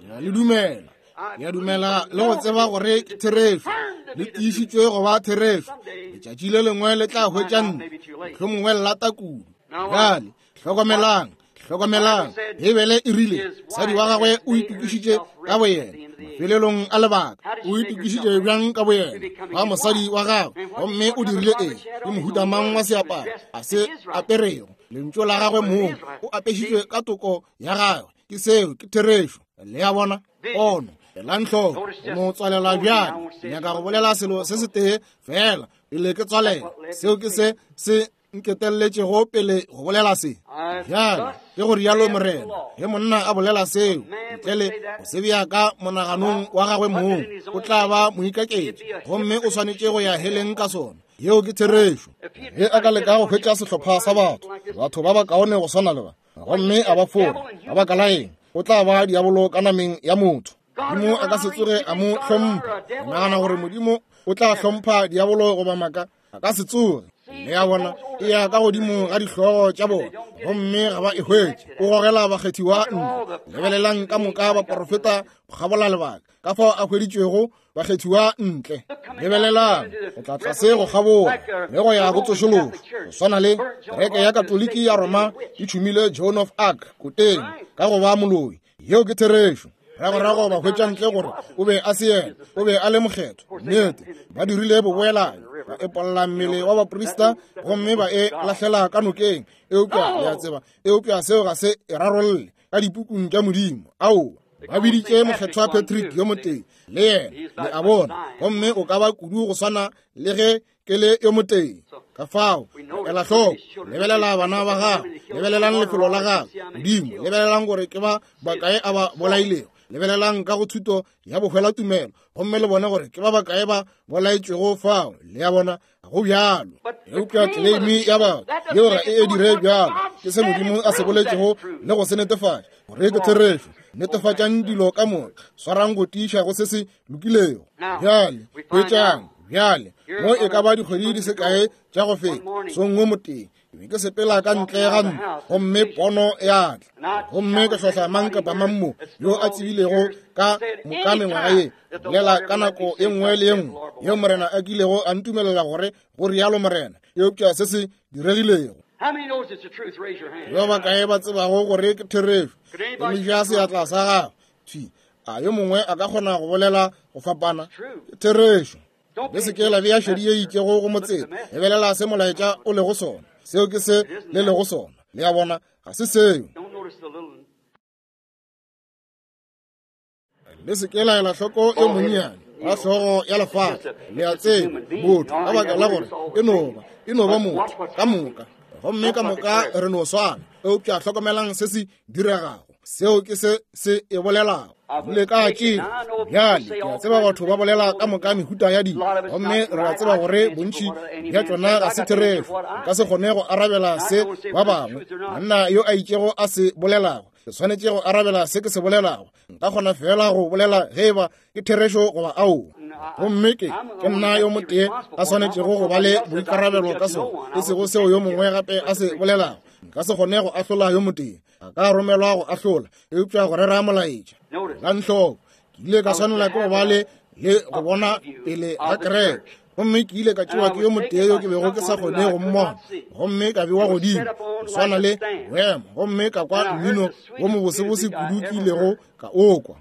Ke a le dumela, ke a dumela le go tseba gore ke therešo, le tiišitšwe go ba therešo. Letšatši le lengwe le tla hwetša nna, mohlomongwe le lata kudu. Bjale hlokomelang, hlokomelang, Beibele e rile mosadi wa gagwe o itokišitše ka boyena mafelelong a lebaka. O itokišitše bjang ka boyena ba mosadi wa gagwe, gomme o dirile eng? Ke mohuta mang wa seaparo a se aperego? Lentšu la gagwe mong, o apešitšwe ka toko ya gagwe. Ke seo, ke therešo. Le a bona? Pono, elang hloko, go no tswalela bjale. Ke nyaka go bolela selo se setee fela pele ke tswalela. Seo ke se se nketelletšego pele go bolela se. Bjale ke go rialo Morena, ge monna a bolela seo ntle le go se bea ka monaganong wa gagwe mong, o tla ba moikaketši, gomme o swanetše go ya heleng ka sona. Yeo ke therešo. Ge a ka leka go hwetša sehlopha sa batho, batho ba bakaone go swana le ba, gomme a ba fora, ka baka la eng, o tla ba diabolo ka nameng ya motho. Modimo a ka se tsoge a mo hlompha. O nagana gore Modimo o tla hlompha diabolo goba maaka? A ka se tsoge. Le a bona, e ya ka godimo ga dihlogo tša bona, gomme ga ba e hwetše. O gogela bakgethiwa ntle. Lebelelang ka moka baporofeta go kgabola lebaka, ka fao a hweditšwego bakgethiwa ntle. Lebelelang go tla tlase go kgabola le go ya go tsošološo, go swana le kereke ya Katoliki ya Roma e tšhumile Joan of Arc koteng ka go ba moloi. Yeo ke therešo. Ragorago ba hwetša ntle gore o be a se yena, o be a le mokgethwa. Nnete, ba dirile boboelanyi, ba epolla mmele wa baprista gomme ba e lahlela ka nokeng. Eupša le a tseba, eupša seo ga se e rarolle ka dipukung tša Modimo. Aowa, ba biditše mokgethwa Patrick yo motee le yena, le a bona, gomme o ka ba kudu go swana le ge ke le yo motee. Ka fao, ela hloko, lebelela bana ba gago, lebelelang lefelo la gago, Modimo, lebelelang gore ke ba bakae a ba bolailego, lebelelang ka go thuto ya bohwela tumelo, gomme le bone gore ke ba bakae ba bolaetšwego fao. Le a bona, go bjalo. Eupša tleleimi ya batho yeo ga e e dire bjalo. Ke se Modimo a se boletšego le go se netefatša gore ke therešo. Netefatšang dilo ka moka, swarang go tiiša go se se lokilego. Bjale hwetšang, bjale mo e ka ba dikgwedi di se kae tša go feta, songwe motee ke be ke sepela ka ntle ga ntlo, gomme pono ya tla, gomme ke hlohla mang kapa mang mo yo a tsebilego ka moka mengwaga ye, bolela ka nako e nngwe le e nngwe yeo Morena a kilego a ntumelela gore go rialo Morena, eupša se se diregilego. Ba bakae ba tsebago gore ke therešo? Emiša seatla sa gago. Thwi, a yo mongwe a ka kgona go bolela go fapana? Ke therešo. Le se ke la bea šedi ye itšego go motseta. Lebelela se molaetša o lego sona. Seo ke se le lego sona. Le a bona, ga se seo. Le se ke la ela hloko yo monnyane wa hlogo ya lefase. Le a tseba, motho, ka baka la gore e no ba, e no ba motho ka moka, gomme ka moka re no swana. Eupša hlokomelang se se diregago. Seo ke se se e bolelago. Le ka tšea bjale, ke a tseba batho ba bolela ka moka mehuta ya dilo, gomme re a tseba gore bontši bja tšona ga se therešo. Nka se kgone go arabela se ba bangwe, monna yo a itšego a se bolelago. Ke swanetše go arabela se ke se bolelago. Nka kgona fela go bolela ge eba ke therešo goba aowa. Gomme ke ke nna yo motee a swanetšego go ba le boikarabelo ka sona, e sego seo yo mongwe gape a se bolelago. Nka se kgone go ahlola yo motee, a ka romelwa go ahlola, eupša go rera molaetša. Elang hloko, ke ile ka swanela ke go ba le le go bona pele ga kereke, gomme ke ile ka tšewa ke yo motee yo ke bego ke sa kgone go mmona, gomme ka bewa godimo go swana le boemo, gomme ka kwa mmino wo mobosebose kudu ke ilego ka o kwa.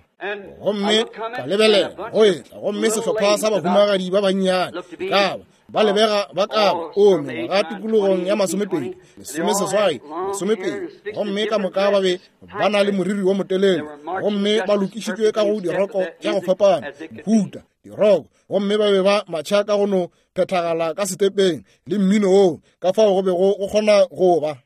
Gomme ka lebelela go etla, gomme sehlopha sa bahumagadi ba bannyane ka ba ba lebega ba ka ba o mengwaga tikologong ya masomepedi, lesomeseswai, masomepedi, gomme ka moka ba be ba na le moriri wo motelele, gomme ba lokišitšwe ka go diroko tša go fapana, mohuta diroko, gomme ba be ba matšha ka go no phethagala ka setepeng le mmino woo ka fao go bego go kgona go ba.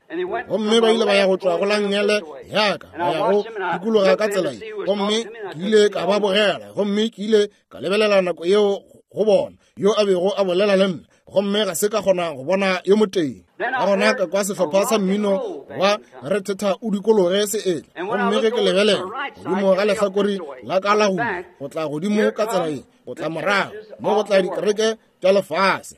Gomme ba ile ba ya go tšwa go la nngele yaka ba ya go dikologa ka tsela ye, gomme ke ile ka ba bogela, gomme ke ile ka lebelela nako yeo go bona yo a bego a bolela le nna, gomme ga se ka kgona go bona yo motee. Ka gona ka kwa sehlopha sa mmino wa rethetha o dikologe se etla, gomme ge ke lebelela godimo ga lehlakore la ka la go go tla godimo ka tsela ye, go tla morago mo go tla dikereke tša lefase,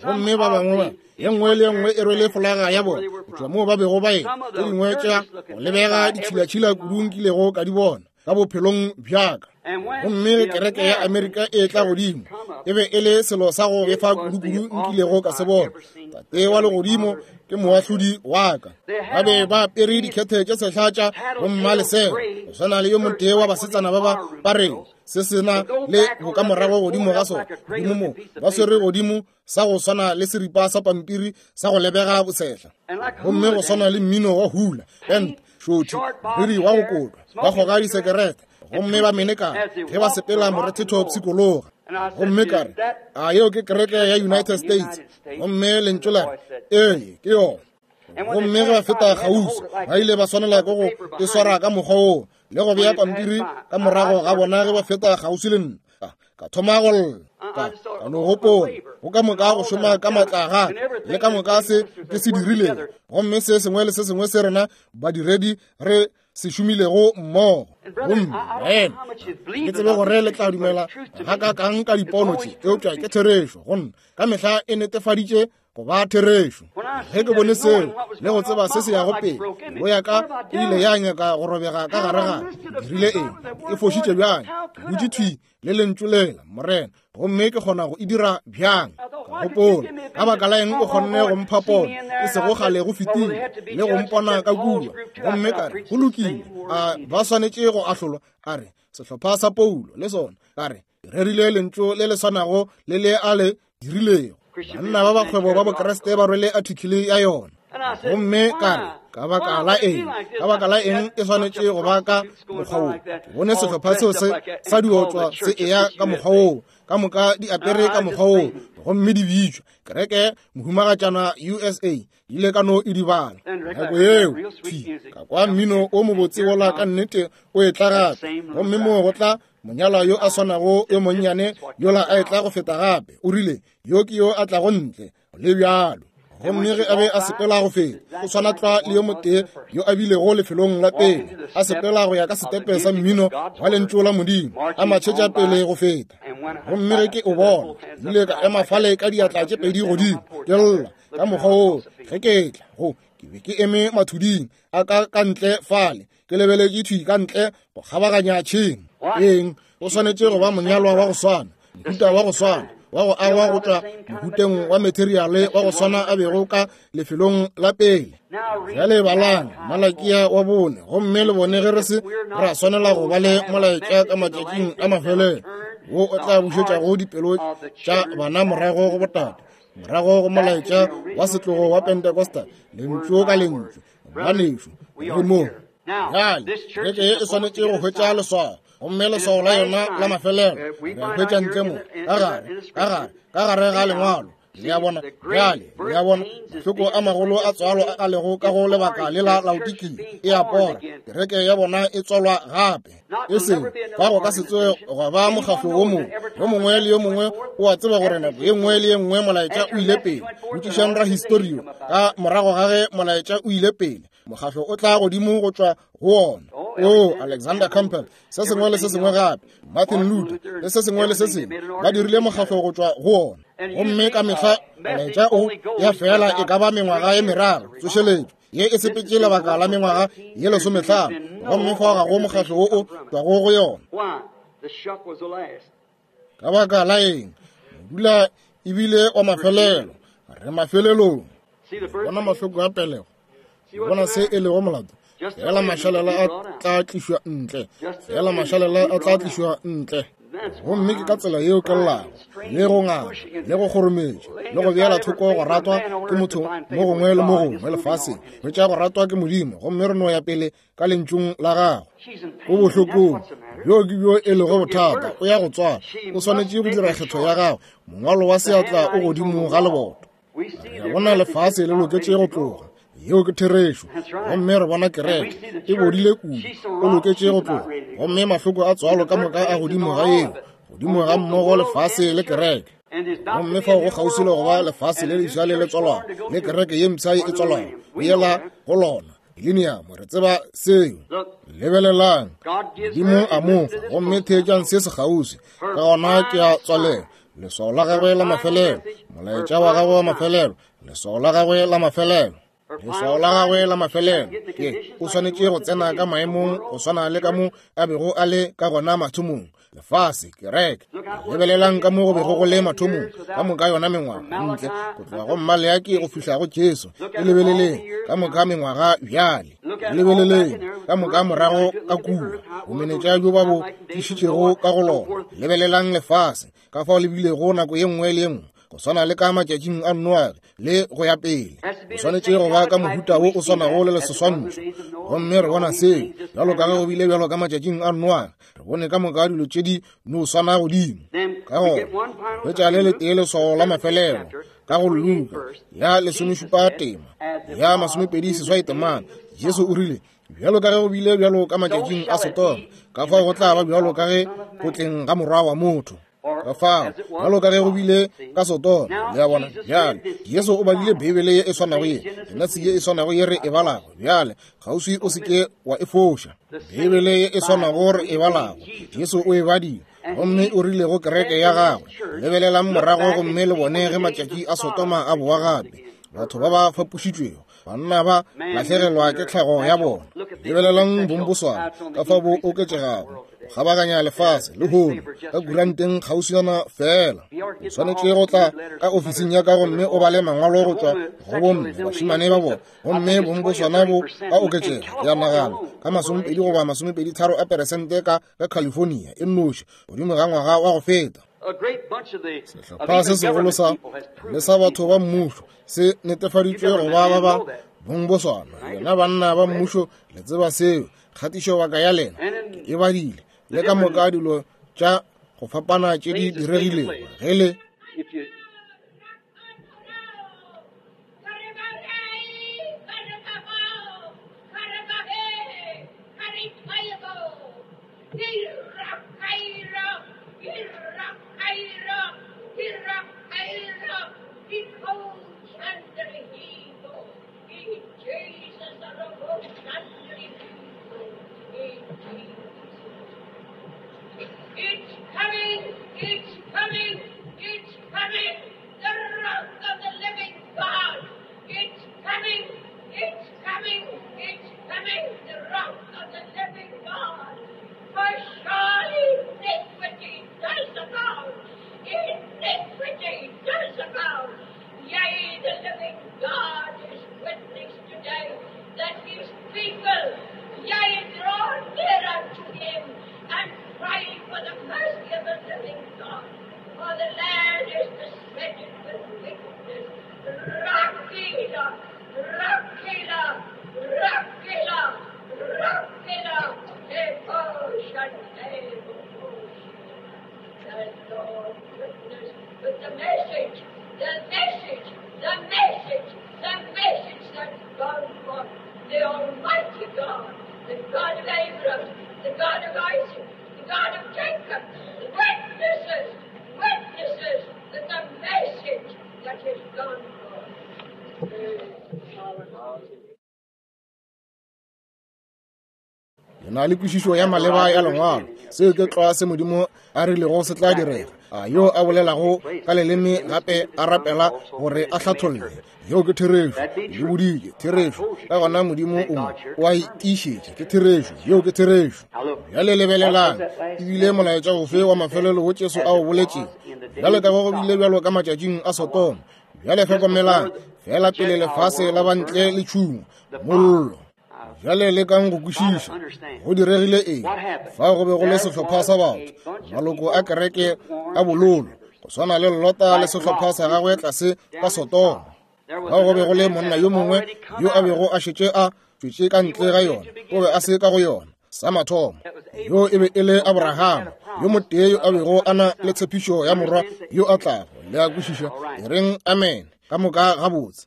gomme ba bangwe ba ye nngwe le ye nngwe e rwele folaga ya bona go tšwa moo ba bego ba e, tše dingwe tša go lebega ditšhilatšhila kudu nkilego ka di bona ka bophelong bjaka. Gomme ge kereke ya Amerika e tla godimo, e be e le selo sa go befa kudu-kudu nkilego ka se bona. Tate wa legodimo ke moahlodi wa ka. Ba be ba apere dikhethe tše sehla tša bommalesela, go swana le yo motee wa basetsana ba ba ba reng se sena le bokamorago godimo ga sona, godimo mo ba swere godimo sa go swana le seripa sa pampiri sa go lebega bosehla, gomme go swana le mmino wa hula band šothi, moriri wa go kotwa, ba kgoga disekerete, gomme ba menekana ge ba sepela morethetho pshikologa. Gomme ka re, a yeo ke kereke ya United States? Gomme lentšu la re, ee, ke yona. Gomme ge ba feta kgauswi, ba ile ba swanela ke go e swara ka mokgwa woo le go bea pampiri ka morago ga bona ge ba feta kgauswi le nna. Ka thoma go lla, ka ka no gopola go ka moka go šoma ka maatla ga le ka moka se ke se dirilego, gomme se sengwe le se sengwe se rena badiredi re se šomilego mmogo. Gomme baena, ke tsebe gore le tla dumela ga ka kang ka dipono tše, eupša ke therešo go nna, ka mehla e netefaditše go ba therešo. Ge ke bone seo le go tseba se se yago pele, pelo ya ka e ile ya nyaka go robega ka gare ga. Dirile eng? E fošitše bjang? Ke dutše thwi le lentšu lela, Morena, gomme ke kgona go e dira bjang? Ka gopola, ka baka la eng o kgonne go mpha pono e sego kgale go fetile le go mpona ka kua? Gomme ka re, go lokile, a ba swanetše go ahlolwa? A re, sehlopha sa Paulo le sona. Ka re, ke rerile lentšu le le swanago le le a le dirilego. Banna ba bakgwebo ba Bokreste ba rwele artikele ya yona. Gomme ka re, ka baka la eng? Ka baka la eng e swanetše go ba ka mokgwa wo? Ke bone sehlopha seo se sa diotswa se eya ka mokgwa woo, ka moka di apere ka mokgwa woo, gomme di bitšwa kereke mohumagatšana U S A. Ile ka no e di bala nako yeo thi ka kwa mmino o mobotse wola ka nnete o etla gape, gomme moo go tla monyalwa yo a swanago yo monnyane yola a etla go feta gape. O rile, yo ke yo a tlago ntle le bjalo. Gomme ge a be a sepela go feta, o swana tlwa le yo motee yo a bilego lefelong la pele, a sepela go ya ka setepe sa mmino wa lentšu la Modimo, a matšhetša pele go feta. Gomme ge ke o bona, ile ka ema fale ka diatla tše pedi godimo, ke lla ka mokgwa woo. Ge ke tla go, ke be ke eme mathuding a ka ka ntle fale, ke lebeletše thwi ka ntle go kgabaganya tšhemo. Eng? O swanetše go ba monyalwa wa go swana, mohuta wa go swana wa go agwa go tšwa mohuteng wa materiale wa go swana a bego ka lefelong la pele. Bjale balang Malakia wa bone, gomme le bone ge re se ra swanela go ba le molaetša ka matšatšing a mafelelo wo o tla bušetšago dipelo tša bana morago go botate, morago go molaetša wa setlogo wa Pentecostal, lentšu ka lentšu. Ngwanešu, re mo bjale kereke ye e swanetše go hwetša leswao, gomme leswao la yona la mafelelo re hwetša ntle mo ka gare, ka gare, ka gare ga lengwalo. Le a bona bjale, le a bona mahloko a magolo a tswalo a lego ka go lebaka le la Laodikia e a pora, kereke ya bona e tswalwa gape. E seng fa go ka se tsoge gwa ba mokgahlo wo mongwe, yo mongwe le yo mongwe o a tseba gore nako ye nngwe le ye nngwe molaetša o ile pele. Botšišang rahistorio ka morago ga ge molaetša o ile pele, mokgahlo o tla godimo go tšwa go ona. O Alexander Campbell, se sengwe le se sengwe gape, Martin Luther le se sengwe le se sengwe, ba dirile mokgahlo go tšwa go ona. Gomme ka mehla molaetša o ya fela e ka ba mengwaga ye meraro tsošeletšo ye e sepetše lebaka la mengwaga ye lesomehlano, gomme fao ga go mokgahlo wo o tšwago go yona. Ka baka la eng? Modula ebile wa mafelelo, re mafelelong. Bona mahloko a pelego, bona se e lego molato. Fela mašalela a tla tlišwa ntle. Fela mašalela a tla tlišwa ntle. Gomme ke ka tsela yeo ke llago, le go nganga, le go kgorometša, le go beela thoko go ratwa ke motho mo gongwe le mo gongwe lefaseng, hwetša go ratwa ke Modimo, gomme re no ya pele ka lentšung la gagwe. O bohlokong bjo ke bjo e lego bothata. O ya go tswala, o swanetše go dira kgetho ya gagwe. Mongwalo wa seatla o godimo ga leboto. Re bona lefase le loketše go tloga. Yeo ke therešo. Gomme re bona kereke e bodile kudu, o loketše go tloga. Gomme mahloko a tswalo ka moka a godimo ga yeo, godimo ga mmogo lefase le kereke. Gomme fao go kgauswi le go ba lefase le leswa le le tswalwago, le kereke ye mpsha e tswalwago, go yela go lona. Millennium, re tseba seo. Lebelelang, Modimo a mo fa, gomme theetšang se se kgauswi. Ka gona ke a tswalela. Leswao la gagwe la mafelelo, molaetša wa gagwe wa mafelelo, leswao la gagwe la mafelelo. Leswao la gagwe la mafelelo ke o swanetše go tsena ka maemong go swana le ka mo a bego a le ka gona mathomong. Lefase, kereke, lebelelang ka mo go bego go le mathomong, ka moka yona mengwaga ntle go tloga go Maleaki go fihla go Jesu. E lebeleleng ka moka mengwaga bjale, lebeleleng ka moka morago ka kua, bomenetša bjo ba bo tlišitšego ka go lona. Lebelelang lefase ka fao le bilego nako ye nngwe le ye nngwe, go swana le ka matšatšing a Noage le go ya pele. O swanetše go ba ka mohuta wo o swanago le seswantšho. Gomme re bona seo bjalo ka ge go bile bjalo ka matšatšing a Noage. Re bone ka moka dilo tše di no swana godimo. Ka gona hwetša le letee leswao la mafelelo ka go Luka ya lesomešupa tema ya masomepedi seswai temana. Jesu o rile, bjalo ka ge go bile bjalo ka matšatšing a Sodoma, ka fao go tla ba bjalo ka ge go tleng ga morwa wa motho. Ka fao bjalo ka ge go bile ka Sodoma. Le a bona? Bjale Jesu o badile Beibele ye e swanago ye, yona ye e swanago ye re e balago bjale. Kgauswi o se ke wa e foša. Beibele ye e swanago re e balago, Jesu o e badile, gomme o rile go kereke ya gagwe, lebelelang morago gomme le bone ge matšatši a Sodoma a boa gape. Batho ba ba fapošitšwego, banna ba lahlegelwa ke tlhago ya bona. Lebelelang bomboswana ka fao bo oketšegago go kgabaganya lefase lehono ka kuranteng kgauswana fela. O swanetše go tla ka ofising ya ka gomme o bale mangwalo go tšwa go bomme bašemane ba bona, gomme bomboswana bo a oketšega. Ke a nagana ka masomepedi goba masomepedi tharo a peresente ka ka California e nnoši godimo ga ngwaga wa go feta. Sehlopha se segolo sa le sa batho ba mmušo se netefaditšwe go ba ba ba bongboswana. Lena banna ba mmušo le tseba seo. Kgatišo baka ya lena ke e badile, le ka moka dilo tša go fapana tše di diregilego ge le It's coming, it's coming, it's coming, the wrath of the living God. It's coming, it's coming, it's coming, the wrath of the living God. For surely iniquity does abound, iniquity does abound. Yea, the living God is witness today that his people, yea, draw near unto him and pray for the mercy of the living God. For the land is besetted with wickedness. Rakila, Rakila, Rakila, Rakila, The Lord witness with the message, the message, the message, the message that's gone forth. The Almighty God, the God of Abraham, the God of Isaac, the God of Jacob, witnesses, witnesses that the message that has gone forth. Le na le kwešišo ya maleba ya lengwalo. Seo ke tlwa se Modimo a rilego se tla direga. A yo a bolelago ka leleme gape a rapela gore a hlatholle. Yeo ke therešo. Le boditše therešo. Ka gona Modimo o mo o a itišetše. Ke therešo. Yeo ke therešo. Bjale lebelelang, ebile molaetša ofe wa mafelelo wo Jesu a o boletšego? Bjale ka go bile bjalo ka matšatšing a Sodoma. Bjale hlokomelang, fela pele lefase la bantle le tšhungwa, mollo. Bjale lekang go kwešiša go diregile eng. Fao go be go le sehlopha sa batho, maloko a kereke a bololo, go swana le Lota le sehlopha sa gagwe tlase ka Sodoma. Fao go be go le monna yo mongwe yo a bego a šetše a tšwetše ka ntle ga yona, o be a se ka go yona. Sa mathomo, yo e be e le Abrahama, yo motee yo a bego a na le tshepišo ya morwa yo a tlago. Le a kwešiša? E reng amen ka moka gabotse.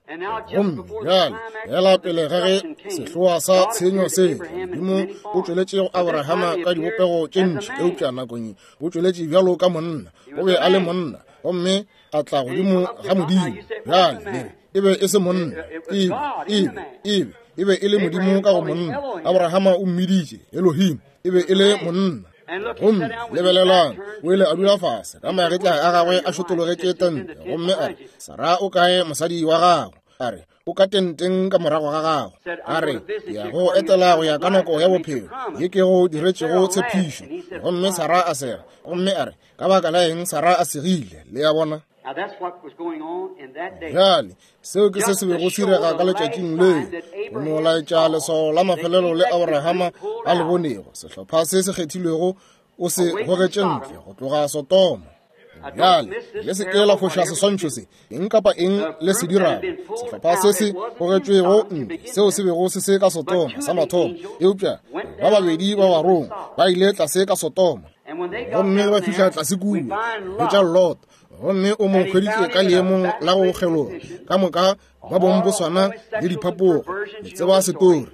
Gomme bjale fela pele ga ge sehloa sa tshenyo se, Modimo o tšweletše go Abrahama ka dibopego tše ntši, eupša nakong ye o tšweletše bjalo ka monna. O be a le monna, gomme a tla godimo ga Modimo. Bjale le re e be e se monna, e be e be e be e be e le Modimo ka go monna. Abrahama o mmiditše Elohim, e be e le monna. Gomme lebelelang, o ile a dula fase ka magetla a gagwe a šotologetše tente, gomme a re, Sara o kae mosadi wa gago? A re, o ka tenteng ka morago ga gago. A re, ya go etela go ya ka nako ya bophelo ye ke go diretšego tshepišo. Gomme Sara a sega, gomme a re, ka baka la eng Sara a segile? Le a bona? Bjale seo ke se se bego se direga ka letšatšing leo, go no laetša leswao la mafelelo le Abrahama a le bonego. Sehlopha se se kgethilwego o se gogetše ntle go tloga Sodoma. Bjale le se ke la foša seswantšho se, eng kapa eng le se dirago. Sehlopha se se gogetšwego ntle seo se bego se se ka Sodoma sa mathomo, eupša ba babedi ba barongwa ba ile tlase ka Sodoma, gomme ba fihla tlase kua hwetša Lot, gomme o mo hweditše ka leemong la go kgeloga ka moka ba bong bo swana le diphapogo, le tseba setori.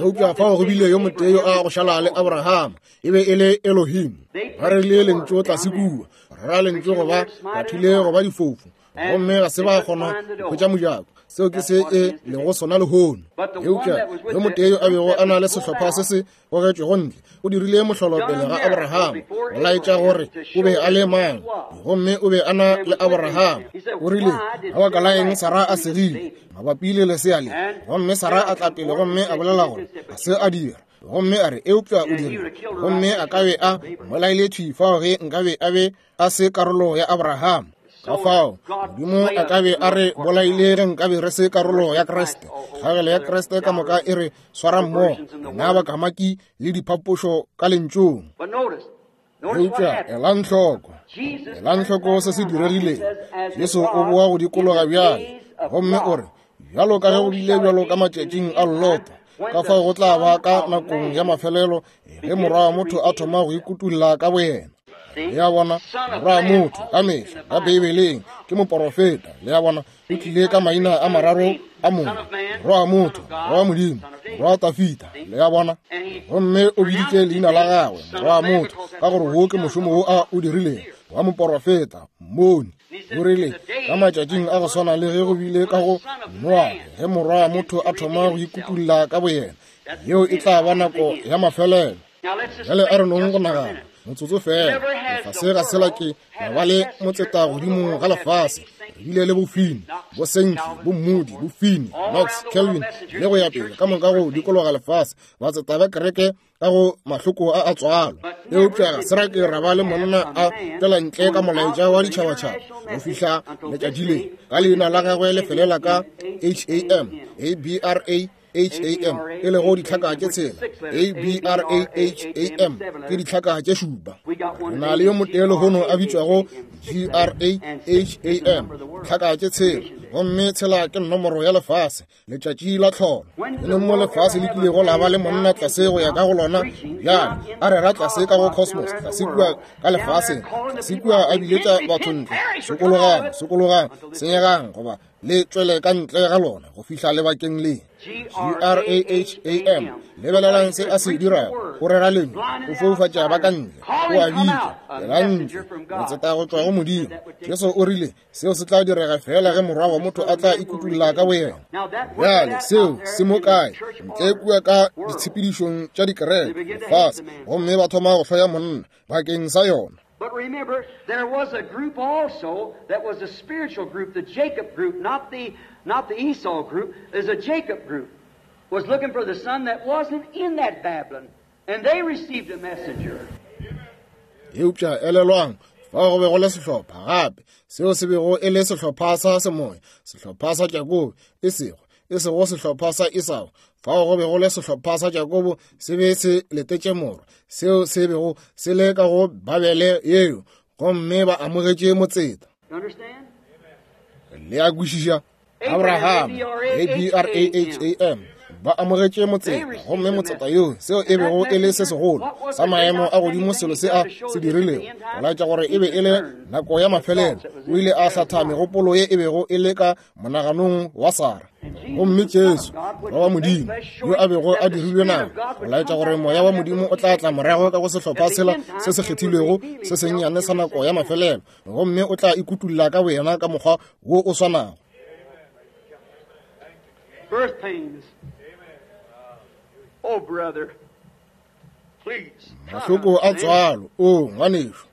Eupša fao go bile yo motee yo a go šala le Abrahama, e be e le Elohim. Ba rerile lentšu tlase kua, ra lentšu goba bathile goba difofu, gomme ga se ba kgona go hwetša mojako. Seo ke se e lego sona lehono. Eupša yo motee yo a bego a na le sehlopha se se gogetšwego ntle o dirile mohlolo pele ga Abrahama go laetša gore o be a le mang, gomme o be a na le Abrahama. O rile, ka baka la eng Sara a segile mabapi le lesea le? Gomme Sara a tla pele gomme a bolela gore ga se a dira, gomme a re, eupša o dirile, gomme a ka be a mmolaile thwi fao ge nkabe a be a se karolo ya Abrahama. Ka fao Modimo a ka be a re bolaile ge nkabe re se karolo ya Kriste. Kgagelo ya Kriste ka moka e re swara mmogo, rena bakamaki le diphapošo ka lentšung. Eupša elang hloko, elang hloko se se diregileng. Jesu o boa go dikologa bjale, gomme o re, bjalo ka ge go bile bjalo ka matšatšing a Lota, ka fao go tla ba ka nakong ya mafelelo ge morwa wa motho a thoma go ikutulla ka boyena. Le a bona, morwa wa motho ka mehla ka Beibeleng ke moporofeta. Le a bona, o tlile ka maina a mararo a mongwe, morwa wa motho, morwa wa Modimo, morwa wa Tafita. Le a bona, gomme o biditše leina la gagwe morwa wa motho ka gore wo ke mošomo wo a o dirilego wa moporofeta, mmoni. O rile, ka matšatšing a go swana le ge go bile ka go Noa, ge morwa wa motho a thoma go ikutulla ka boyena, yeo e tla ba nako ya mafelelo. Bjale a re nong go nagana motsotso fela. Lefase ga se la ke la ba le motseta godimo ga lefase. Re bile le bofini, bo Sankey, bo Moody, bo Finney, Knox, Calvin le go ya pele ka moka go dikologa lefase, batseta ba kereke ka go mahloko a a tswalo. Eupša ga se ra ke ra ba le monna a tšwela ntle ka molaetša wa ditšhabatšhaba go fihla letšatši le. Ka leina la gagwe le felela ka H A M, A B R A H A M, e lego ditlhaka tše tshela. A B R A H A M ke ditlhaka tše šupa. Re na le yo motee lehono a bitšwago G R A H A M, ditlhaka tše tshela, gomme tshela ke nomoro ya lefase, letšatši la tlholo. E leng mo lefase le kilego la ba le monna tlase go ya ka go lona bjale, a rera tlase ka go cosmos, tlase kua ka lefaseng, tlase kua a biletša batho ntle, sokologang, sokologang, senyegang, goba le tšwele ka ntle ga lona go fihla lebakeng le. G R A H A M, lebelelang se a se dirago, o rera lentšu, o foufatša ba ka ntle, o a bitša, ela ntle, motseta go tšwa go Modimo. Jesu o rile seo se tla direga fela ge morwa wa motho a tla ikutulla ka boyena. Bjale seo se mo kae? Ntle kua ka ditshepedišong tša dikereke lefase, gomme ba thoma go hloya monna bakeng sa yona. But remember, there was a group also that was a spiritual group, the Jacob group, not the, not the Esau group. There's a Jacob group was looking for the son that wasn't in that Babylon, and they received a messenger. Eupša elelwang, fao go be go le sehlopha gape, seo se bego e le sehlopha sa semoya, sehlopha sa Jakobe, e sego e sego sehlopha sa Esau. Fao go be go le sehlopha sa Jakobo se be se letetše morwa, seo se bego se le ka go Babele yeo, gomme ba amogetše motseta. Le a kwešiša? Abraham, A B R A H A M, ba amogetše motseta, gomme motseta yoo seo e bego e le se segolo sa maemo a godimo selo se a se dirilego go laetša gore e be e le nako ya mafelelo. O ile a hlatha megopolo ye e bego e le ka monaganong wa Sara. Gomme Jesu, Morwa wa Modimo, yo a bego a dirilwe nama, go laetša gore moya wa Modimo o tla tla morago ka go sehlopha sela se se kgethilwego se sennyane sa nako ya mafelelo, gomme o tla ikutulla ka boyena ka mokgwa wo o swanago. Birth pains. Oh, brother, please. Mahloko a tswalo, o ngwanešu,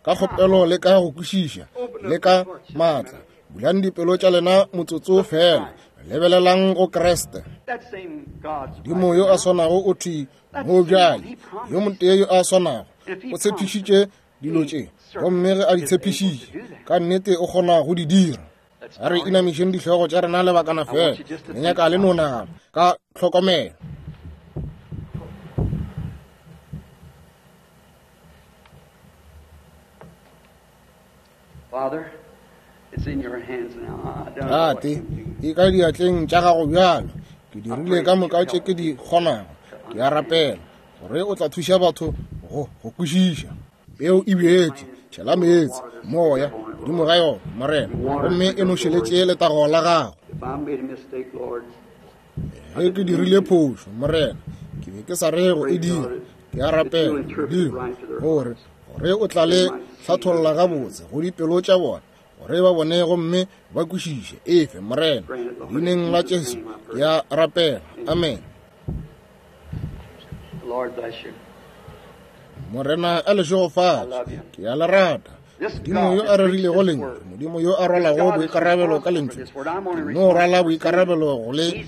ka kgopelo le ka go kwešiša le ka maatla, bulang dipelo tša lena motsotso fela, lebelelang go Kriste. That same God's Modimo yo a swanago o thwi mo bjale, yo motee yo a swanago o tshepišitše dilo tše, gomme ge a di tshepišitše, ka nnete o kgona go di dira. A re inamišeng dihlogo tša rena lebakana fela, le nyaka le no nagana ka tlhokomelo. Father, it's in your hands now. I don't know what Tate, can do. e ka diatleng tša gago bjalo, ke dirile ka moka tše ke di kgonago. Ke a rapela gore o tla thuša batho go go kwešiša. Peo e bjetše, tšhela meetse, moya godimo ga yona, Morena, gomme e nošeletše letago la gago. If I made a mistake, Lord, Ge ke dirile phošo, Morena, ke be ke sa re go e dira. Ke a rapela, Modimo, gore gore o tla le hlatholla gabotse go dipelo tša bona, gore ba bone gomme ba kwešiše. Efe, Morena, leineng la Jesu, ke a rapela. Amen. the Lord bless you. Morena a le šegofatše. Ke a le rata. Modimo yo a rerilego lentšu, Modimo yo a rwalago boikarabelo ka lentšu, ke no rwala boikarabelo go le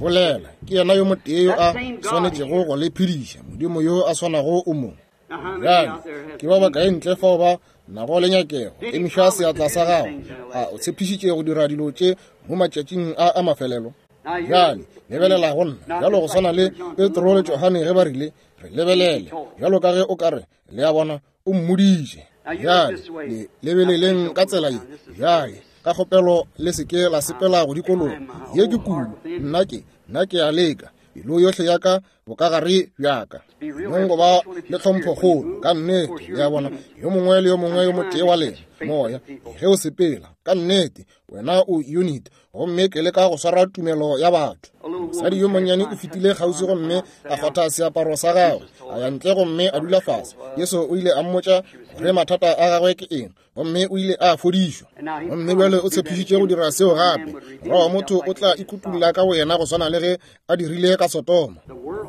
bolela. Ke yena yo motee yo a swanetšego go le phediša, Modimo yo a swanago o mo. Now, how many Bjale out there ke ba bakae ntle fao ba nago le nyakego? Emiša seatla sa gago. A o tshepišitše go dira dilo tše mo matšatšing a a mafelelo? Bjale lebelela go nna, bjalo go swana le Petro le Johane ge ba rile, re lebelele, bjalo ka ge o ka re, le a bona, o mmoditše. Bjale le lebeleleng ka tsela ye. Bjale ka kgopelo le se ke la sepela go dikologa. Ye ke kudu, nna ke nna ke a leka pelo yohle ya ka bokagare bja ka. Nong go ba le tlhomphokgolo ka nnete, le a bona, yo mongwe le yo mongwe yo motee wa lena moya ge o sepela ka nnete, wena o unit, gomme ke leka go swara tumelo ya batho. Mosadi yo monnyane o fetile kgauswi gomme a kgwatha seaparo sa gagwe, a ya ntle gomme a dula fase. Jesu o ile a mmotša gore mathata a gagwe ke eng, gomme o ile a fodišwa. Gomme bjale o tshepišitše go dira seo gape. Morwa wa motho o tla ikutulla ka boyena go swana le ge a dirile ka Sodoma.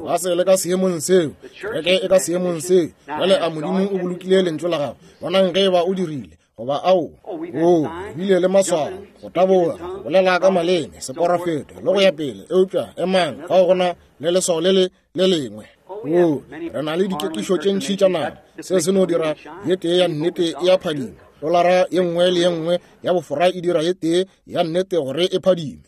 Ba se le ka seemong seo, kereke e ka seemong seo. Bjale a Modimo o bolokile lentšu la gagwe? Bonang ge eba o dirile goba ao. O bile le maswao, go taboga, go bolela ka maleme, seporofeto le go ya pele. Eupša emang, fao go na le leswao le le le lengwe. O, re na le dikekišo tše ntši tša nama. Seo se no dira ye tee ya nnete e a phadima. Dolara ye nngwe le ye nngwe ya bofora e dira ye tee ya nnete gore e phadime.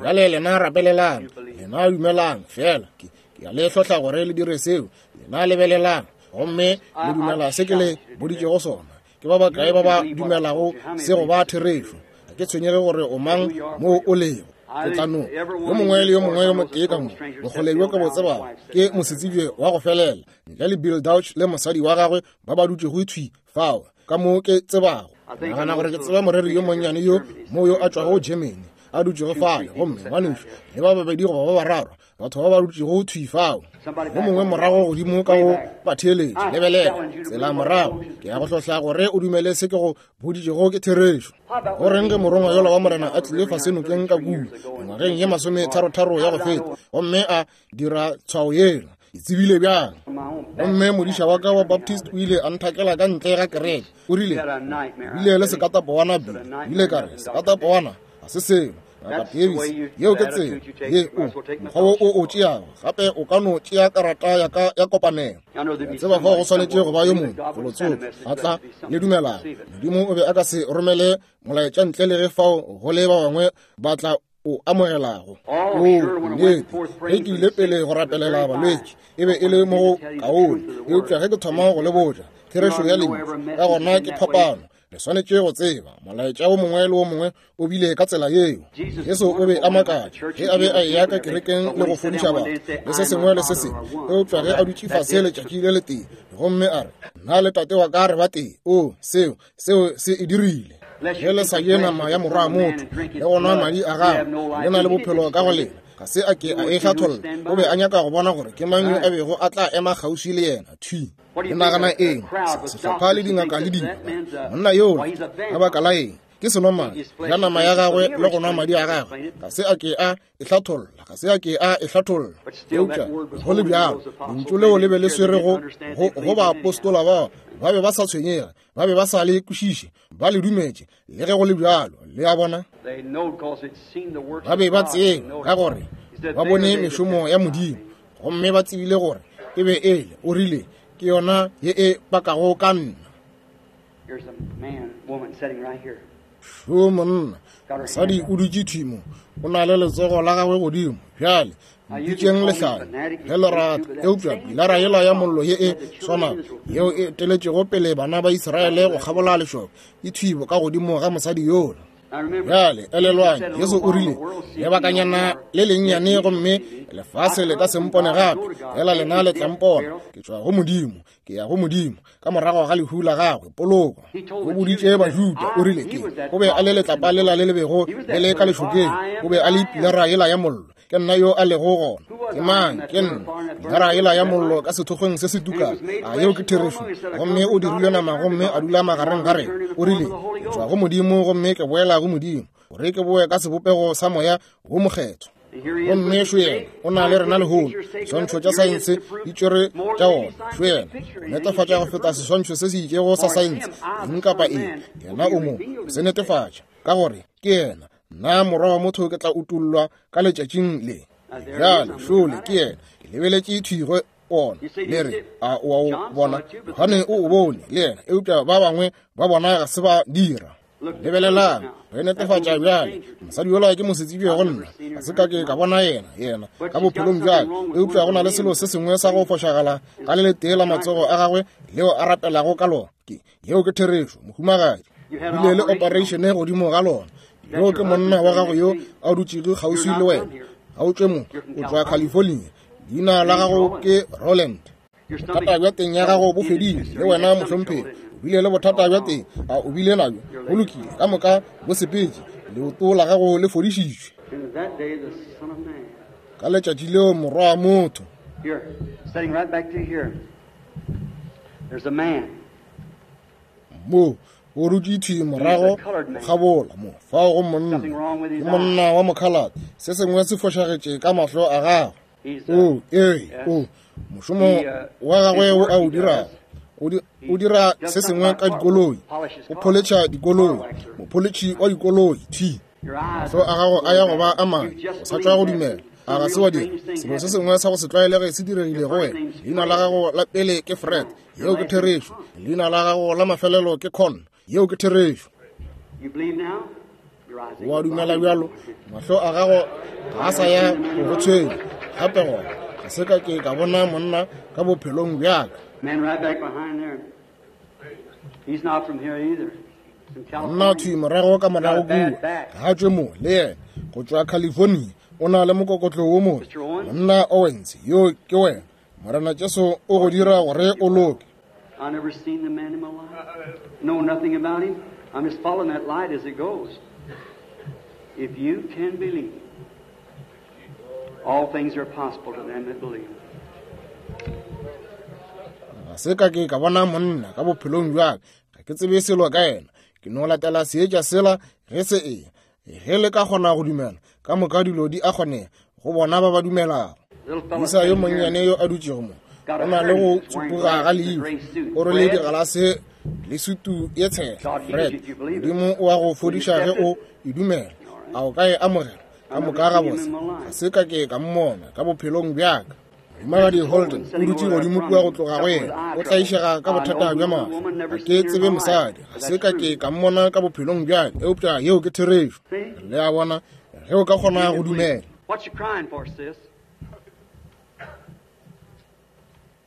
Bjale lena rapelelang, lena dumelang fela. Ke ke a le hlohla gore le dire seo. Lena lebelelang gomme le dumela se ke le boditšego sona. Ke ba bakae ba ba dumelago se go ba therešo? Ga ke tshwenyege gore o mang mo o lego. Ke tla no yo mongwe le yo mongwe yo motee ka mo bokgole bjo ke bo tsebago ke mosetsebje wa go felela, ntle le Bill Dauch le mosadi wa gagwe ba ba dutšego thwi fao ka mo ke tsebago. Nagana gore ke tseba moreri yo monnyane yo mo yo a tšwago Germany a dutšego fale, gomme ngwanešu le ba babedi goba ba bararo batho ba ba dutšego thwi fao. Yo mongwe morago godimo ka go batheeletši, lebelela tsela morago. Ke ya go hlohla gore o dumele se ke go boditšego ke therešo. Go reng ge morongwa yola wa Morena a tlile fase nokeng ka kua mengwageng ye masometharotharo ya go feta, gomme a dira tshwao yela? Ke tsebile bjang? Gomme modiša wa ka wa Baptist o ile a nthakela ka ntle ga kereke. O rile, bile le sekatapowana Bill. Ile ka re, sekatapowana ga se selo. Ngaka Davis, yeo ke tsela ye o mokgwa wo o o tšeago. Gape o ka no tšea karata ya ka ya kopanelo. Ke a tseba fao go swanetše go ba yo mongwe felotsoko a tla le dumelago. Modimo o be a ka se romele molaetša ntle le ge fao go le ba bangwe ba tla o amogelago. O nnete, ge ke ile pele go rapelela balwetši, e be e le mo go kaone, eupša ge ke thoma go le botša therešo ya lentšu, ka gona ke phapano. Le swanetše go tseba molaetša wo mongwe le wo mongwe o bile ka tsela yeo. Jesu o be a makatša ge a be a eya ka kerekeng le go fodiša batho le se sengwe le se sengwe, eupša ge a dutše fase letšatši le letee gomme a re, nna le tate wa ka re ba tee, o seo seo se e dirile. Ge le sa je nama ya morwa wa motho le go nwa madi a gagwe, le na le bophelo ka go lena. Ga se a ke a e hlatholla. O be a nyaka go bona gore ke mang yo a bego a tla ema kgauswi le yena. Thwi. Le nagana eng? Sehlopha le dingaka le dilo. Monna yola, ka baka la eng? Ke senomane, ja nama ya gagwe le go nwa madi a gagwe. Ga se a ke a e hlatholla, ga se a ke a e hlatholla. Eupša go le bjalo, lentšu leo le be le swere go go baapostola bao. Ba be ba sa tshwenyega, ba be ba sa le kwešiše, ba le dumetše le ge go le bjalo. Le a bona? Ba be ba tseba ka gore ba bone mešomo ya Modimo, gomme ba tsebile gore e be e le. O rile, ke yona ye e pakago ka nna. Šo monna, mosadi o dutše thwi mo, o na le letsogo la gagwe godimo. Bjale mpitšeng lehlale ge le rata, eupša pilara yela ya mollo ye e swanago yeo e eteletšego pele bana ba Israele go kgabola lešoka e thwibo ka godimo ga mosadi yola. Bjale elelwang, Jesu o rile, lebakanyana le lennyane gomme lefase le ka se mpone gape, fela lena le tla mpona. Ke tšwa go Modimo, ke ya go Modimo. Ka morago ga lehu la gagwe, poloko, o boditše Bajuda, o rile, ke o be a le letlapa lela le le bego le le ka lešokeng, o be a le pilara yela ya mollo. Ke nna yo a lego gona. Ke mang? Ke nna pilara yela ya mollo ka sethokgweng se se tukang. A yeo ke therešo? Gomme o dirile nama gomme a dula magareng ga rena. O rile, ke tšwa go Modimo gomme ke boela go Modimo, gore ke boe ka sebopego sa moya wo mokgethwa. Gomme šo yena o na le rena lehono. Diswantšho tša saense di tšwere tša ona. Šo yena o netefatša go feta seswantšho se se itšego sa saense, eng kapa eng. Yena o mo se netefatša ka gore ke yena. Nna morwa wa motho ke tla utollwa ka letšatšing le. Bjale šole ke yena. Ke lebeletše thwi go ona. Le re, a o a o bona? Johane o o bone le yena, eupša ba bangwe ba bona ga se ba dira. Lebelelang, re netefatša bjale. Mosadi yola ke mosetsebje go nna, ga se ka ke ka bona yena yena ka bophelong bjale, eupša go na le selo se sengwe sa go fošagala ka le letee la matsogo a gagwe leo a rapelago ka lona. Ke yeo ke therešo, mohumagadi. Bile le operation godimo ga lona. Yo ke monna wa gago yo a dutšego kgauswi le wena. Ga o tšwe mo, o tšwa California. Leina la gago ke Roland. Bothata bja teng ya gago bo fedile le wena, mohlomphegi. O bile le bothata bja teng, a o bile nabjo? Go lokile, ka moka bo sepetše. Leoto la gago le fodišitšwe. Ka letšatši leo morwa wa motho. Mo o dutše thwi morago kgabola mo, fao go monna, ke monna wa mokhalate. Se sengwe se fošagetše ka mahlo a gagwe. O ee, o mošomo wa gagwe wo a o dirago, o dira se sengwe ka dikoloi, o pholetšha dikoloi, mopholetšhi wa dikoloi. Thwi mahlo a gago a ya go ba a mane, o sa tšwa go dumela. A ga se wa dira? Selo se sengwe sa go se tlwaelege se diregile go wena. Leina la gago la pele ke Fred, yeo ke therešo. Leina la gago la mafelelo ke Con, yeo ke therešo. O a dumela bjalo? Mahlo a gago ga a sa ya go go tshwenya gape. Gona ga se ka ke ka bona monna ka bophelong bjaka. Monna thwi morago ka morago kua, ga a tšwe mo le yena, go tšwa California. O na le mokokotlo wo mobe. Monna Owens, yo ke wena. Morena Jesu o go dira gore o loke. Ga se ka ke ka bona monna ka bophelong bjaka, ga ke tsebe selo ka yena. Ke no latela seetša sela ge se eya. Ge le ka kgona go dumela, ka moka dilo di a kgonega go bona ba ba dumelago. Moisa yo monnyane yo a dutšego mo, o na le go tsupuga ga leihlo, o rwele digalase le sutu ye tshehla. Fred, Modimo o a go fodiša ge o e dumela. A o ka e amogela? Ka moka gabotse. Ga se ka ke ka mmona ka bophelong bjaka. Mohumagadi Holden o dutše godimo kua go tloga go yena, o tlaišega ka bothata bja mahlo. Ga ke tsebe mosadi, ga se ka ke ka mmona ka bophelong bjaka, eupša yeo ke therešo. Le a bona? Ge o ka kgona go dumela.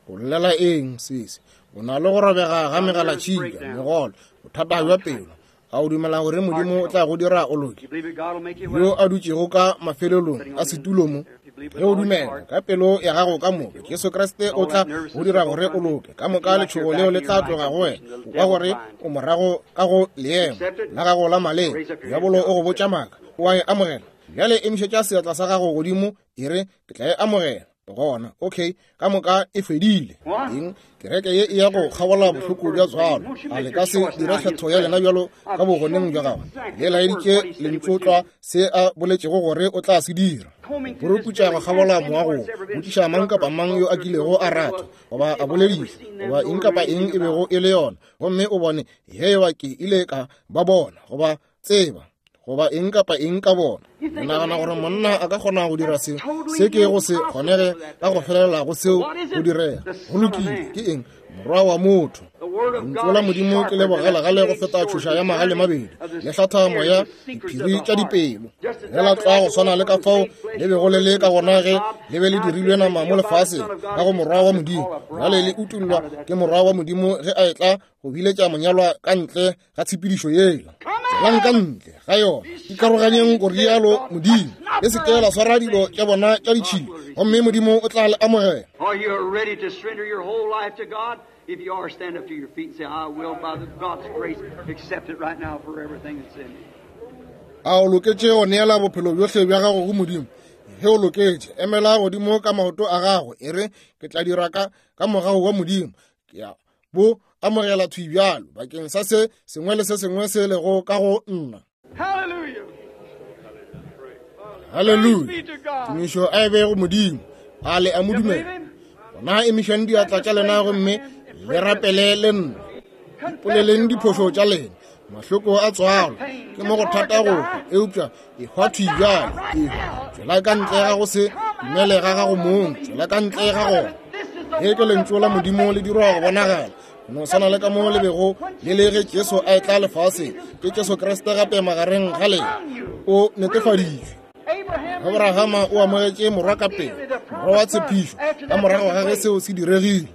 O llela eng, sesi? O na le go robega ga megalatšhika, megolo, bothata bja pelo. A o dumela gore Modimo o tla go dira o loke? Yo a dutšego ka mafelelong a setulo mo, ge o dumela ka pelo ya gago ka moka, Jesu Kriste o tla go dira gore o loke. Ka moka letšhogo leo le tla tloga go wena. O kwa gore o morago ka go leemo la gago la maleba. Diabolo o go botša maaka. O a e amogela. Bjale emišetša seatla sa gago godimo, e re, ke tla e amogela. Gona, okay, ka moka e fedile. Eng? Kereke ye e ya go kgabola bohloko bja tswalo. A le ka se dire kgetho ya lena bjalo ka bogoneng bja gagwe? Le laeditše lentšotlwa se a boletšego gore o tla se dira. Puruputša go kgabola moago, botšiša mang kapa mang yo a kilego a ratha goba a bolediša goba eng kapa eng e bego e le yona, gomme o bone ge eba ke ile ka ba bona goba tseba goba eng kapa eng ka bona. O nagana gore monna a ka kgona go dira se se ke go se kgonege ka go felela go seo go direga. Go lokile. Ke eng? Morwa wa motho. Lentšu la Modimo ke le bogalegale go feta tšhoša ya magale mabedi, le hlatha moya diphiri tša dipelo. Le la tlwa go swana le ka fao le bego le le ka gona ge le be le dirilwe nama mo lefaseng ka go morwa wa Modimo. Bjale le utollwa ke morwa wa Modimo ge a etla go biletša monyalwa ka ntle ga tshepedišo yela. Tšwelang ka ntle ga yona, ikaroganyeng go rialo Modimo. Le se ke la swara dilo tša bona tša ditšhila, gomme Modimo o tla le amogela. If you are, stand up to your feet and say, I will, by the God's grace, accept it right now for everything that's in me. A o loketše go neela bophelo bjohle bja gago go Modimo? Ge o loketše, emela godimo ka maoto a gago, e re, ke tla dira ka ka mogau wa Modimo. Ke a bo amogela thwi bjalo bakeng sa se sengwe le se sengwe se lego ka go nna. Hallelujah. Hallelujah. Tumišo a e be go Modimo. A le a mo dumela? Gona emišang diatla tša lena gomme le rapele le nna. Ipoleleng diphošo tša lena. Mahloko a tswalo ke mo go thata go hwa, eupša ehwa thwi bjalo. Ehwa, tšwela ka ntle ga go se dumele ga gago mong, tšwela ka ntle ga gona. Ge ke lentšu la Modimo le dirwa go bonagala, no swana le ka mo le bego le le ge Jesu a etla lefaseng. Ke Jesu Kriste gape magareng ga lena, o netefaditšwe. Abrahama o amogetše morwa ka pele, morwa wa tshepišo, ka morago ga ge seo se diregile.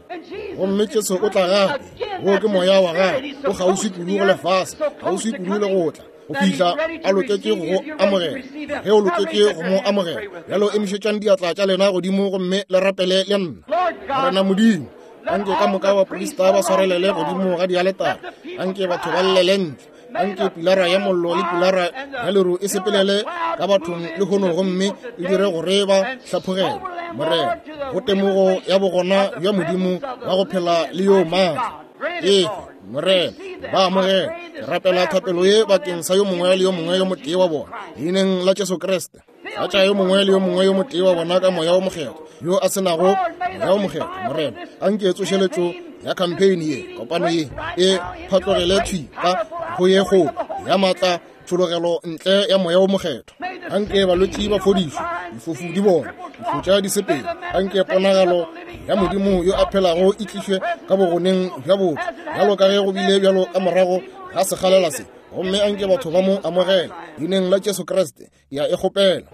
Gomme Jesu o tla gape, wo ke moya wa gagwe, o kgauswi kudu go lefase, kgauswi kudu le go tla, go fihla a loketše go go amogela. Ge o loketše go mo amogela, bjalo emišetšang diatla tša lena godimo gomme le rapele le nna. Morena Modimo, anke ka moka baprista ba swarelele godimo ga dialetare, anke batho ba llele ntle, anke pilara ya mollo le pilara ya leru e sepelele ka bathong lehono gomme e dire gore ba hlaphogele. Morena, go temogo ya bogona bja Modimo wa go phela le yo maatla. Efe, Morena, ba amogela. Ke rapela thapelo ye bakeng sa yo mongwe le yo mongwe yo motee wa bona, leineng la Jesu Kriste. Tlatša yo mongwe le yo mongwe yo motee wa bona ka moya o mokgethwa, yo a se nago moya o mokgethwa. Morena, anke tsošeletšo ya campaign ye, kopano ye, e phatlogele thwi ka go ye kgolo ya maatla tšhologelo ntle ya moya o mokgethwa. Anke balwetši ba fodišwe, difofu di bone, difutša di sepele. Anke ponagalo ya Modimo yo a phelago e tlišwe ka bogoneng bja botho, bjalo ka ge go bile bjalo ka morago ga sekgalela se. Gomme anke batho ba mo amogela leineng la Jesu Kriste. Ya e kgopela.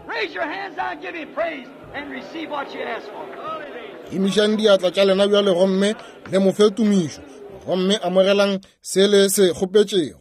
Emišang diatla tša lena bjale gomme le mo fe tumišo, gomme amogelang se le se kgopetšego.